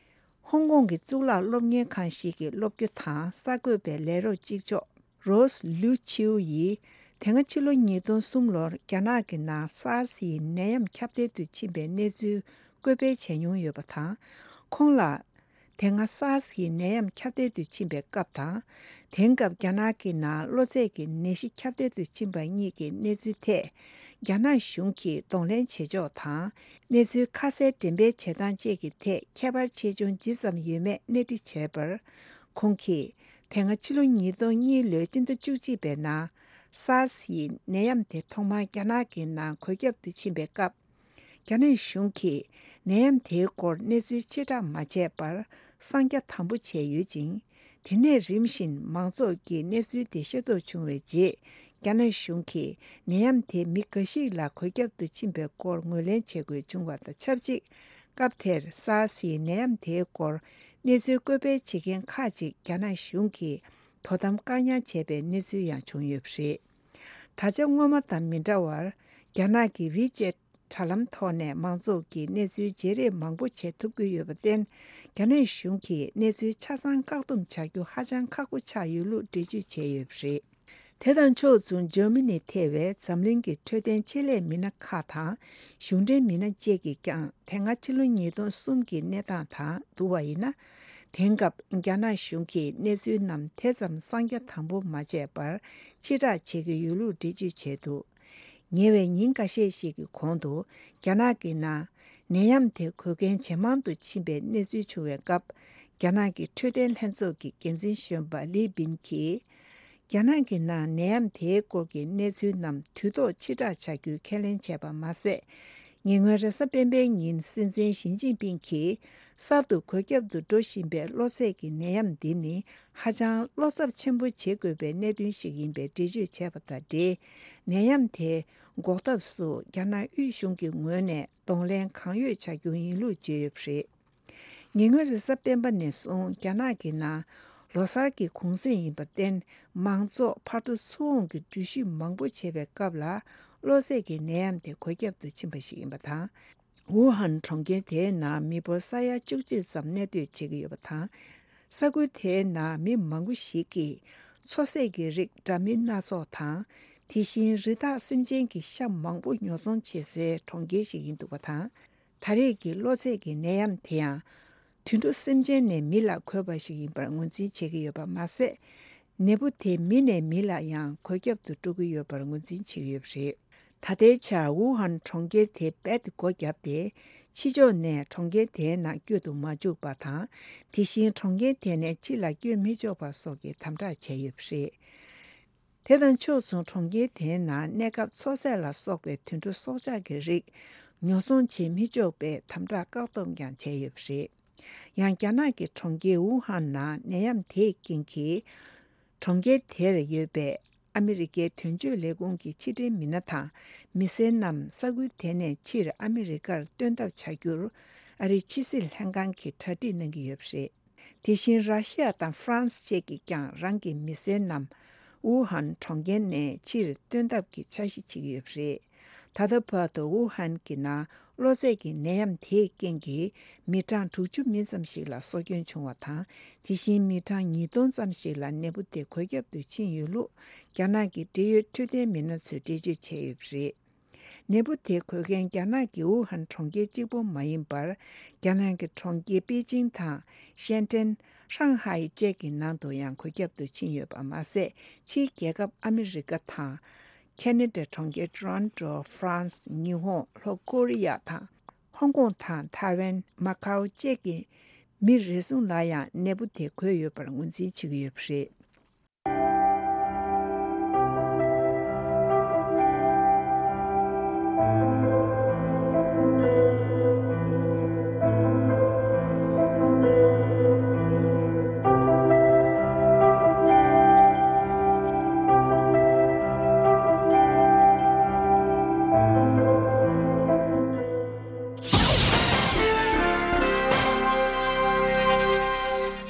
ཧོང་ཀོང་གི་གཙུག་ལག་སློབ་གཉེར་ཁང་ཞིག་གི་སློབ་སྐྱོ་དང་གསར་འགོད་པའི་ལས་རོགས་གཅིག་ལྕོགས་རོས་ལུའུ་ཆིའུ་ཡིས། དེ་སྔ་ཕྱི་ལོ་ཉིས་སྟོང་གསུམ་ལོར་རྒྱ་ནག་གི་ནང་སཱར་སི་ཡི་ནད་ཡམས་ཁྱབ་གདལ་དུ་ཕྱིན་པའི་གནས་ཚུལ་བཀོད་སྤེལ་བྱས་མྱོང་ཡོད་པ་དང་། ཁོང་ལ། དེ་སྔ་སཱར་སི་ཡི་ནད་ཡམས་ཁྱབ་གདལ་དུ་ཕྱིན་པའི་སྐབས་དང་། དེང་སྐབས་རྒྱ་ནག་གི་ནང་གློ་ཚད་ཀྱི་ནད་གཞི་ཁྱབ་གདལ་དུ་ཕྱིན་པ་གཉིས་ཀྱི་གནས་ཚུལ་ཐད། རྒྱ་ནག་གཞུང་གིས་གདོང་ལེན་བྱེད་ཕྱོགས་དང་། གནས་ཚུལ་ཁ་གསལ་འགྲེམས་སྤེལ་བྱེད་སྟངས་བཅས་ཀྱི་ཐད་ཁྱད་པར་ཆེ་ཆུང་ཇི་ཙམ་ཡོད་མེད་གནས་འདྲི་བྱས་པར། ཁོང་གིས། དེ་སྔ་ཕྱི་ལོ་ཉིས་སྟོང་གཉིས་ལོའི་སྤྱི་ཟླ་བཅུ་གཅིག་པའི་ནང་། སཱར་སི་ཡི་ནད་ཡམས་དེ་ཐོག་མར་རྒྱ་ནག་གི་ནང་འགོས་ཁྱབ་ཏུ་ཕྱིན་པའི་སྐབས། རྒྱ་ནག་གཞུང་གིས་ནད་ཡམས་དེའི་སྐོར་གནས་ཚུལ་ཕྱིར་བསྒྲགས་མ་བྱས་པར་གསང་རྒྱ་དམ་པོ་བྱས་ཡོད་ཅིང་། དེ་ནས་རིམ་བཞིན་མང་ཚོགས་ཀྱིས་གནས་ཚུལ་དེ་ཤེས་རྟོགས་བྱུང་བའི་རྗེས། རྒྱ་ནག་གཞུང་གིས་ནད་ཡམས་དེ་མི་འགའ་ཞིག་ལ་འགོས་ཁྱབ་ཏུ་ཕྱིན་པའི་སྐོར་ངོས་ལེན་བྱེད་དགོས་བྱུང་བ་དང་ཆབས་ཅིག་སྐབས་དེར་སཱར་སིའི་ནད་ཡམས་དེའི་སྐོར་གནས་ཚུལ་བཀོད་སྤེལ་བྱེད་མཁན་ཁག་ཅིག་རྒྱ་ནག་གཞུང་གིས་དོ་དམ་བཀག་ཉར་བྱས་པའི་གནས་ཚུལ་ཡང་བྱུང་ཡོད་པ་རེད། ད་ཆ་སྔོན་མ་དང་མི་འདྲ་བར། རྒྱ་ནག་གི་ཝི་ཅེད་དྲ་ལམ་ཐོག་ནས་མང་ཚོགས་ཀྱིས་གནས་ཚུལ་བརྗེ་རེས་མང་པོ་བྱེད་ཐུབ་ཀྱི་ཡོད་པར་བརྟེན། རྒྱ་ནག་གཞུང་གིས་གནས་ཚུལ་ཆ་ཚང་བཀག་སྡོམ་བྱ་རྒྱུ་ཧ་ཅང་ཁག་པོ་ཆགས་ཡོད་ལུགས་འགྲེལ་བརྗོད་བྱས་ཡོད་པ་རེད། དེ་དང་ཕྱོགས་མཚུངས་འཇར་མ་ནི་ཐེ་བའི་འཛམ་གླིང་གི་འཕྲོད་བསྟེན་ཆེད་ལས་མི་སྣ་ཁག་དང་གཞུང་འབྲེལ་མི་སྣ་བཅས་ཀྱིས་ཀྱང་དེ་སྔ་ཕྱི་ལོ་ཉིས་སྟོང་གསུམ་གྱི་གནས་སྟངས་དང་བསྡུར་བ་ཡིན་ན། དེང་སྐབས་རྒྱ་ནག་གཞུང་གིས་གནས་ཚུལ་རྣམས་དེ་ཙམ་གསང་རྒྱ་དམ་པོ་མ་བྱས་པར་ཕྱིར་བསྒྲགས་བྱེད་ཀྱི་ཡོད་ལུགས་འགྲེལ་བརྗོད་བྱས་འདུག་ཉེ་བའི་ཉིན་འགའ་ཤས་ཤིག་གི་གོང་དུ་རྒྱ་ནག་གི་ནང་ ནད་ཡམས་དེ་འགོས་མཁན་ཇེ་མང་དུ་ཕྱིན་པའི་གནས་ཚུལ་བྱུང་བའི་སྐབས། རྒྱ་ནག་གི་འཕྲོད་བསྟེན་ལྷན་ཚོགས་ཀྱི་འགན་འཛིན་གཞོན་པ་ལི་པིན་གྱིས། རྒྱ་ནག་གི་ནང་ནད་ཡམས་དེའི་སྐོར་གྱི་གནས་ཚུལ་རྣམས་དུས་ཐོག་ཕྱིར་བསྒྲགས་བྱ་རྒྱུའི་ཁས་ལེན་བྱས་པ་མ་ཟད། ཉེ་སྔོན་རེས་གཟའ་སྤེན་པའི་ཉིན་སྲིད་འཛིན་ཞི་ཅིན་ཕིང་གིས་གསར་དུ་འགོས་ཁྱབ་ཏུ་འགྲོ་བཞིན་པའི་གློ་ཚད་ཀྱི་ནད་ཡམས་འདི་ནི་ཧ་ཅང་བློ་འཚབ་ཆེན་པོ་བྱེད་དགོས་པའི་གནད་དོན་ཞིག་ཡིན་པའི་འགྲེལ་བརྗོད་བྱས་པ་དང་འབྲེལ། ནད་ཡམས་དེ་འགོག་ཐབས་སུ་རྒྱ་ནག་དབུས་གཞུང་གི་ངོས་ནས་གདོང་ལེན་གང་ཡོད་བྱ་རྒྱུ་ཡིན་ལུགས་བརྗོད་ཡོད་པ་རེད། ཉེ་སྔོན་རེས་གཟའ་སྤེན་པ་ནས་བཟུང་རྒྱ་ནག་གི་ནང་ལོ་གསར་གྱི་གུང་སེང་ཡིན་པར་བརྟེན། མང་ཚོགས་ཕར་འགྲོ་ཚུར་འོང་གི་འགྲུལ་བཞུད་མང་པོ་བྱེད་པའི་སྐབས་ལ། གློ་ཚད་ཀྱི་ནད་ཡམས་དེ་འགོས་ཁྱབ་ཏུ་ཕྱིན་པ་ཞིག་ཡིན་པ་དང་། ཝུ་ཧན་གྲོང་ཁྱེར་དེའི་ནང་མི་འབོར་ས་ཡ་བཅུ་གཅིག་ཙམ་གནས་སྡོད་བྱེད་ཀྱི་ཡོད་པ་དང་། ས་ཁུལ་དེའི་ནང་མི་མང་པོ་ཞིག་གིས་མཚོ་ཟས་ཀྱི་རིགས་འདྲ་མིན་སྣ་ཚོགས་དང་། དེ་བཞིན་རི་དྭགས་སེམས་ཅན་གྱི་ཤ་མང་པོ་ཉོ་ཚོང་བྱེད་སའི་གྲོང་ཁྱེར་ཞིག་ཡིན་འདུག་པ་དང་། ད་རེས་ཀྱི་གློ་ཚད་ཀྱི་ནད་ཡམས་དེ་ཡང་། དུད་འགྲོ་སེམས་ཅན་ནས་མི་ལ་འགོས་པ་ཞིག་ཡིན་པར་ངོས་འཛིན་བྱེད་ཀྱི་ཡོད་པ་མ་ཟད། ནད་འབུ་དེ་མི་ནས་མི་ལ་ཡང་འགོས་ཁྱབ་ཏུ་འགྲོ་གི་ཡོད་པར་ངོས་འཛིན་བྱེད་ཀྱི་ཡོད་པ་རེད། ད་ལྟའི་ཆར་ཝུ་ཧན་གྲོང་ཁྱེར་དེ་རྦད་དེ་སྒོ་བརྒྱབ་སྟེ། ཕྱི་ཕྱོགས་ནས་གྲོང་ཁྱེར་དེའི་ནང་བསྐྱོད་དུ་མ་བཅུག་པ་དང་། དེ་བཞིན་གྲོང་ཁྱེར་དེ་ནས་ཕྱི་ལ་བསྐྱོད་མི་ཆོག་པ་སོགས་ཀྱི་དམ་དྲག་བྱས་ཡོད་པ་རེད། དེ་དང་ཕྱོགས་མཚུངས་གྲོང་ཁྱེར་དེའི་ནང་གནས་སྐབས་མཚོ་ཟས་ལ་སོགས་པའི་དུད་འགྲོ་སྲོག་ཆགས་ཀྱི་རིགས་ཉོ་ཚོང་བྱེད་མི་ཆོག་པའི་དམ་དྲག་བཀག་སྡོམ་ཀྱང་བྱས་ཡོད་པ་རེད། ཡང་རྒྱ་ནག་གི་གྲོང་ཁྱེར་ཝུ་ཧན་ནང་ནད་ཡམས་དེའི་རྐྱེན་གྱིས། གྲོང་ཁྱེར་དེར་ཡོད་པའི་ཨ་མི་རི་ཀའི་དོན་གཅོད་ལས་ཁུངས་ཀྱི་ཕྱི་འབྲེལ་མི་སྣ་དང་མི་སེར་རྣམས་ས་ཁུལ་དེ་ནས་ཕྱིར་ཨ་མི་རི་ཀར་སྟོན་ཐབས་བྱ་རྒྱུར་ཨ་རིའི་ཕྱི་སྲིད་ལྷན་ཁང་གིས་གྲ་སྒྲིག་གནང་གི་ཡོད་པ་རེད། དེ་བཞིན་ར་ཤི་ཡ་དང་ཧྥ་རན་སི་བཅས་ཀྱིས་ཀྱང་རང་གི་མི་སེར་རྣམས་ཝུ་ཧན་གྲོང་ཁྱེར་ནས་ཕྱིར་སྟོན་ཐབས་ཀྱི་འཆར་གཞི་བྱེད་ཀྱི་ཡོད་པ་རེད། ད་ལྟ་བར་དུ་ཝུ་ཧན་གྱི་ནང་གློ་ཚད་ཀྱི་ནད་ཡམས་དེའི་རྐྱེན་གྱིས་མི་གྲངས་དྲུག་ཅུ་མིན་ཙམ་ཞིག་ལ་སྲོག་སྐྱོན་བྱུང་བ་དང་། དེ་བཞིན་མི་གྲངས་ཉིས་སྟོང་ཙམ་ཞིག་ལ་ནད་འབུ་དེ་འགོས་ཁྱབ་ཏུ་ཕྱིན་ཡོད་ལུགས་རྒྱ་ནག་གི་འབྲེལ་ཡོད་འཕྲོད་བསྟེན་མི་སྣ་ཚོས་འགྲེལ་བརྗོད་བྱས་ཡོད་པ་རེད། ནད་འབུ་དེ་འགོས་མཁན་རྒྱ་ནག་གི་ཝུ་ཧན་གྲོང་ཁྱེར་གཅིག་པོ་མ་ཡིན་པར། རྒྱ་ནག་གི་གྲོང་ཁྱེར་པེ་ཅིང་དང་། ཤན་ཀྲེན། ཧྲང་ཧའེ་བཅས་ཀྱི་ནང་དུ་ཡང་འགོས་ཁྱབ་ཏུ་ཕྱིན་ཡོད་པ་མ་ཟད། ཕྱིའི་རྒྱལ་ཁབ་ཨ་མི་རི་ཀ་དང་། ཁེ་ན་ཌ་གྲོང་ཁྱེར་ཊོ་རོན་ཊོ། ཧྥ་རན་སི། ཉི་ཧོང་། ལྷོ་ཀོ་རི་ཡ་དང་། ཧོང་ཀོང་དང་ཐའེ་ཝན། མ་ཀའོ་བཅས་ཀྱི་མི་རེ་ཟུང་ལ་ཡང་ནད་འབུ་དེ་འགོས་ཡོད་པར་ངོས་འཛིན་བྱེད་ཀྱི་ཡོད་པ་རེད།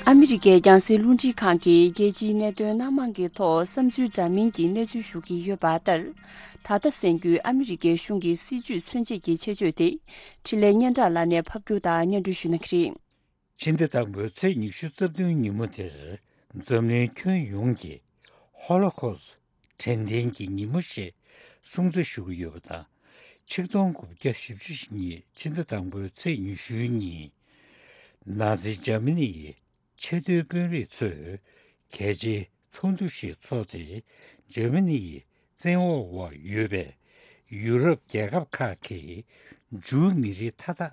ཨ་མི་རི་ཀའི་རྒྱང་སྲིང་རླུང་འཕྲིན་ཁང་གིས་རྒྱལ་སྤྱིའི་གནད་དོན་སྣ་མང་གི་ཐོག་བསམ་ཚུལ་འདྲ་མིན་གྱི་གནས་ཚུལ་ཞུ་གི་ཡོད་པ་ལྟར། ད་ལྟ་གསན་རྒྱུའི་ཨ་མི་རི་ཀའི་གཞུང་གི་སྲིད་ཇུས་མཚོན་བྱེད་ཀྱི་ཆེད་བརྗོད་དེ། འཕྲིན་ལས་སྙན་གྲགས་ལགས་ནས་ཕབ་སྒྱུར་དང་སྙན་སྒྲོན་ཞུ་གནང་གི་རེད། ཕྱི་ཟླ་དང་པོའི་ཚེས་ཉི་ཤུ་རྩ་བདུན་ཉིན་མོ་དེར་འཛམ་གླིང་ཁྱོན་ཡོངས་ཀྱིས་ཧོ་ལོ་ཁོ་སི་དྲན་རྟེན་གྱི་ཉིན་མོ་ཞེས་སྲུང་བརྩི་ཞུ་གི་ཡོད་པ་དང་། ཆིག་སྟོང་དགུ་བརྒྱ་བཞི་བཅུ་ཞེ་གཉིས་ཕྱི་ཟླ་དང་པོའི་ཚེས་ཉི་ཤུའི་ཉིན། ནཱ་ཛི་འཇར་མ་ནི་ཡི་ཆེས་མཐོའི་དཔོན་རིགས་ཚོས་གལ་ཆེའི་ཚོགས་འདུ་ཞིག་འཚོགས་ཏེ། འཇར་མ་ནི་ཡི་བཙན་འོག་འོག་ཡོད་པའི་ཡུ་རོབ་རྒྱལ་ཁབ་ཁག་གིས་ཇུའུ་མི་རིགས་མཐའ་དག་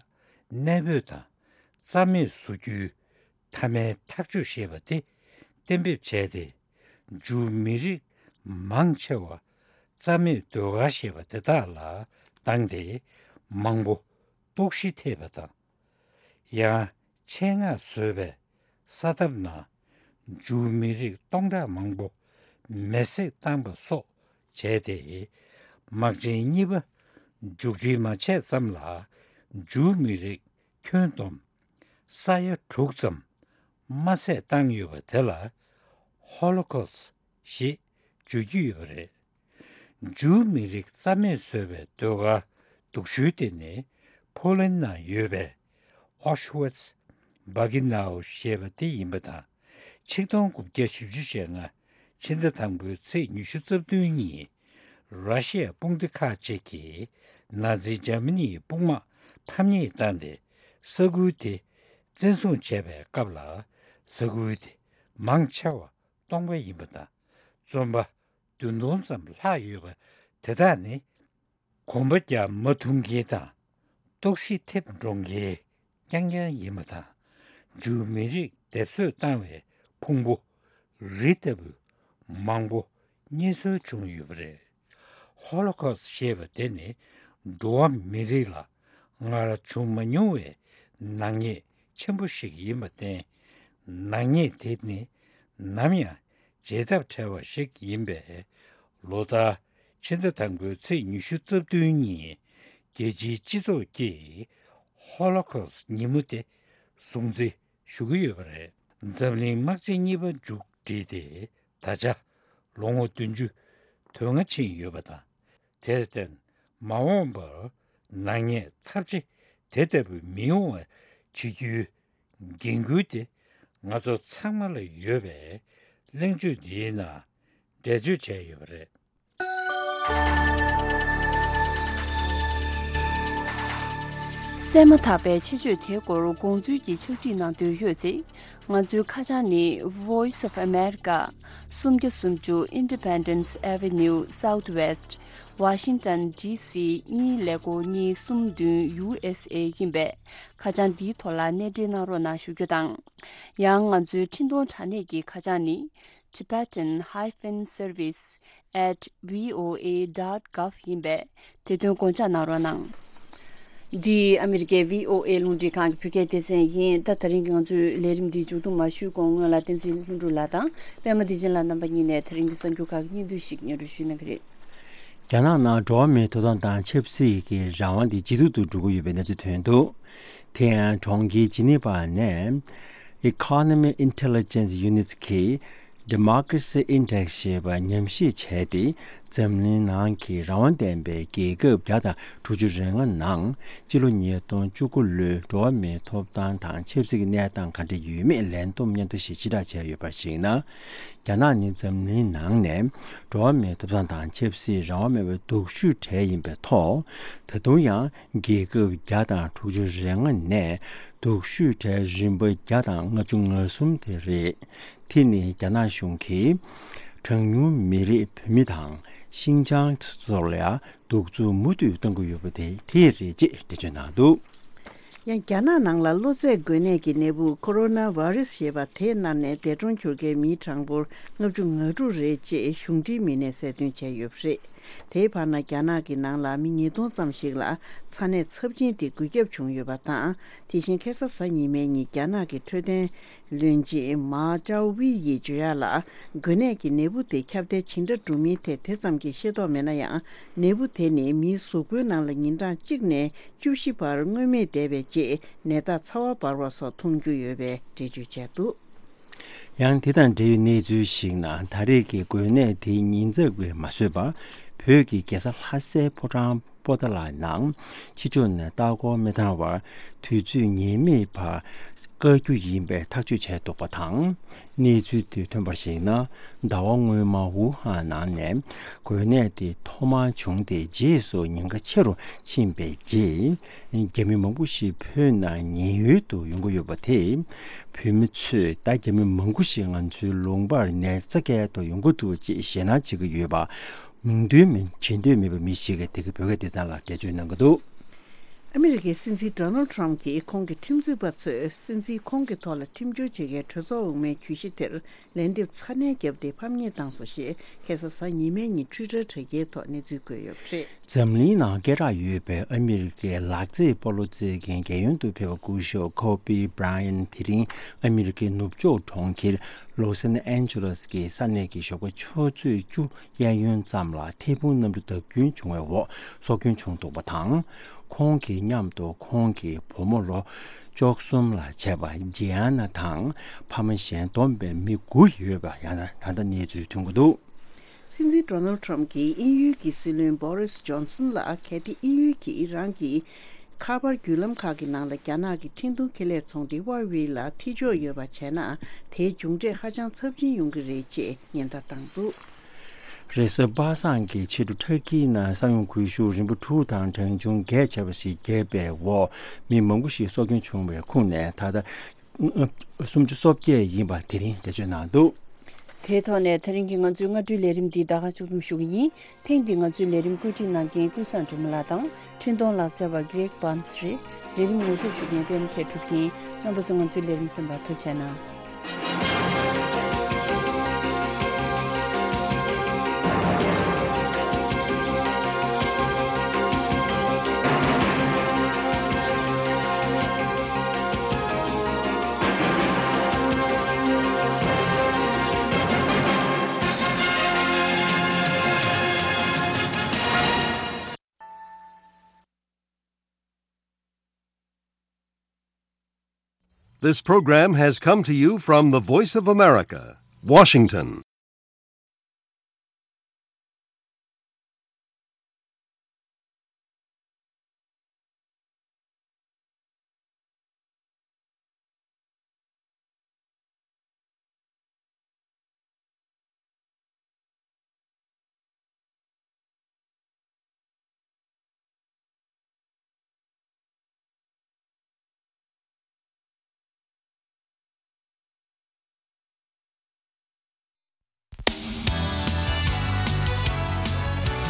གནས་སྤོས་དང་རྩ་མེད་བཟོ་རྒྱུའི་མཐའ་མའི་ཐག་གཅོད་ཞེས་པ་དེ་གཏན་འབེབས་བྱས་ཏེ། ཇུའུ་མི་རིགས་མང་ཆེ་བ་རྩ་མེད་ཟློས་གར་ཞེས་པ་དེ་དག་ལ་བཏང་སྟེ། མང་པོ་ལྟོགས་ཤི་ཐེབས་པ་དང་། ཡང་ཆེད་མངགས་བཟོས་པའི་ས་ཐབ་ནང་ཇུའུ་མི་རིགས་སྟོང་ཕྲག་མང་པོ་མེར་སྲེག་བཏང་པ་སོགས་བྱས་ཏེ། དམག་ཆེན་གཉིས་པ་མཇུག་སྒྲིལ་མ་བྱས་ཙམ་ལ་ཇུའུ་མི་རིགས་ཁྱོན་བསྡོམས་ས་ཡ་དྲུག་ཙམ་མ་ཟད་བཏང་ཡོད་པ་དེ་ལ་ཧོ་ལོ་ཁོ་སི་ཞེས་བརྗོད་ཀྱི་ཡོད་པ་རེད། ཇུའུ་མི་རིགས་རྩ་མེད་བཟོས་པའི་ཟློས་གར་སྡུག་ཤོས་དེ་ནི་ཕོ་ལན་ནང་ཡོད་པའི་ཨོ་ཤི་ཝི་ཚི་བྷི་རི་ཀི་ནའོ་ཞེས་པ་དེ་ཡིན་པ་དང་། ཆིག་སྟོང་དགུ་བརྒྱ་བཞི་བཅུ་ཞེ་ལྔ་ཕྱི་ཟླ་དང་པོའི་ཚེས་ཉི་ཤུ་རྩ་བདུན་ཉིན། ར་ཤི་ཡ་དཔུང་སྡེ་ཁག་ཅིག་གིས་ནཱ་ཛི་འཇར་མ་ནིའི་དཔུང་དམག་ཕམ་ཉེས་བཏང་སྟེ། ས་ཁུལ་དེ་བཙན་བཟུང་བྱས་པའི་སྐབས་ལ། ས་ཁུལ་དེ་མང་ཆེ་བ་སྟོང་པ་ཡིན་པ་དང་། བཙོན་པ་བདུན་སྟོང་ཙམ་ལྷག་ཡོད་པ་དེ་དག་ནི། གོམ་པ་རྒྱག་མ་ཐུབ་མཁན་དང་ ལྟོགས་ཤི་ཐེབས་འགྲོ་མཁན་རྐྱང་རྐྱང་ཡིན་པ་དང་། འཇུ་མི་རིགས་སྡེབ་གསོད་བཏང་བའི་ཕུང་པོ་རི་ལྟ་བུ་མང་པོ་རྙེད་སོན་བྱུང་ཡོད་པ་རེད། ཧོ་ལོ་ཁོ་སི་ཞེས་པ་དེ་ནི་འགྲོ་བ་མི་རིགས་ལ་སྔར་བྱུང་མ་མྱོང་བའི་ནག་ཉེས་ཆེན་པོ་ཞིག་ཡིན་པར་བརྟེན། ནག་ཉེས་དེ་ནི་ནམ་ཡང་བརྗེད་ཐབས་བྲལ་བ་ཞིག་ཡིན་པས། ལོ་ལྟར་ཕྱི་ཟླ་དང་པོའི་ཚེས་ཉི་ཤུ་རྩ་བདུན་ཉིན་རྒྱལ་སྤྱིའི་སྤྱི་ཚོགས་ཀྱིས་ཧོ་ལོ་ཁོ་སི་ཉིན་མོ་དེ་སྲུང་བརྩི་ཞུ་གི་ཡོད་པ་རེད། འཛམ་གླིང་དམག་ཆེན་གཉིས་པ་མཇུག་བསྒྲིལ་ཏེ་ད་ཆ་ལོ་ངོ་བདུན་ཅུ་དོན་ལྔ་ཕྱིན་ཡོད་པ་དང་། དེར་བརྟེན་མ་འོངས་པར་ནག་ཉེས་ཚབས་ཆེ་དེ་ལྟ་བུ་མི་ཡོང་བ་བྱེད་རྒྱུའི་འགན་ཁུར་དེ་ང་ཚོ་ཚང་མ་ལ་ཡོད་པའི་གླེང་བརྗོད་འདིའི་ནང་འགྲེལ་བརྗོད་བྱས་ཡོད་པ་རེད། གསན་མ་ཐག་པའི་ཆེད་བརྗོད་དེའི་སྐོར་དགོངས་ཚུལ་གྱི་ཕྱག་བྲིས་གནང་འདོད་ཡོད་ཚེ། ང་ཚོའི་ཁ་བྱང་ནི་Voice of America། སུམ་བརྒྱ་སུམ་ཅུ་Independence Avenue Southwest། Washington D C གཉིས་ཀླད་ཀོར་གཉིས་གསུམ་བདུན་U S A ཡིན་པས། ཁ་བྱང་འདིའི་ཐོག་ལ་གནས་འབྲེལ་གནང་རོགས་གནང་ཞུ་རྒྱུ་དང་། ཡང་ང་ཚོའི་འཕྲིན་གཏོང་དྲ་གནས་ཀྱི་ཁ་བྱང་ནི། Tibetan hyphen service at V O A dot gov ཡིན་པས། དེ་དོན་དགོངས་འཇགས་གནང་རོགས་གནང་། འདི་ཨ་མི་རི་ཀའི་V O A རླུང་འཕྲིན་ཁང་གི་བོད་སྐད་སྡེ་ཚན་ཡིན། ད་དེ་རིང་གི་ང་ཚོའི་ལས་རིམ་འདི་མཇུག་བསྡོམས་མ་ཞུས་གོང་སྔོན་ལ་བསྟན་འཛིན་ལྷུན་གྲུབ་ལགས་དང་པད་མ་བདེ་ཆེན་ལགས་རྣམ་པ་གཉིས་ནས་དེ་རིང་གི་གསར་འགྱུར་ཁག་གི་སྙིང་བསྡུས་ཤིག་སྙན་སྒྲོན་ཞུ་གནང་གི་རེད། རྒྱ་ནག་ནང་འགྲོ་བ་མིའི་ཐོབ་ཐང་དང་ཆབ་སྲིད་ཀྱི་རང་དབང་དེ་ཇེ་སྡུག་ཏུ་འགྲོ་གི་ཡོད་པའི་གནས་ཚུལ་ཐོན་འདུག་དེ་ཡང་གྲོང་ཁྱེར་ཇི་ནི་ཝ་ནས་Economic Intelligence Unit གིས་Democracy Index ཞེས་པ་ཉམས་ཞིབ་བྱས་ཏེ། འཛམ་གླིང་ནང་གི་རང་དབང་ལྡན་པའི་རྒྱལ་ཁབ་བརྒྱ་དང་དྲུག་ཅུ་རེ་ལྔ་ནང་སྤྱི་ལོ་ཉིས་སྟོང་བཅུ་དགུ་ལོའི་འགྲོ་བ་མིའི་ཐོབ་ཐང་དང་ཆབ་སྲིད་ཀྱི་གནས་སྟངས་ག་འདྲ་ཡོད་མེད་ལན་འདེབས་སྙན་ཐོ་ཞིག་ཕྱིར་བསྒྲགས་བྱས་ཡོད་པར་གཞིགས་ན། རྒྱ་ནག་ནི་འཛམ་གླིང་ནང་ནས་འགྲོ་བ་མིའི་ཐོབ་ཐང་དང་ཆབ་སྲིད་རང་དབང་མེད་པའི་སྡུག་ཤོས་གྲས་ཡིན་པའི་ཐོག་ད་དུང་ཡང་རྒྱལ་ཁབ་བརྒྱ་དང་དྲུག་ཅུ་རེ་ལྔ་ནས་སྡུག་ཤོས་གྲས་རིམ་པ་བརྒྱ་དང་ལྔ་བཅུ་ང་གསུམ་དེ་རེད། དེ་ནི་རྒྱ་ནག་གཞུང་གིས་གྲངས་ཉུང་མི་རིགས་བོད་མི་དང་ཤིན་ཅང་སོགས་ལ་གདུག་རྩུབ་མུ་མཐུད་གཏོང་གི་ཡོད་པ་དེ་དེ་རེད་ཅེས་འགྲེལ་བརྗོད་གནང་འདུག་ཡང་རྒྱ་ནག་ནང་ལ་གློ་ཚད་འགོས་ནད་ཀྱི་ནད་འབུ་ཁོ་རོ་ན་བྷ་རེ་སི་ཞེས་པ་དེ་མནར་ནས་འདས་གྲོངས་གྱུར་མཁན་མིའི་གྲངས་འབོར་ལྔ་བཅུ་ང་དྲུག་རེད་ཅེས་གཞུང་འབྲེལ་མི་སྣས་གསལ་སྟོན་བྱས་ཡོད་པ་རེད། དེའི་བར་ན་རྒྱ་ནག་གི་ནང་ལ་མི་ཉིས་སྟོང་ཙམ་ཞིག་ལ་ཚ་ནད་ཚབས་ཆེན་དེ་འགོས་ཁྱབ་བྱུང་ཡོད་པ་དང་། དེ་བཞིན་ཁ་སང་གཟའ་ཉི་མའི་ཉིན་རྒྱ་ནག་གི་འཕྲོད་བསྟེན་བློན་ཆེན་མཱ་ཅའོ་ཝི་ཡིས་བརྗོད་ཡག་ལ། འགོས་ནད་ཀྱི་ནད་འབུ་དེ་ཁྱབ་གདལ་ཇི་འདྲ་འགྲོ་མིན་ཐད་དེ་ཙམ་གྱི་ཤེས་རྟོགས་མེད་ན་ཡང་། ནད་འབུ་དེ་ནི་མིའི་གཟུགས་པོའི་ནང་ལ་ཉིན་གྲངས་གཅིག་ནས་བཅུ་བཞི་བར་མངོན་མེད་བསྡད་པའི་རྗེས་ནད་རྟགས་ཚ་བ་འབར་བ་སོགས་མཐོང་རྒྱུ་ཡོད་པའི་འགྲེལ་བརྗོད་བྱས་འདུག་ཡང་དེ་དང་འབྲེལ་བའི་གནས་ཚུལ་ཞིག་ནང་ད་རེས་ཀྱི་འགོས་ནད་དེའི་ཉེན་ཚབས་ཀྱིས་མ་བཟོད་པར་བོད་ཀྱི་རྒྱལ་ས་ལྷ་སའི་ཕོ་བྲང་པོ་ཏཱ་ལ་ནང་ཕྱི་ཕྱོགས་ནས་ལྟ་སྐོར་མི་གཏང་བར་དུས་ཚོད་ངེས་མེད་བར་བཀག་རྒྱུ་ཡིན་པའི་ཐག་གཅོད་བྱས་འདུག་པ་དང་། གནས་ཚུལ་དེ་ཐོན་པར་གཞིགས་ན། ཟླ་བ་སྔོན་མ་ཝུ་ཧན་ནང་ནས་འགོས་ནད་དེ་ཐོག་མར་བྱུང་སྟེ། རྗེས་སུ་ཉེན་ཁ་ཆེ་རུ་ཕྱིན་པའི་རྗེས། རྒྱ་མི་མང་པོ་ཞིག་བོད་ནང་ཉེན་གཡོལ་དུ་ཡོང་གི་ཡོད་པ་དེས། བོད་མི་ཚོས་ད་རྒྱ་མི་མང་པོ་ཞིག་ང་ཚོའི་ལུང་པར་ནད་རྩ་བསྐྱལ་དུ་ཡོང་གི་འདུག་ཅེས་ཞེད་སྣང་བྱེད་ཀྱི་ཡོད་པ། མིང་འདོན་མི་བྱེད་འདོད་མེད་པའི་མི་ཞིག་གིས་དེ་གའི་བོད་སྐད་སྡེ་ཚན་ལ་འགྲེལ་བརྗོད་གནང་གི་འདུག་ཨ་མི་རི་ཀའི་སྲིད་འཛིན་ཌོ་ནལ་ཊམ་གྱིས་ཁོང་གི་ཁྲིམས་རྩོད་པ་ཚོས་སྲིད་འཛིན་ཁོང་གི་ཐོག་ལ་ཁྲིམས་སྐྱོར་བྱེད་མཁན་གྲོས་ཚོགས་འོག་མའི་གྱོད་གཞི་དེར་ལན་འདེབས་ཚ་ནན་བརྒྱབ་སྟེ་ཕམ་ཉེས་བཏང་སོང་ཞེས་ཁ་སང་གཟའ་ཉི་མའི་ཉིན་ཊུའི་ཊར་དྲ་རྒྱའི་ཐོག་གནས་ཚུལ་བཀོད་ཡོད་པ་རེད། འཛམ་གླིང་ནང་སྐད་གྲགས་ཡོད་པའི་ཨ་མི་རི་ཀའི་ལག་རྩེད་སྤོ་ལོ་རྩེད་མཁན་རྒྱལ་ཡོངས་དུ་ཕེབས་པ་སྐུ་ཞབས་ཁོ་བི་བྷི་ར་ཡན་དེ་རིང་ཨ་མི་རི་ཀའི་ནུབ་ཕྱོགས་གྲོང་ཁྱེར་ལོ་སན་ཨན་ཇེ་ལེ་སི་གི་ས་གནས་ཀྱི་ཞོགས་པ་ཆུ་ཚོད་བཅུ་གཡས་གཡོན་ཙམ་ལ་ཐལ་རྡུལ་གནམ་གྲུ་བརྡབ་སྐྱོན་བྱུང་བའི་འོག་སྲོག་སྐྱོན་བྱུང་འདུག་པ་དང་། ཁོང་གི་མཉམ་དུ་ཁོང་གི་བུ་མོ་ལོ་བཅུ་གསུམ་ལ་བྱས་པ་ཇི་ཨ་ན་དང་ཕ་མ་གཞན་བསྡོམས་པའི་མི་དགུ་ཡོད་པ་ཡང་ད་ལྟ་གནས་ཚུལ་ཐོན་གྱི་འདུག་སྲིད་འཛིན་ཌོ་ནལ་ཊམ་གྱིས་དབྱིན་ཡུལ་གྱི་སྲིད་བློན་བྷོ་རིས་ཇོན་སན་ལ་གལ་ཏེ་དབྱིན་ཡུལ་གྱིས་རང་གི་ཁ་པར་བརྒྱུད་ལམ་ཁག་གི་ནང་ལ་རྒྱ་ནག་གི་འཕྲིན་གཏོང་ཁེ་ལས་ཚོང་སྡེ་ཧྭ་ཝེ་ལ་ཐེ་ཇུས་ཡོད་པ་བྱས་ན། དེའི་མཇུག་འབྲས་ཧ་ཅང་ཚབས་ཆེན་ཡོང་གི་རེད་ཅེས་ཉེན་བརྡ་བཏང་འདུག་རེས་གཟའ་པ་སངས་ཀྱི་ཕྱི་དྲོ་ཊར་ཀིའི་ནང་ས་ཡོམ་འགུལ་ཤུགས་རིམ་པ་དྲུག་དང་གྲངས་ཆུང་བརྒྱད་བྱས་པ་ཞིག་བརྒྱབ་པའི་འོག་མི་མང་པོ་ཞིག་སྲོག་སྐྱོན་བྱུང་བའི་ཁོངས་ནས་ད་ལྟ་སུམ་ཅུ་སོ་བརྒྱད་ཡིན་པ་དེ་རིང་འགྲེལ་བརྗོད་གནང་འདུག་དེའི་ཐོག་ནས་དེ་རིང་གི་ང་ཚོའི་སྔ་དྲོའི་ལས་རིམ་འདི་ད་ག་མཇུག་བསྡོམས་ཞུ་གི་ཡིན། ཐེངས་འདིའི་ང་ཚོའི་ལས་རིམ་བཀོད་སྒྲིག་གནང་མཁན་ཀུན་བཟང་སྒྲོལ་མ་ལགས་དང་འཕྲིན་གཏོང་ལག་རྩལ་བ་Greg Barnes རེད། ལས་རིམ་ངོ་སྤྲོད་ཞུ་མཁན་པད་མ་མཁས་གྲུབ་ཡིན། རྣམ་པ་ཚོ་ང་ཚོའི་ལས་རིམ་གསན་པར་ཐུགས་རྗེ་གནང་། This program has come to you from the Voice of America, Washington.